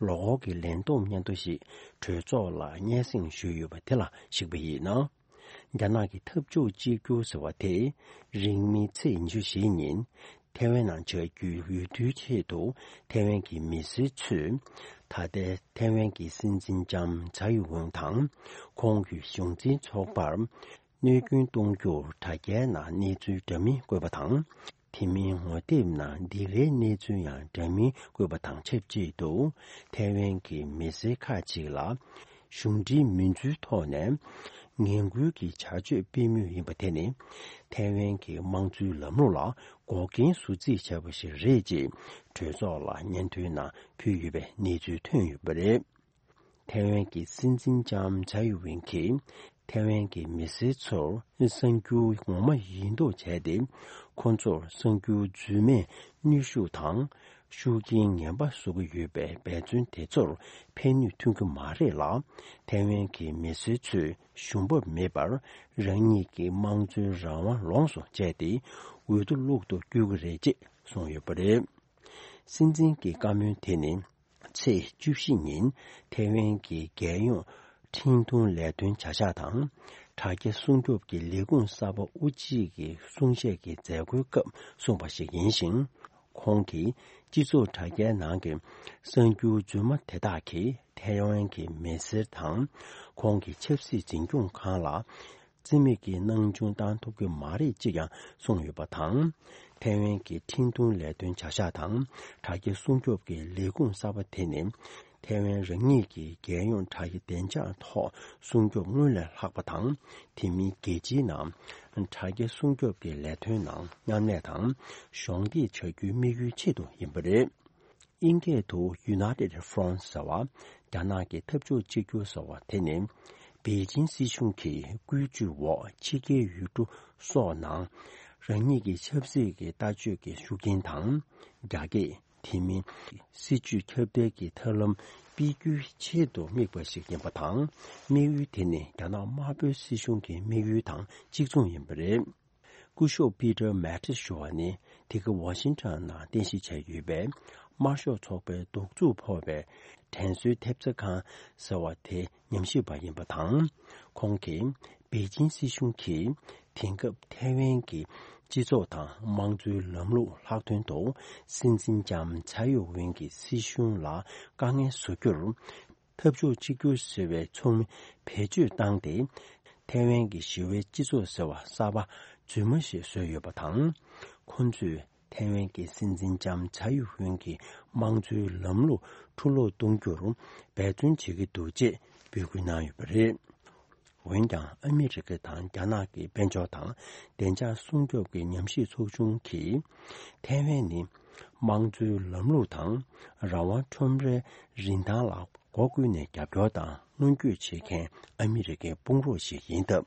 ལོ་འཁོར་གྱི་ལས་བསྡོམས་སྙན་ཐོ་ཞིག་གྲོས་ཚོགས་ལ་སྙན་སེང་ཞུས་ཡོད་པ་དེ་ལ་གཞིགས་པ་ཡིན་ན། རྒྱ་ནག་གི་འཐབ་ཕྱོགས་གཅིག་གྱུར་ཟེར་བ་དེ། རིང་མིན་ཚེས་ཉི་ཤུ་རྩ་བཞི་ཉིན་ཐེ་ཝན་ནང་བྱ་རྒྱུའི་འོས་བསྡུའི་ཆེད་དུ་ཐེ་ཝན་གྱི་མི་སེར་ཚོས། ད་ལྟའི་ཐེ་ཝན་གྱི་སྲིད་འཛིན་ལྕམ་ཙའེ་ཡུན་དང་། ཁོང་གི་གཞུང་འཛིན་ཚོགས་པར། གནོད་སྐྱོན་གཏོང་རྒྱུར་དྲ་རྒྱའི་ནང་གནས་ཚུལ་འདྲ་མིན་བཀོད་པ་དང་། དེ་མིན་ངོ་དེབ་ནང་སྡིགས་རའི་གནས་ཚུལ་ཡང་འདྲ་མིན་བཀོད་པ་དང་ཆབས་ཅིག་ཏུ། ཐའེ་ཝན་གྱི་མི་སེར་ཁག་ཅིག་ལ་གཞུང་འབྲེལ་མིན་ཚུལ་ཐོག་ནས་ངན་སྐུལ་གྱི་བྱ་སྤྱོད་སྤེལ་མུས་ཡིན་པ་དེ་ནི། ཐའེ་ཝན་གྱི་དམངས་གཙོའི་ལམ་ལུགས་ལ་འགོག་རྐྱེན་བཟོ་རྩིས་བྱས་པ་ཞིག་རེད་ཅེས་གྲོས་ཚོགས་ལ་སྙན་ཐོའི་ནང་ཕུལ་ཡོད་པའི་གནས་ཚུལ་ཐོན་ཡོད་པ་རེད། ཐའེ་ཝན་གྱི་སྲིད་འཛིན་ལྕམ་ཚའེ་ཡུན་གྱིས་ཐའེ་ཝན་གྱི་མི་སེར་ཚོར་གསར་འགྱུར་ངོ་མ་ཡིན་མདོག་བྱས་ཏེ། ཁོ་ཚོར་གསར་འགྱུར་རྫུན་མས་གནོན་ཤུགས་དང་ཤུགས་རྐྱེན་ངན་པ་བཟོ་གི་ཡོད་པའི་འབད་བརྩོན་དེ་ཚོར་ཕན་ནུས་ཐོན་གྱི་མ་རེད་ལ། ཐའེ་ཝན་གྱི་མི་སེར་ཚོས་ཞུམ་པ་མེད་པར་རང་ཉིད་ཀྱི་དམངས་གཙོའི་རང་དབང་ལོངས་སུ་སྤྱད་དེ་འོས་བསྡུ་ལོག་ཏུ་བསྐྱུར་གྱི་རེད་ཅེས་གསུངས་ཡོད་པ་རེད། སྲིད་འཛིན་གྱི་བཀའ་མོལ་དེ་ནི། ཚེས་བཅུ་བཞི་ཉིན་ཐའེ་ཝན་གྱི་རྒྱལ་ཡོངས་འཕྲིན་གཏོང་ལས་དོན་བྱ་གཞག་དང་། དྲ་རྒྱ་སྲུང་སྐྱོབ་ཀྱི་ལས་ཁུངས་གསར་པ་དབུ་ཁྲིད་ཀྱི་གསུང་བཤད་ཀྱི་མཛད་སྒོའི་སྐབས་གསུངས་པ་ཞིག་ཡིན་ཞིང་། ཁོང་གིས་སྤྱི་ཚོགས་དྲ་རྒྱའི་ནང་གི་གསར་འགྱུར་རྫུན་མ་དེ་དག་གིས་ཐའེ་ཝན་གྱི་མི་སེར་དང་། ཁོང་གི་ཆབ་སྲིད་འཛིན་སྐྱོང་ཁང་ལ། རྩིས་མེད་ཀྱི་སྣང་ཆུང་བཏང་ཐུབ་ཀྱི་མ་རེད་ཅེས་ཀྱང་གསུངས་ཡོད་པ་དང་། ཐའེ་ཝན་གྱི་འཕྲིན་ཐུང་ལས་དོན་བྱ་གཞག་དང་དྲ་རྒྱ་སྲུང་སྐྱོབ་ཀྱི་ལས་ཁུངས་གསར་པ་དེ་ནི། ཐའེ་ཝན་རང་ཉིད་ཀྱི་རྒྱལ་ཡོངས་དྲ་རྒྱ་བདེ་འཇགས་ཐོག་སྲུང་སྐྱོབ་སྔོན་ལས་ལྷག་པ་དང་། དེ་མིན་རྒྱལ་སྤྱིའི་ནང་དྲ་རྒྱ་སྲུང་སྐྱོབ་ཀྱི་ལས་དོན་ནང་མཉམ་ལས་དང་གཞོགས་འདེགས་བྱ་རྒྱུའི་དམིགས་ཡུལ་ཆེད་དུ་ཡིན་པ་རེད། དབྱིན་སྐད་དུ་United Front ཟེར་བ། རྒྱ་ནག་གི་འཐབ་ཕྱོགས་གཅིག་གྱུར་ཟེར་བ་དེ་ནི། པེ་ཅིན་སྲིད་གཞུང་གིས་བཀོད་ཇུས་འོག་ཕྱི་རྒྱལ་ཡུལ་གྲུ་སོགས་ནང་རང་ཉིད་ཀྱི་ཆབ་སྲིད་ཀྱི་ལྟ་སྤྱོད་ཀྱི་ཤུགས་རྐྱེན་དང་། རྒྱ་སྐད། དེ་མིན་སྲིད་ཇུས་ཁྱབ་གདལ་གྱི་ཐབས་ལམ་སྤེལ་རྒྱུའི་ཆེད་དུ་དམིགས་པ་ཞིག་ཡིན་པ་དང་། དམིགས་ཡུལ་དེ་ནི་རྒྱ་ནག་དམར་པོའི་སྲིད་གཞུང་གི་དམིགས་ཡུལ་དང་གཅིག་མཚུངས་ཡིན་པ་རེད། སྐུ་ཞབས་པི་ཏར་མེ་ཏིས་ཞུ་བ་ནི། དེ་ག་ཝ་ཤིང་ཊོན་ནང་རྟེན་གཞི་བྱས་ཡོད་པའི་དམར་ཤོག་ཚོགས་པའི་གདུག་རྩུབ་ཕོག་པའི་དྲན་གསོའི་ཐེབས་རྩ་ཁང་ཟེར་བ་དེ་ཉམས་ཞིབ་པ་ཡིན་པ་དང་། ཁོང་གིས་པེ་ཅིན་སྲིད་གཞུང་གིས་དེང་སྐབས་ཐའེ་ཝན་གྱི་སྤྱི་ཚོགས་དང་དམངས་གཙོའི་ལམ་ལུགས་ལྷག་དོན་དུ་སྲིད་འཛིན་ལྕམ་ཚའེ་ཡུ་ཝེན་གྱི་སྲིད་གཞུང་ལ་དཀའ་ངལ་བཟོ་རྒྱུར། འཐབ་ཕྱོགས་གཅིག་གྱུར་ཟེར་བའི་ཚོགས་མི་བེད་སྤྱོད་བཏང་སྟེ། ཐའེ་ཝན་གྱི་ཞི་བའི་སྤྱི་ཚོགས་ཟེར་བ་གསར་པ་རྫུན་མ་ཞིག་བཟོས་ཡོད་པ་དང་། ཁོ་ཚོས་ཐའེ་ཝན་གྱི་སྲིད་འཛིན་ལྕམ་ཚའེ་ཡུ་ཝེན་གྱི་དམངས་གཙོའི་ལམ་ལུགས་འཕྲུ་སློག་གཏོང་རྒྱུར་འབད་བརྩོན་བྱེད་ཀྱི་འདུག་ཅེས་འབོད་སྐུལ་གནང་ཡོད་པ་རེད། འོན་ཀྱང་ཨ་མི་རི་ཀ་དང་རྒྱ་ནག་གི་དཔལ་འབྱོར་དང་བདེ་འཇགས་སྲུང་སྐྱོབ་ཀྱི་ཉམས་ཞིབ་ཚོགས་ཆུང་གིས། ཐའེ་ཝན་ནི་དམངས་གཙོའི་ལམ་ལུགས་དང་རང་དབང་ཁྲོམ་རའི་རིན་ཐང་ལ་སྒོ་ཀུན་ནས་རྒྱབ་སྐྱོར་དང་སྔོན་སྐྱོད་བྱེད་མཁན་ཨ་མི་རི་ཀའི་དཔུང་རོགས་ཤིག་ཡིན་སྟབས།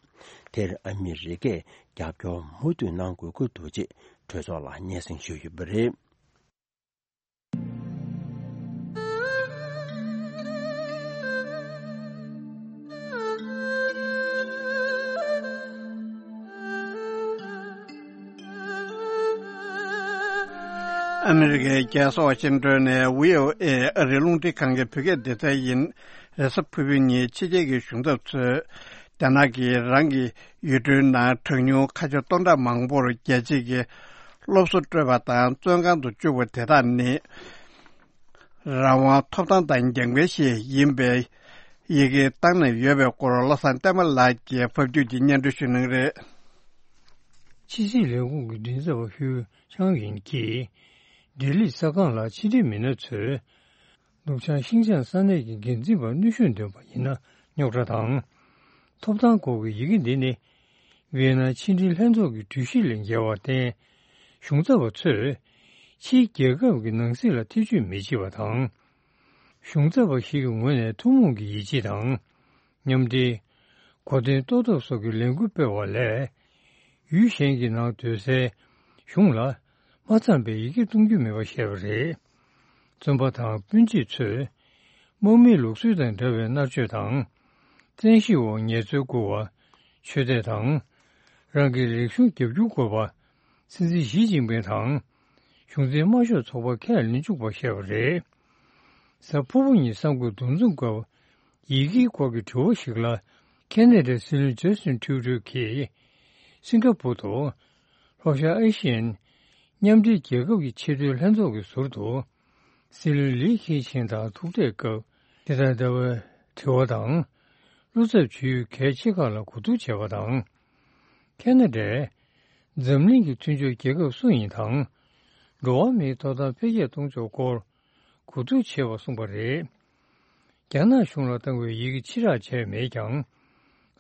དེར་ཨ་མི་རི་ཀས་རྒྱབ་སྐྱོར་མུ་མཐུད་གནང་དགོས་ཀྱི་འདུག་ཅེས་གྲོས་ཚོགས་ལ་སྙན་སེང་ཞུས་ཡོད་པ་རེད། ཨ་མི་རི་ཀའི་རྒྱལ་ས་ཝ་ཤིང་ཏོན་ནས་བྷི་ཨོ་ཨེ་ཨ་རིའི་རླུང་འཕྲིན་ཁང་གི་བོད་སྐད་སྡེ་ཚན་ཡིན། རེས་གཟའ་ཕུར་བུ་ཉིན་ཕྱི་རྒྱལ་གྱི་གཞུང་ཚབ་ཚོས་རྒྱ་ནག་གིས་རང་གི་ཡུལ་གྲུའི་ནང་གྲངས་ཉུང་ཁ་ཆེ་སྟོང་ཕྲག་མང་པོར་རྒྱལ་སྤྱི་གི་སློབ་གསོ་སྤྲོད་པ་དང་བཙོན་ཁང་དུ་བཅུག་པ་དེ་དག་ནི། རང་དབང་ཐོབ་ཐང་དང་འགལ་འགལ་ཞིག་ཡིན་པའི་ཡི་གེ་བཏང་ནས་ཡོད་པའི་སྐོར་བློ་བཟང་བསྟན་པ་ལགས་ཀྱིས་ཕབ་སྒྱུར་གྱིས་སྙན་སྒྲོན་ཞུ་གནང་རེད། ཕྱི་སྲིད་ལས་ཁུངས་ཀྱི་མགྲིན་ཚབ་པ་ཧུའུ་ཆང་ཡིན་གྱིས། ལྡི་ལི་གསར་ཁང་ལ་ཕྱི་འབྲེལ་མི་སྣ་ཚོས། ནུབ་བྱང་ཤིན་ཅང་ས་གནས་ཀྱི་འགན་འཛིན་པར་གནོན་ཤུགས་འདོན་པ་ཡིན་ན་རྙོག་དྲ་དང་། ཐོབ་ཐང་སྐོར་གྱི་ཡི་གེ་འདི་ནི། ཝི་ཡེ་ན་ཕྱི་འབྲེལ་ལྷན་ཚོགས་ཀྱི་གྲོས་གཞི་ལས་འགལ་བར་བརྟེན། གཞུང་ཚབ་པ་ཚོས་ཕྱིའི་རྒྱལ་ཁབ་ཀྱི་ནང་སྲིད་ལ་ཐེ་བྱུས་མི་བྱེད་པ་དང་། གཞུང་ཚབ་པ་ཞིག་གི་ངོས་ནས་ཐུན་མོང་གི་ཡིད་ཆེས་དང་། མཉམ་འབྲེལ། གོ་དོན་རྟོགས་ཐབས་སོགས་ཀྱི་ལས་འགུལ་སྤེལ་བ་ལས། ཡུལ་གཞན་གྱི་ནང་སྡོད་སའི་གཞུང་ལ་མ་འཚམས་པའི་ཡི་གེ་གཏོང་རྒྱུ་མེད་པ་བཤད་པ་རེད། བཙོན་པ་དང་སྤུན་མཆེད་ཚོས་དམག་མིའི་ལུགས་སྲོལ་དང་འདྲ་བའི་མནར་གཅོད་དང་། བཙན་ཤེད་འོག་ངལ་རྩོལ་བསྐུར་བ། ཆོས་དད་དང་། རང་གི་རིག་གཞུང་རྒྱབ་སྐྱོར་དགོས་པ། སྲིད་འཛིན་ཞི་ཅིན་ཕིང་དང་། གཞུང་འཛིན་དམར་ཤོག་ཚོགས་པ་ཁས་ལེན་བཅུག་པ་བཤད་པ་རེད། གཟའ་ཕུར་བུ་ཉིན་གསར་འགོད་འདུ་འཛོམས་སྐབས། ཡི་གེའི་སྐོར་གྱི་དྲི་བ་ཞིག་ལ། ཁེ་ན་ཌའི་སྲིད་བློན་ཇ་སི་ཊིན་ཁྲུ་ཌོ་གིས། སིང་ག་པུར་དུ། ལྷོ་ཤར་ཨེ་ཤི་ཡན། མཉམ་འབྲེལ་རྒྱལ་ཁབ་ཀྱི་ཆེས་མཐོའི་ལྷན་ཚོགས་ཀྱི་ཟུར་དུ། སྲིད་བློན་ལི་ཁེ་ཆིང་དང་ཐུག་འཕྲད་སྐབས། དེ་དང་འདྲ་བའི་དྲི་བ་དང་། བློ་འཚབ་བྱེད་ཡུལ་གལ་ཆེ་ཁག་ལ་གོ་བསྡུར་བྱས་པ་དང་། ཁེ་ན་ཌས། འཛམ་གླིང་གི་མཐུན་ཕྱོགས་རྒྱལ་ཁབ་སུ་ཡིན་དང་། འགྲོ་བ་མིའི་ཐོབ་ཐང་འཕེལ་རྒྱས་གཏོང་ཕྱོགས་སྐོར། གོ་བསྡུར་བྱས་པ་གསུངས་པ་རེད། རྒྱ་ནག་གཞུང་ལ་བཏང་བའི་ཡི་གེ་ཕྱིར་བསྒྲགས་བྱས་མེད་ཀྱང་།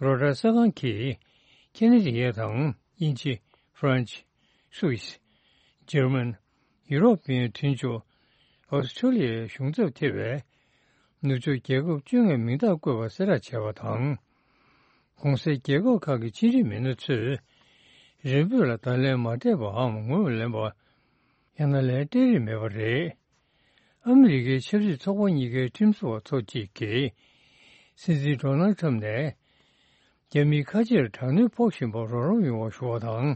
རོའི་ཊར་གསར་ཁང་གིས། ཁེ་ན་ཌི་ཡ་དང་། དབྱིན་ཇི། ཧྥ་རན་ཆི། སུད་སི། འཇར་མན། ཡུ་རོབ་པའི་མཐུན་ཕྱོགས། ཨོ་སི་ཁྲུ་ལི་ཡའི་གཞུང་ཚབ་ཐེ་བའི། ནུབ་ཕྱོགས་རྒྱལ་ཁབ་བཅོ་ལྔའི་མིང་རྟགས་བཀོད་པ་གསལ་བསྒྲགས་བྱས་པ་དང་། གོང་གསལ་རྒྱལ་ཁབ་ཁག་གི་ཕྱི་འབྲེལ་མི་སྣ་ཚོས། རེ་འབོད་ལ་བརྡ་ལན་མ་སྤྲད་པའམ་ངོས་མ་ལེན་པ། ཡང་ན་ལན་སྤྲད་རིན་མེད་པ་རེད། ཨ་མི་རི་ཀའི་ཆབ་སྲིད་ཚོགས་པ་གཉིས་ཀའི་ཁྲིམས་བཟོ་བ་ཚོ་གཅིག་གིས། སྲིད་འཛིན་ཌོ་ནལ་ཁྲམ་ནས། རྒྱ་མིའི་ཁ་ཆེར་དྲག་གནོན་ཕོག་བཞིན་པར་རོགས་རམ་ཡོང་བ་ཞུ་བ་དང་།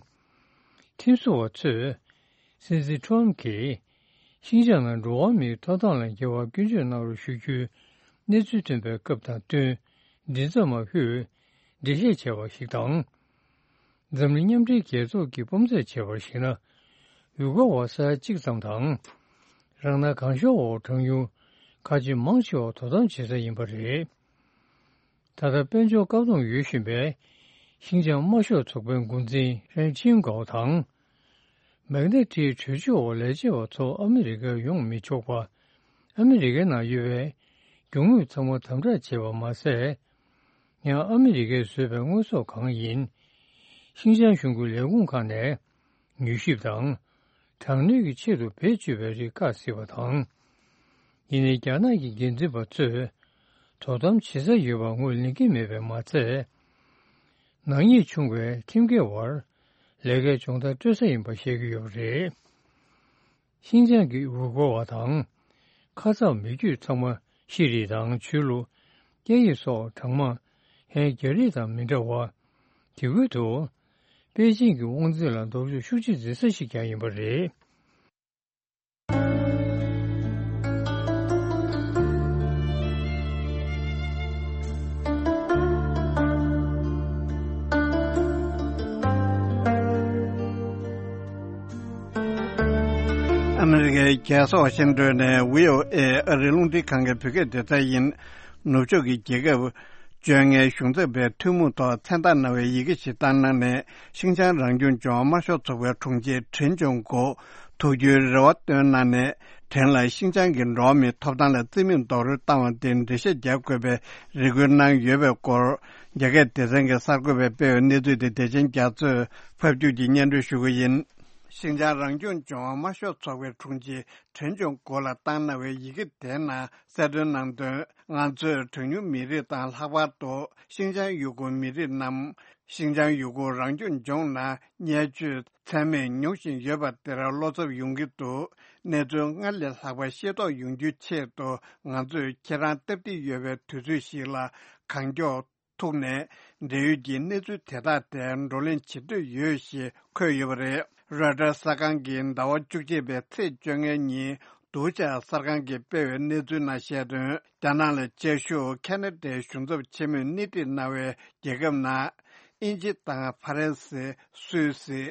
ཁྲིམས་བཟོ་བ་ཚོས། སྲིད་འཛིན་ཁྲམ་གྱིས། ཤིན་ཅང་ནང་འགྲོ་བ་མིའི་ཐོབ་ཐང་ལ་འགལ་བ་སྐྱོན་བརྗོད་གནང་རོགས་ཞུ་རྒྱུའི་གནས་ཚུལ་ཐོན་པའི་སྐབས་དང་བསྟུན། མགྲིན་ཚབ་མ་ཧུས། འགྲེལ་བཤད་བྱས་པ་ཞིག་དང་། འཛམ་གླིང་མཉམ་འབྲེལ་རྒྱལ་ཚོགས་ཀྱིས་དཔོན་ཚད་བྱས་པར་གཞིགས་ན། འོས་འགོ་བ་ས་ཡ་གཅིག་ཙམ་དང་། རང་སྣང་གང་ཤོར་འོག་གྲངས་ཉུང་ཁ་ཆེ་མང་ཆེ་བ་དོ་དམ་བྱེད་ས་ཡིན་པ་རེད། ད་ལྟ་དཔལ་འབྱོར་བཀག་སྡོམ་ཡོད་བཞིན་པའི་ ཤིན་ཅང་དམར་ཤོག་ཚོགས་པའི་འགོ་འཛིན་ཧྲན་ཆིང་གའོ་དང་། མེག་ནེ་ཊིའི་གྲོས་ཆོད་འོག་ལས་བྱེད་པ་ཚོ་ཨ་མི་རི་ཀར་ཡོང་མི་ཆོག་པ། ཨ་མི་རི་ཀའི་ནང་ཡོད་པའི་རྒྱུ་དངོས་ཚང་མ་དམ་དྲག་བྱས་པ་མ་ཟད། ཡང་ཨ་མི་རི་ཀས་བཟོས་པའི་དངོས་ཟོག་གང་ཡིན། ཤིན་ཅང་གཞུང་གི་ལས་ཁུངས་ཁག་ནས་མྱུལ་ཞིབ་དང་། དྲག་གནོན་གྱི་ཆེད་དུ་བེད་སྤྱོད་པའི་རིགས་བཀག་སྲིད་པ་དང་། ཡིན་ནའི་རྒྱ་ནག་གི་འགན་འཛིན་པ་ཚོས་དོ་དམ་བྱེད་ས་ཡོད་པ་ངོས་ལེན་གྱི་མེད་པས་མ་ཚད། ནག་ཉེས་བྱུང་བའི་ཁྲིམས་འགལ་བར་ལས་ཀའི་སྦྱོང་བརྡར་སྤྲོད་ས་ཡིན་པ་བཤད་ཀྱི་ཡོད་པ་རེད། ཤིན་ཅང་གི་ཝུ་གོ་བ་དང་། ཁ་ཚ་མི་རྒྱུད་ཚང་མ་ཤེས་རིག་དང་ཆོས་ལུགས། སྐད་ཡིག་སོགས་གྲངས་མང་ཧན་རྒྱ་རིགས་དང་མི་འདྲ་བ། དེ་ཁུལ་དུ། པེ་ཅིང་གི་དབང་འཛིན་ལ་ལྡོག་ཕྱོགས་ཤུགས་ཆེ་འཛིན་ས་ཞིག་ཀྱང་ཡིན་པ་རེད། ཨ་མི་རི་ཀའི་རྒྱལ་ས་ཝ་ཤིང་ཏོན་ནས་བྷི་ཨོ་ཨེ་ཨ་རིའི་རླུང་འཕྲིན་ཁང་གི་བོད་སྐད་སྡེ་ཚན་ཡིན། ནུབ་ཕྱོགས་ཀྱི་རྒྱལ་ཁབ་བཅོ་ལྔའི་གཞུང་ཚབ་པའི་ཐུན་མོང་ཐོག་མཚན་རྟགས་གནང་བའི་ཡི་གེ་ཞིག་བཏང་གནང་ནས། ཤིན་ཅང་རང་སྐྱོང་ལྗོངས་དམར་ཤོག་ཚོགས་པའི་དྲུང་ཆེ་ཁྲེན་ཅུང་གོ་ཐུགས་རྒྱུས་རེ་བ་བཏོན་གནང་ནས། ཁྲེན་ལ་ཤིན་ཅང་གི་འགྲོ་བ་མིའི་ཐོབ་ཐང་ལ་རྩིས་མེད་རྡོག་རོལ་བཏང་བ་དེ་འགྲེལ་བཤད་རྒྱག་དགོས་པའི་རེ་སྐུལ་གནང་ཡོད་པའི་སྐོར། རྒྱ་སྐད་སྡེ་ཚན་གྱི་གསར་འགོད་པས་སྤེལ་བའི་གནས་ཚུལ་དེ་བདེ་ཆེན་རྒྱ་མཚོས་ཕབ་སྒྱུར་གྱིས་སྙན་སྒྲོན་ཞུ་གི་ཡིན། ཤིན་ཅང་རང་སྐྱོང་ལྗོངས་དམར་ཤོག་ཚོགས་པའི་དྲུང་ཆེ་ཁྲེན་ཅུང་གོ་ལ་བཏང་གནང་བའི་ཡི་གེ་དེའི་ནང་གསལ་སྟོན་གནང་དོན། ང་ཚོས་གྲངས་ཉུང་མི་རིགས་དང་། ལྷག་པར་དུ་ཤིན་ཅང་ཡུ་གུར་མི་རིགས་རྣམས་ཤིན་ཅང་ཡུ་གུར་རང་སྐྱོང་ལྗོངས་ནང་བརྙས་བཅོས་ཚད་མེད་མྱོང་བཞིན་ཡོད་པ་དེར་བློ་འཚབ་ཡོང་གི་འདུག་གནས་ཚུལ་སྔར་ལས་ལྷག་པ་ཤེས་རྟོགས་ཡོང་རྒྱུའི་ཆེད་དུ། ང་ཚོས་ཁྱེད་རང་སྟབས་བདེ་ཡོད་པའི་དུས་ཚོད་ཞིག་ལ་གང་མགྱོགས་ཐུག་ནས་འབྲེལ་ཡོད་ཀྱི་གནས་ཚུལ་དེ་དག་དེ་བགྲོ་གླེང་བྱེད་འདོད་ཡོད་ཞེས་འཁོད་ཡོད་པ་རེད། རོའི་ཊར་གསར་ཁང་གིས་ཟླ་བ་བཅུ་གཅིག་པའི་ཚེས་བཅོ་ལྔའི་ཉིན་སྡུག་ཅག་གསར་ཁང་གིས་སྤེལ་བའི་གནས་ཚུལ་ནང་བཤད་དོན། རྒྱ་ནག་ལ་བཅའ་བཞུགས་ཁ་ན་ཌའི་གཞུང་ཚབ་ཆེན་མོས་སྣེ་ཁྲིད་གནང་བའི་རྒྱལ་ཁབ་ནང་། དབྱིན་ཇི་དང་ཧྥ་རན་སི། སུད་སི།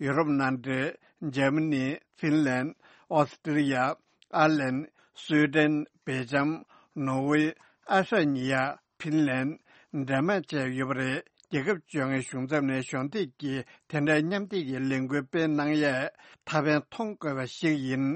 ཡུ་རོབ་མནའ་འབྲེལ། འཇར་མ་ནི། ཧྥིན་ལན། ཨོ་སི་ཀྲི་ཡ། ཨར་ལན། སུའེ་ཏེན། སྦེལ་ཇམ། ནོར་ཝེ། ཨ་ཧྲ་ཉི་ཡ། ཕིན་ལན། ཌེན་མཱག་བཅས་ཡོད་པ་རེད། རྒྱལ་ཁབ་བཅོ་ལྔའི་གཞུང་ཚབ་ནས་གཞོགས་འདེགས་ཀྱིས་དེ་འདྲའི་མཉམ་འདེགས་ཀྱི་ལས་འགུལ་སྤེལ་གནང་ཡས་ཐབས་ཕན་མཐོང་དགོས་པ་ཞིག་ཡིན།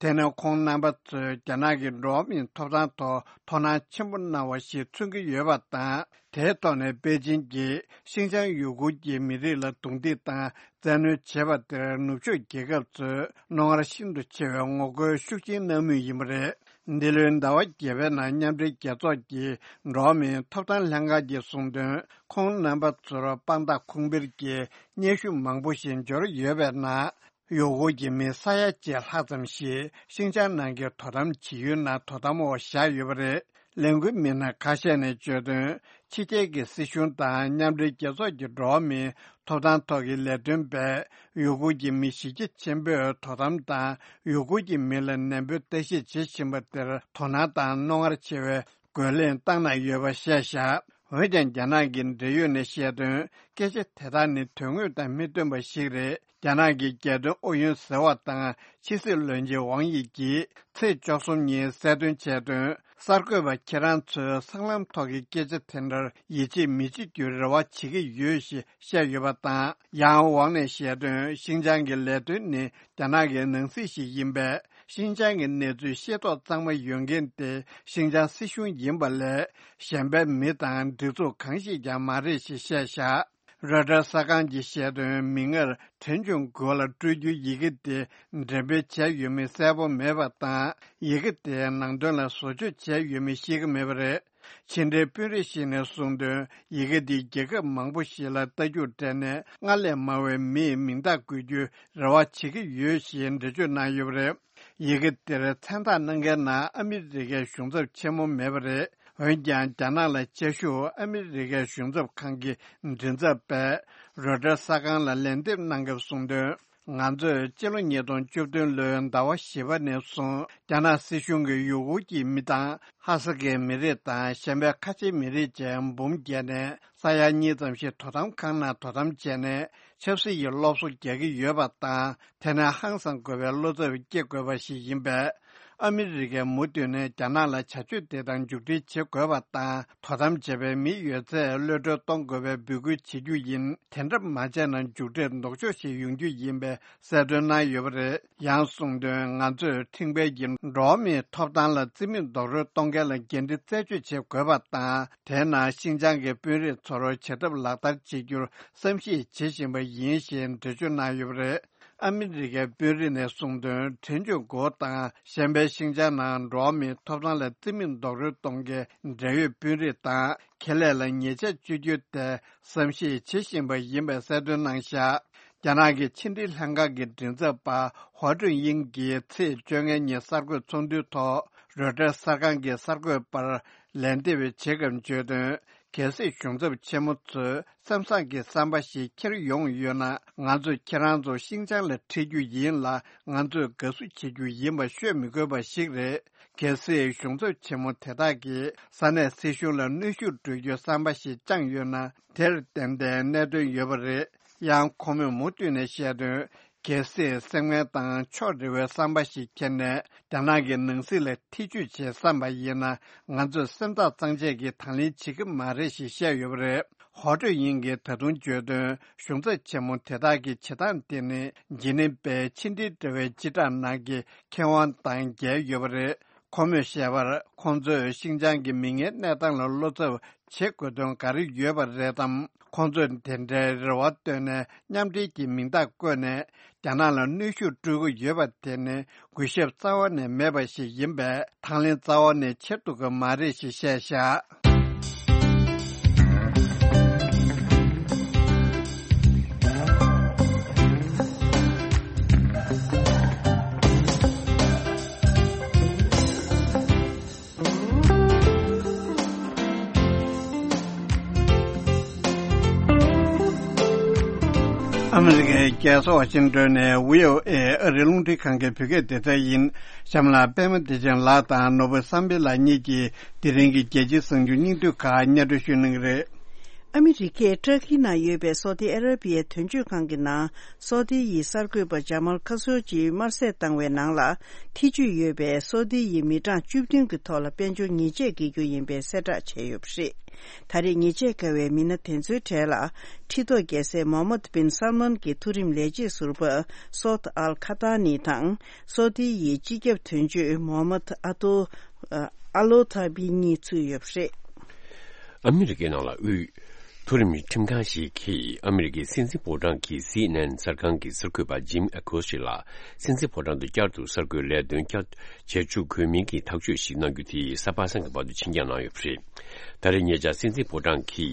དེ་ནི་ཁོང་རྣམ་པ་ཚོས་རྒྱ་ནག་གི་འགྲོ་བ་མིའི་ཐོབ་ཐང་ཐོག་དོ་སྣང་ཆེན་པོ་གནང་བ་ཞིག་མཚོན་གྱི་ཡོད་པ་དང་། དེའི་ཐོག་ནས་པེ་ཅིན་གྱིས་ཤིན་ཅང་ཡུ་གུར་གྱི་མི་རིགས་ལ་རྡུང་རྡེག་དང་བཙན་གནོན་བྱས་པ་དེར་ནུབ་ཕྱོགས་རྒྱལ་ཁབ་ཚོས་རྣོ་ངར་ཤིན་ཏུ་ཆེ་བའི་ངོ་རྒོལ་ཤུགས་ཆེན་གནང་མུས་ཡིན་པ་རེད། འདི་ལོའི་ཟླ་བ་བརྒྱད་པའི་ནང་མཉམ་འབྲེལ་རྒྱལ་ཚོགས་ཀྱི་འགྲོ་བ་མིའི་ཐོབ་ཐང་ལྷན་ཁང་གིས་གསུངས་དོན། ཁོང་རྣམ་པ་ཚོར་དཔང་རྟགས་ཁུངས་འཕེར་གྱི་སྙན་ཞུ་མང་པོ་ཞིག་འབྱོར་ཡོད་པའི་ནང་། ཡུ་གུར་གྱི་མི་ས་ཡ་གཅིག་ལྷག་ཙམ་ཞིག་ཤིན་ཅང་ནང་གི་དོ་དམ་བྱེད་ཡུལ་ནང་དོ་དམ་འོག་བཞག་ཡོད་པ་རེད། ལས་འགུལ་མི་སྣ་ཁ་ཤས་ནས་བརྗོད་དོན། ཕྱི་རྒྱལ་གྱི་སྲིད་གཞུང་དང་མཉམ་འབྲེལ་རྒྱལ་ཚོགས་ཀྱི་འགྲོ་བ་མིའི་ཐོབ་ཐང་ཐོག་གི་ལས་དོན་པས་ཡུ་གུར་གྱི་མི་གཞི་རྒྱ་ཆེན་པོས་དོ་དམ་དང་ཡུ་གུར་གྱི་མི་ལ་ནན་པོས་ལྟ་ཞིབ་བྱེད་བཞིན་པ་དེར་དོ་སྣང་དང་རྣོ་ངར་ཆེ་བའི་རྒོལ་ལན་བཏང་གནང་ཡོད་པ་བཤད་བཞག་འོན་ཀྱང་། རྒྱ་ནག་གི་འབྲེལ་ཡོད་ནས་བཤད་དོན། སྐད་ཆ་དེ་དག་ནི་དོན་དངོས་དང་མི་མཐུན་པ་ཞིག་རེད། རྒྱ་ནག་གི་རྒྱལ་དོན་ཨུ་ཡོན་ཟེར་བ་དང་ཕྱི་སྲིད་བློན་ཆེན་ཝང་དབྱི་གིས་ཚེས་བཅུ་གསུམ་ཉིན་གསལ་སྟོན་བྱས་དོན། གསར་འགོད་པ་ཁྱེད་རང་ཚོས་སྲང་ལམ་ཐོག་གི་སྐད་ཆ་དེ་འདྲར་ཡིད་ཆེས་མི་བྱེད་རྒྱུའི་རེ་བ་བྱེད་ཀྱི་ཡོད་ཞེས་བཤད་ཡོད་པ་དང་། ཡང་ཝང་ནས་བཤད་དོན། ཤིན་ཅང་གི་ལས་དོན་ནི་རྒྱ་ནག་གི་ནང་སྲིད་ཞིག་ཡིན་པས། ཤིན་ཅང་གི་གནས་ཚུལ་ཤེས་རྟོགས་གཙང་མ་ཡོད་མཁན་དེ་ཤིན་ཅང་སྲིད་གཞུང་ཡིན་པ་ལས། གཞན་པའི་མི་དང་སྒྲིག་འཛུགས་གང་ཞིག་ཀྱང་མ་རེད་ཞེས་བཤད་བཞག་རོའི་ཊར་གསར་ཁང་གིས་བཤད་དོན། མིག་སྔར་ཁྲེན་ཆུང་གོ་ལ་སྤྲོད་རྒྱུའི་ཡི་གེ་དེ་འགྲེམས་སྤེལ་བྱས་ཡོད་མེད་གསལ་པོ་མེད་པ་དང་། ཡི་གེ་དེའི་ནང་དོན་ལ་བཟོ་བཅོས་བྱས་ཡོད་མེད་ཤེས་ཀྱི་མེད་པ་རེད། ཕྱི་འབྲེལ་དཔོན་རིགས་ཤིག་ནས་གསུངས་དོན། ཡི་གེ་འདི་རྒྱལ་ཁབ་མང་པོ་ཞིག་ལ་རྟ་རྒྱུག་སྤྲད་ནས་སྔར་ལས་མང་བའི་མིའི་མིང་རྟགས་འགོད་རྒྱུའི་རེ་བ་བྱེད་ཀྱི་ཡོད་ཞེས་འགྲེལ་བརྗོད་གནང་ཡོད་པ་རེད། ཡི་གེ་འདིར་མཚན་རྟགས་གནང་མཁན་ནང་ཨ་མི་རི་ཀའི་གཞུང་ཚབ་ཆེན་མོ་མེད་པ་རེད། འོན་ཀྱང་། རྒྱ་ནག་ལ་བཅའ་བཞུགས་ཨ་མི་རི་ཀའི་གཞུང་ཚབ་ཁང་གི་མགྲིན་ཚབ་པས་རོའི་ཊར་གསར་ཁང་ལ་ལན་འདེབས་གནང་སྐབས་གསུངས་དོན། ང་ཚོས་སྤྱི་ལོ་ཉིས་སྟོང་བཅུ་བདུན་ལོའི་ཟླ་བ་བཞི་པ་ནས་བཟུང་། རྒྱ་ནག་སྲིད་གཞུང་གིས་ཡུ་གུར་གྱི་མི་དང་། ཧ་སག་གི་མི་རིགས་དང་། གཞན་པའི་ཁ་ཆེའི་མི་རིགས་བཅས་འབུམ་བརྒྱད་ནས། ས་ཡ་གཉིས་ཙམ་ཞིག་དོ་དམ་ཁང་ནང་དོ་དམ་བྱས་ནས། ཆབ་སྲིད་ཀྱི་སློབ་གསོ་རྒྱག་གི་ཡོད་པ་དང་། དེ་ནས་ཧང་སང་དགོས་པའི་བློ་འཚབ་སྐྱེ་དགོས་པ་ཞིག་ཡིན་པས། ཨ་མི་རི་ཀས་མུ་མཐུད་ནས་རྒྱ་ནག་ལ་བྱ་སྤྱོད་དེ་དག་མཇུག་སྒྲིལ་བྱེད་དགོས་པ་དང་། དོ་དམ་བྱེད་པའི་མི་ཡོད་ཚད་གློད་གྲོལ་གཏོང་དགོས་པའི་འབོད་སྐུལ་བྱེད་རྒྱུ་ཡིན། དེ་འདྲ་མ་བྱས་ན་མཇུག་འབྲས་ལྡོག་ཕྱོགས་ཤིག་ཡོང་རྒྱུ་ཡིན་པའི་གསལ་སྟོན་གནང་ཡོད་པ་རེད། ཡང་གསུངས་དོན། ང་ཚོས་ཁྲིམས་འགལ་གྱི་འགྲོ་བ་མིའི་ཐོབ་ཐང་ལ་རྩིས་མེད་རྡོག་རོལ་གཏོང་མཁན་ལ་འགན་འཁྲི་རྩད་གཅོད་བྱེད་དགོས་པ་དང་། དེས་ན་ཤིན་ཅང་གི་དཔོན་རིགས་ཚོར་བྱེད་ཐབས་ལག་བསྟར་བྱེད་རྒྱུར་བསམ་གཞིག་བྱེད་བཞིན་པ་ཡིན་ཞེས་འགྲེལ་བརྗོད་གནང་ཡོད་པ་རེད། ཨ་མི་རི་ཀའི་དཔོན་རིགས་ནས་གསུངས་དོན། གྲོས་ཆོད་འགོ་དང་གཞན་པའི་ཤིན་ཅང་ནང་འགྲོ་བ་མིའི་ཐོབ་ཐང་ལ་རྩིས་མེད་རྡོག་རོལ་གཏོང་མཁན་འབྲེལ་ཡོད་དཔོན་རིགས་དང་ཁེ་ལས་ལ་ཉེས་ཆད་གཅོད་རྒྱུ་དེ་བསམ་གཞིག་བྱེད་བཞིན་པ་ཡིན་པའི་གསལ་སྟོན་གནང་བཞག་རྒྱ་ནག་གི་ཕྱི་འབྲེལ་ལྷན་ཁང་གི་མགྲིན་ཚབ་པ་ཧོ་ཀྲུན་དབྱིང་གིས་ཚེས་བཅོ་ལྔ་ཉིན་གསར་འགོད་ཚོགས་འདུའི་ཐོག་རོའི་ཊར་གསར་ཁང་གི་གསར་འགོད་པར་ལན་འདེབས་བྱེད་སྐབས་བརྗོད་དོན། གལ་སྲིད་གཞུང་ཚབ་ཆེན་མོ་ཚོས་མཚམས་བསྲེ་གི་བསམ་པ་ཞིག་འཁྱེར་ཡོང་ཡོད་ན། ང་ཚོས་ཁྱེད་རང་ཚོ་ཤིན་ཅང་ལ་ཁྲིད་རྒྱུ་ཡིན་ལ། ང་ཚོས་དགའ་བསུ་བྱེད་རྒྱུ་ཡིན་པ་ཤོད་མི་དགོས་པ་ཞིག་རེད། གལ་སྲིད་གཞུང་ཚབ་ཆེན་མོ་དེ་དག་གིས་ས་གནས་སྲིད་གཞུང་ལ་གནོན་ཤུགས་སྤྲོད་རྒྱུའི་བསམ་པ་ཞིག་བཅངས་ཡོད་ན། དེར་ཏན་ཏན་གནད་དོན་ཡོད་པ་རེད། ཡང་ཁོ་མོས་མུ་མཐུད་ནས་བཤད་དོན། གལ་སྲིད་སེམས་ངན་དང་ཕྱོགས་རེ་བའི་བསམ་པ་ཞིག་འཁྱེར་ནས་རྒྱ་ནག་གི་ནང་སྲིད་ལ་ཐེ་ཇུས་བྱེད་བསམ་པ་ཡིན་ན། ང་ཚོས་སེམས་ཐག་གཙང་བཅད་ཀྱིས་དང་ལེན་བྱེད་ཀྱི་མ་རེད་ཞེས་བཤད་ཡོད་པ་རེད། ཧོ་ཀྲུན་དབྱིང་གིས་ད་དུང་བརྗོད་དོན། གཞུང་ཚབ་ཆེན་མོ་དེ་དག་གི་བྱེད་སྟངས་དེ་ནི་ཇི་ནིབ་པའི་ཕྱི་འབྲེལ་དྲ་བའི་སྤྱི་བསྒྲགས་ནང་གི་ཁེ་དབང་དང་འགལ་ཡོད་པ་རེད། ཁོ་མོས་བཤད་པར། ཁོང་ཚོས་ཤིན་ཅང་གི་མིག་སྔའི་གནས་སྟངས་ལ་བློ་འཚབ་བྱེད་དགོས་དོན་ག་རེ་ཡོད་པ་རེད་དམ། ཁོང་ཚོས་དེ་འདྲའི་རེ་བ་བཏོན་ནས་མཉམ་འབྲེལ་གྱི་མིང་རྟགས་བཀོད་ནས་རྒྱ་ནག་ལ་གནོན་ཤུགས་སྤྲོད་ཀྱི་ཡོད་པ་དེ་ནི་གུས་ཞབས་རྩ་བ་ནས་མེད་པ་ཞིག་ཡིན་པས། དང་ལེན་རྩ་བ་ནས་བྱེད་ཐུབ་ཀྱི་མ་རེད་ཞེས་བཤད་བཞག་ཨ་མི་རི་ཀའི་རྒྱལ་ས་ཝ་ཤིང་ཏོན་ནས་བྷི་ཨོ་ཨེ་ཨ་རིའི་རླུང་འཕྲིན་ཁང་གི་བོད་སྐད་སྡེ་ཚན་ཡིན། གཤམ་ལ་པད་མ་བདེ་ཆེན་ལགས་དང་ནོར་བུ་བསམ་འཕེལ་ལགས་གཉིས་ཀྱིས་དེ་རིང་གི་རྒྱལ་སྤྱིའི་གསར་འགྱུར་སྙིང་བསྡུས་ཁག་སྙན་སྒྲོན་ཞུ་གནང་གི་རེད། ཨ་མི་རི་ཀས་ཏྲ་ཀི་ནང་ཡོད་པའི་སོ་ཏི་ཨ་ར་པི་ཡའི་དོན་གཅོད་ཁང་གི་ནང་སོ་ཏི་ཡི་གསར་འགོད་པ་ཇ་མལ་ཁ་སོ་ཇི་དམར་གསོད་བཏང་བའི་ནང་ལ་ཐེ་ཇུས་ཡོད་པའི་སོ་ཏི་ཡི་མི་གྲངས་བཅུ་བདུན་གྱི་ཐོག་ལ་དཔལ་འབྱོར་ཉེས་ཆད་འགེལ་རྒྱུ་ཡིན་པའི་གསལ་བསྒྲགས་བྱས་ཡོད་པ་རེད། ད་རེས་ཉེས་ཆད་བཀལ་བའི་མི་སྣ་དེ་ཚོའི་གྲས་ལ་ཁྲི་ཐོག་རྒྱལ་སྲས་མོ་ཧམ་མད་བིན་སལ་མཱན་གྱི་མཐོ་རིམ་ལས་བྱེད་ཟུར་པ་སོད་ཨལ་ཁ་ཏཱ་ནི་དང་། སོ་ཏི་ཡི་སྤྱི་ཁྱབ་དོན་གཅོད་མོ་ཧམ་མད་ཨ་ཏོ་ཨ་ལོ་ཐ་བི་གཉིས་ཚུད་ཡོད་པ་རེད། ཨ་མི་རི་ཀའི་ནང་ལ་དབུས་མཐོ་རིམ་ཁྲིམས་ཁང་ཞིག་གིས་ཨ་མི་རི་ཀའི་སྲིད་འཛིན་ཕོ་བྲང་གི་སི་ཨེན་ཨེན་གསར་ཁང་གི་གསར་འགོད་པ་ཇིམ་ཨ་ཁོ་སི་ལ་སྲིད་འཛིན་ཕོ་བྲང་དུ་བསྐྱར་དུ་གསར་འགོད་ལས་དོན་བསྐྱར་བྱེད་བཅུག་དགོས་མིན་གྱི་ཐག་གཅོད་ཞིག་གནང་རྒྱུ་དེ་གཟའ་པ་སངས་ཀྱི་བར་དུ་ཕྱིར་འགྱངས་གནང་ཡོད་པ་རེད། ད་རེས་ཉེ་ཆར་སྲིད་འཛིན་ཕོ་བྲང་གི་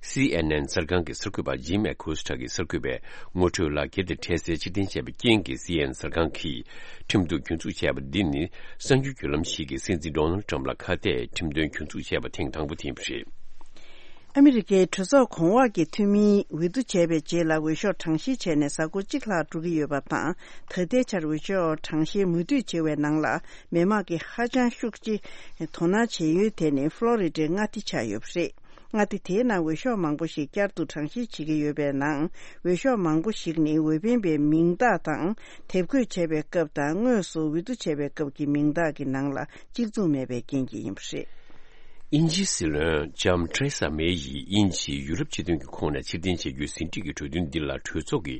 སི་ཨེན་ཨེན་གསར་ཁང་གི་གསར་འགོད་པ་ཇིམ་ཨ་ཁོ་སི་ཁྲ་གི་གསར་འགོད་པས་ངོ་སྤྲོད་ལག་འཁྱེར་དེ་འཕྲལ་སེལ་ཕྱིར་འཐེན་བྱས་པའི་རྐྱེན་གྱིས་སི་ཨེན་ཨེན་གསར་ཁང་གིས་ཁྲིམས་གཏུག་རྒྱུན་འཛུགས་བྱས་པ་འདི་ནི་གསར་འགྱུར་བརྒྱུད་ལམ་ཞིག་གིས་སྲིད་འཛིན་ཌོ་ནལ་ཊམ་ལ་ཁ་གཏད་ཁྲིམས་དོན་རྒྱུན་འཛུགས་བྱས་པ་ཐེངས་དང་པོ་དེ་ཡིན་པ་རེད། ཨ་མི་རི་ཀའི་གྲོས་ཚོགས་གོང་འོག་གི་འཐུས་མིའི་འོས་བསྡུ་བྱས་པའི་རྗེས་ལ་འོས་ཤོག་གྲངས་བཤེར་བྱས་ནས་གཟའ་འཁོར་གཅིག་ལྷག་འགྲོ་གི་ཡོད་པ་དང་། ད་ལྟའི་ཆར་འོས་ཤོག་གྲངས་བཤེར་མུ་མཐུད་བྱེད་པའི་ནང་ལ་མི་མང་གིས་ཧ་ཅང་ཤུགས་ཆེ་དོ་སྣང་བྱེད་ཡུལ་དེ་ནི་ཕློ་རི་ཌའི་མངའ་སྡེ་ཆགས་ཡོད་པ་རེད། མངའ་སྡེ་དེའི་ནང་འོས་ཤོག་མང་པོ་ཞིག་བསྐྱར་དུ་གྲངས་བཤེར་བྱེད་ཀྱི་ཡོད་པའི་ནང་། འོས་ཤོག་མང་པོ་ཞིག་ནི་འོས་འཕེན་པའི་མིང་རྟགས་དང་། དེབ་འགོད་བྱས་པའི་སྐབས་དང་། དངོས་སུ་འོས་བསྡུ་བྱས་པའི་སྐབས་ཀྱི་མིང་རྟགས་ཀྱི་ནང་ལ་གཅིག་མཚུངས་མེད་པའི་རྐྱེན་གྱིས་ཡིན་པ་རེད། དབྱིན་ཇིའི་སྲིད་བློན་ལྕམ་ཐེ་རེ་ས་མེ་ཡིས་དབྱིན་ཇིས་ཡུ་རོབ་སྤྱི་མཐུན་གྱི་ཁོངས་ནས་ཕྱིར་འཐེན་བྱེད་རྒྱུའི་ཟིན་བྲིས་ཀྱི་གྲོས་མཐུན་འདི་ལ་གྲོས་ཚོགས་ཀྱི་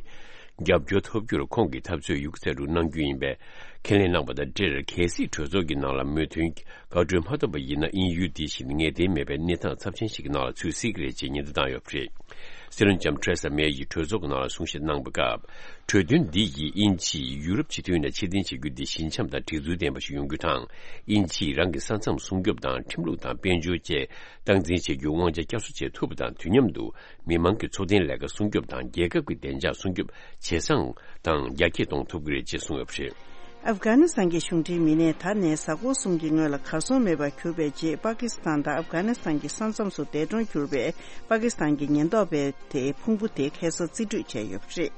རྒྱབ་སྐྱོར་ཐོབ་རྒྱུར་ཁོང་གིས་འཐབ་རྩོད་ཡོད་རྒུ་ཚད་དུ་གནང་རྒྱུ་ཡིན་པས་ཁས་ལེན་གནང་པ་དང་འབྲེལ། གལ་སྲིད་གྲོས་ཚོགས་ཀྱི་ནང་ལ་མོས་མཐུན་དགའ་སྤྲོ་མ་ཐོབ་པ་ཡིན་ན། དབྱིན་ཡུལ་འདི་བཞིན་ངེས་གཏན་མེད་པའི་གནས་སྟངས་ཚབས་ཆེན་ཞིག་གི་ནང་ལ་ཚུད་སྲིད་ཀྱི་རེད་ཅེས་ཉེན་བརྡ་བཏང་ཡོད་པ་རེད། སྲིད་བློན་ལྕམ་ཐེ་རེ་ས་མེ་ཡིས་གྲོས་ཚོགས་ཀྱི་ནང་ལ་གསུང་བཤད་གནང་བའི་སྐབས། གྲོས་མཐུན་འདི་ཡིས་དབྱིན་ཇིས་ཡུ་རོབ་སྤྱི་མཐུན་ནས་ཕྱིར་འཐེན་བྱེད་རྒྱུ་འདི་ཞི་འཇམ་དང་སྒྲིག་འཛུགས་ལྡན་པ་ཞིག་ཡོང་རྒྱུ་དང་། དབྱིན་ཇིས་རང་གི་ས་མཚམས་སྲུང་སྐྱོབ་དང་ཁྲིམས་ལུགས་དང་དཔལ་འབྱོར་བཅས་སྟངས་འཛིན་བྱེད་རྒྱུར་དབང་ཆ་བསྐྱར་གསོ་བྱེད་ཐུབ་པ་དང་། དུས་མཉམ་དུ་མི་མང་གི་འཚོ་རྟེན་ལས་ཀ་སྲུང་སྐྱོབ་དང་། རྒྱལ་ཁབ་ཀྱི་བདེ་འཇགས་སྲུང་སྐྱོབ་ཇེ་བཟང་དང་རྒྱ་སྐྱེད་གཏོང་ཐུབ་ཀྱི་རེད་ཅེས་གསུངས་ཡོད་པ་རེད། ཨབ་གྷ་ནི་སི་ཐན་གྱི་གཞུང་འབྲེལ་མི་སྣས་ད་ནས་གཟའ་འཁོར་གསུམ་གྱི་སྔོན་ལ་གར་སོང་མེད་པར་གྱུར་པའི་རྗེས། པ་ཀི་སི་ཐན་དང་ཨབ་གྷ་ནི་སི་ཐན་གྱི་ས་མཚམས་སུ་འདས་གྲོངས་གྱུར་པའི་པ་ཀི་སི་ཐན་གྱི་ཉེན་རྟོག་པའི་དེའི་ཕུང་པོ་དེ་ཁ་སང་རྩིས་སྤྲོད་བྱས་ཡོད་པ་རེད།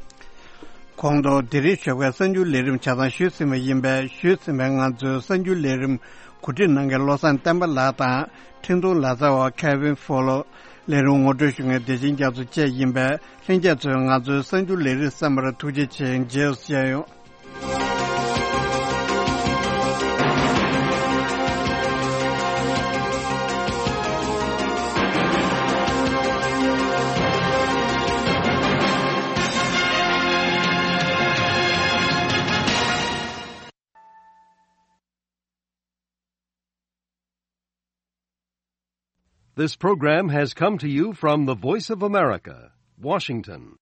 གོང་དུ་དེ་རིང་ཞོགས་པའི་གསར་འགྱུར་ལས་རིམ་ཆ་ཚང་ཞུས་ཟིན་པ་ཡིན་པས། ཞུས་ཟིན་པའི་ང་ཚོའི་གསར་འགྱུར་ལས་རིམ་གོ་སྒྲིག་གནང་མཁན་བློ་བཟང་བསྟན་པ་ལགས་དང་། འཕྲིན་གཏོང་ལག་རྩལ་བ་Kevin Fowler། ལས་རིམ་ངོ་སྤྲོད་ཞུ་མཁན་བདེ་ཆེན་རྒྱ་མཚོ་བཅས་ཡིན་པས། ལྷན་རྒྱས་ཚོས་ང་ཚོའི་གསར་འགྱུར་ལས་རིམ་གསན་པར་ཐུགས་རྗེ་ཆེ། མཇལ་བྱས་ཡོང་། This program has come to you from the Voice of America, Washington.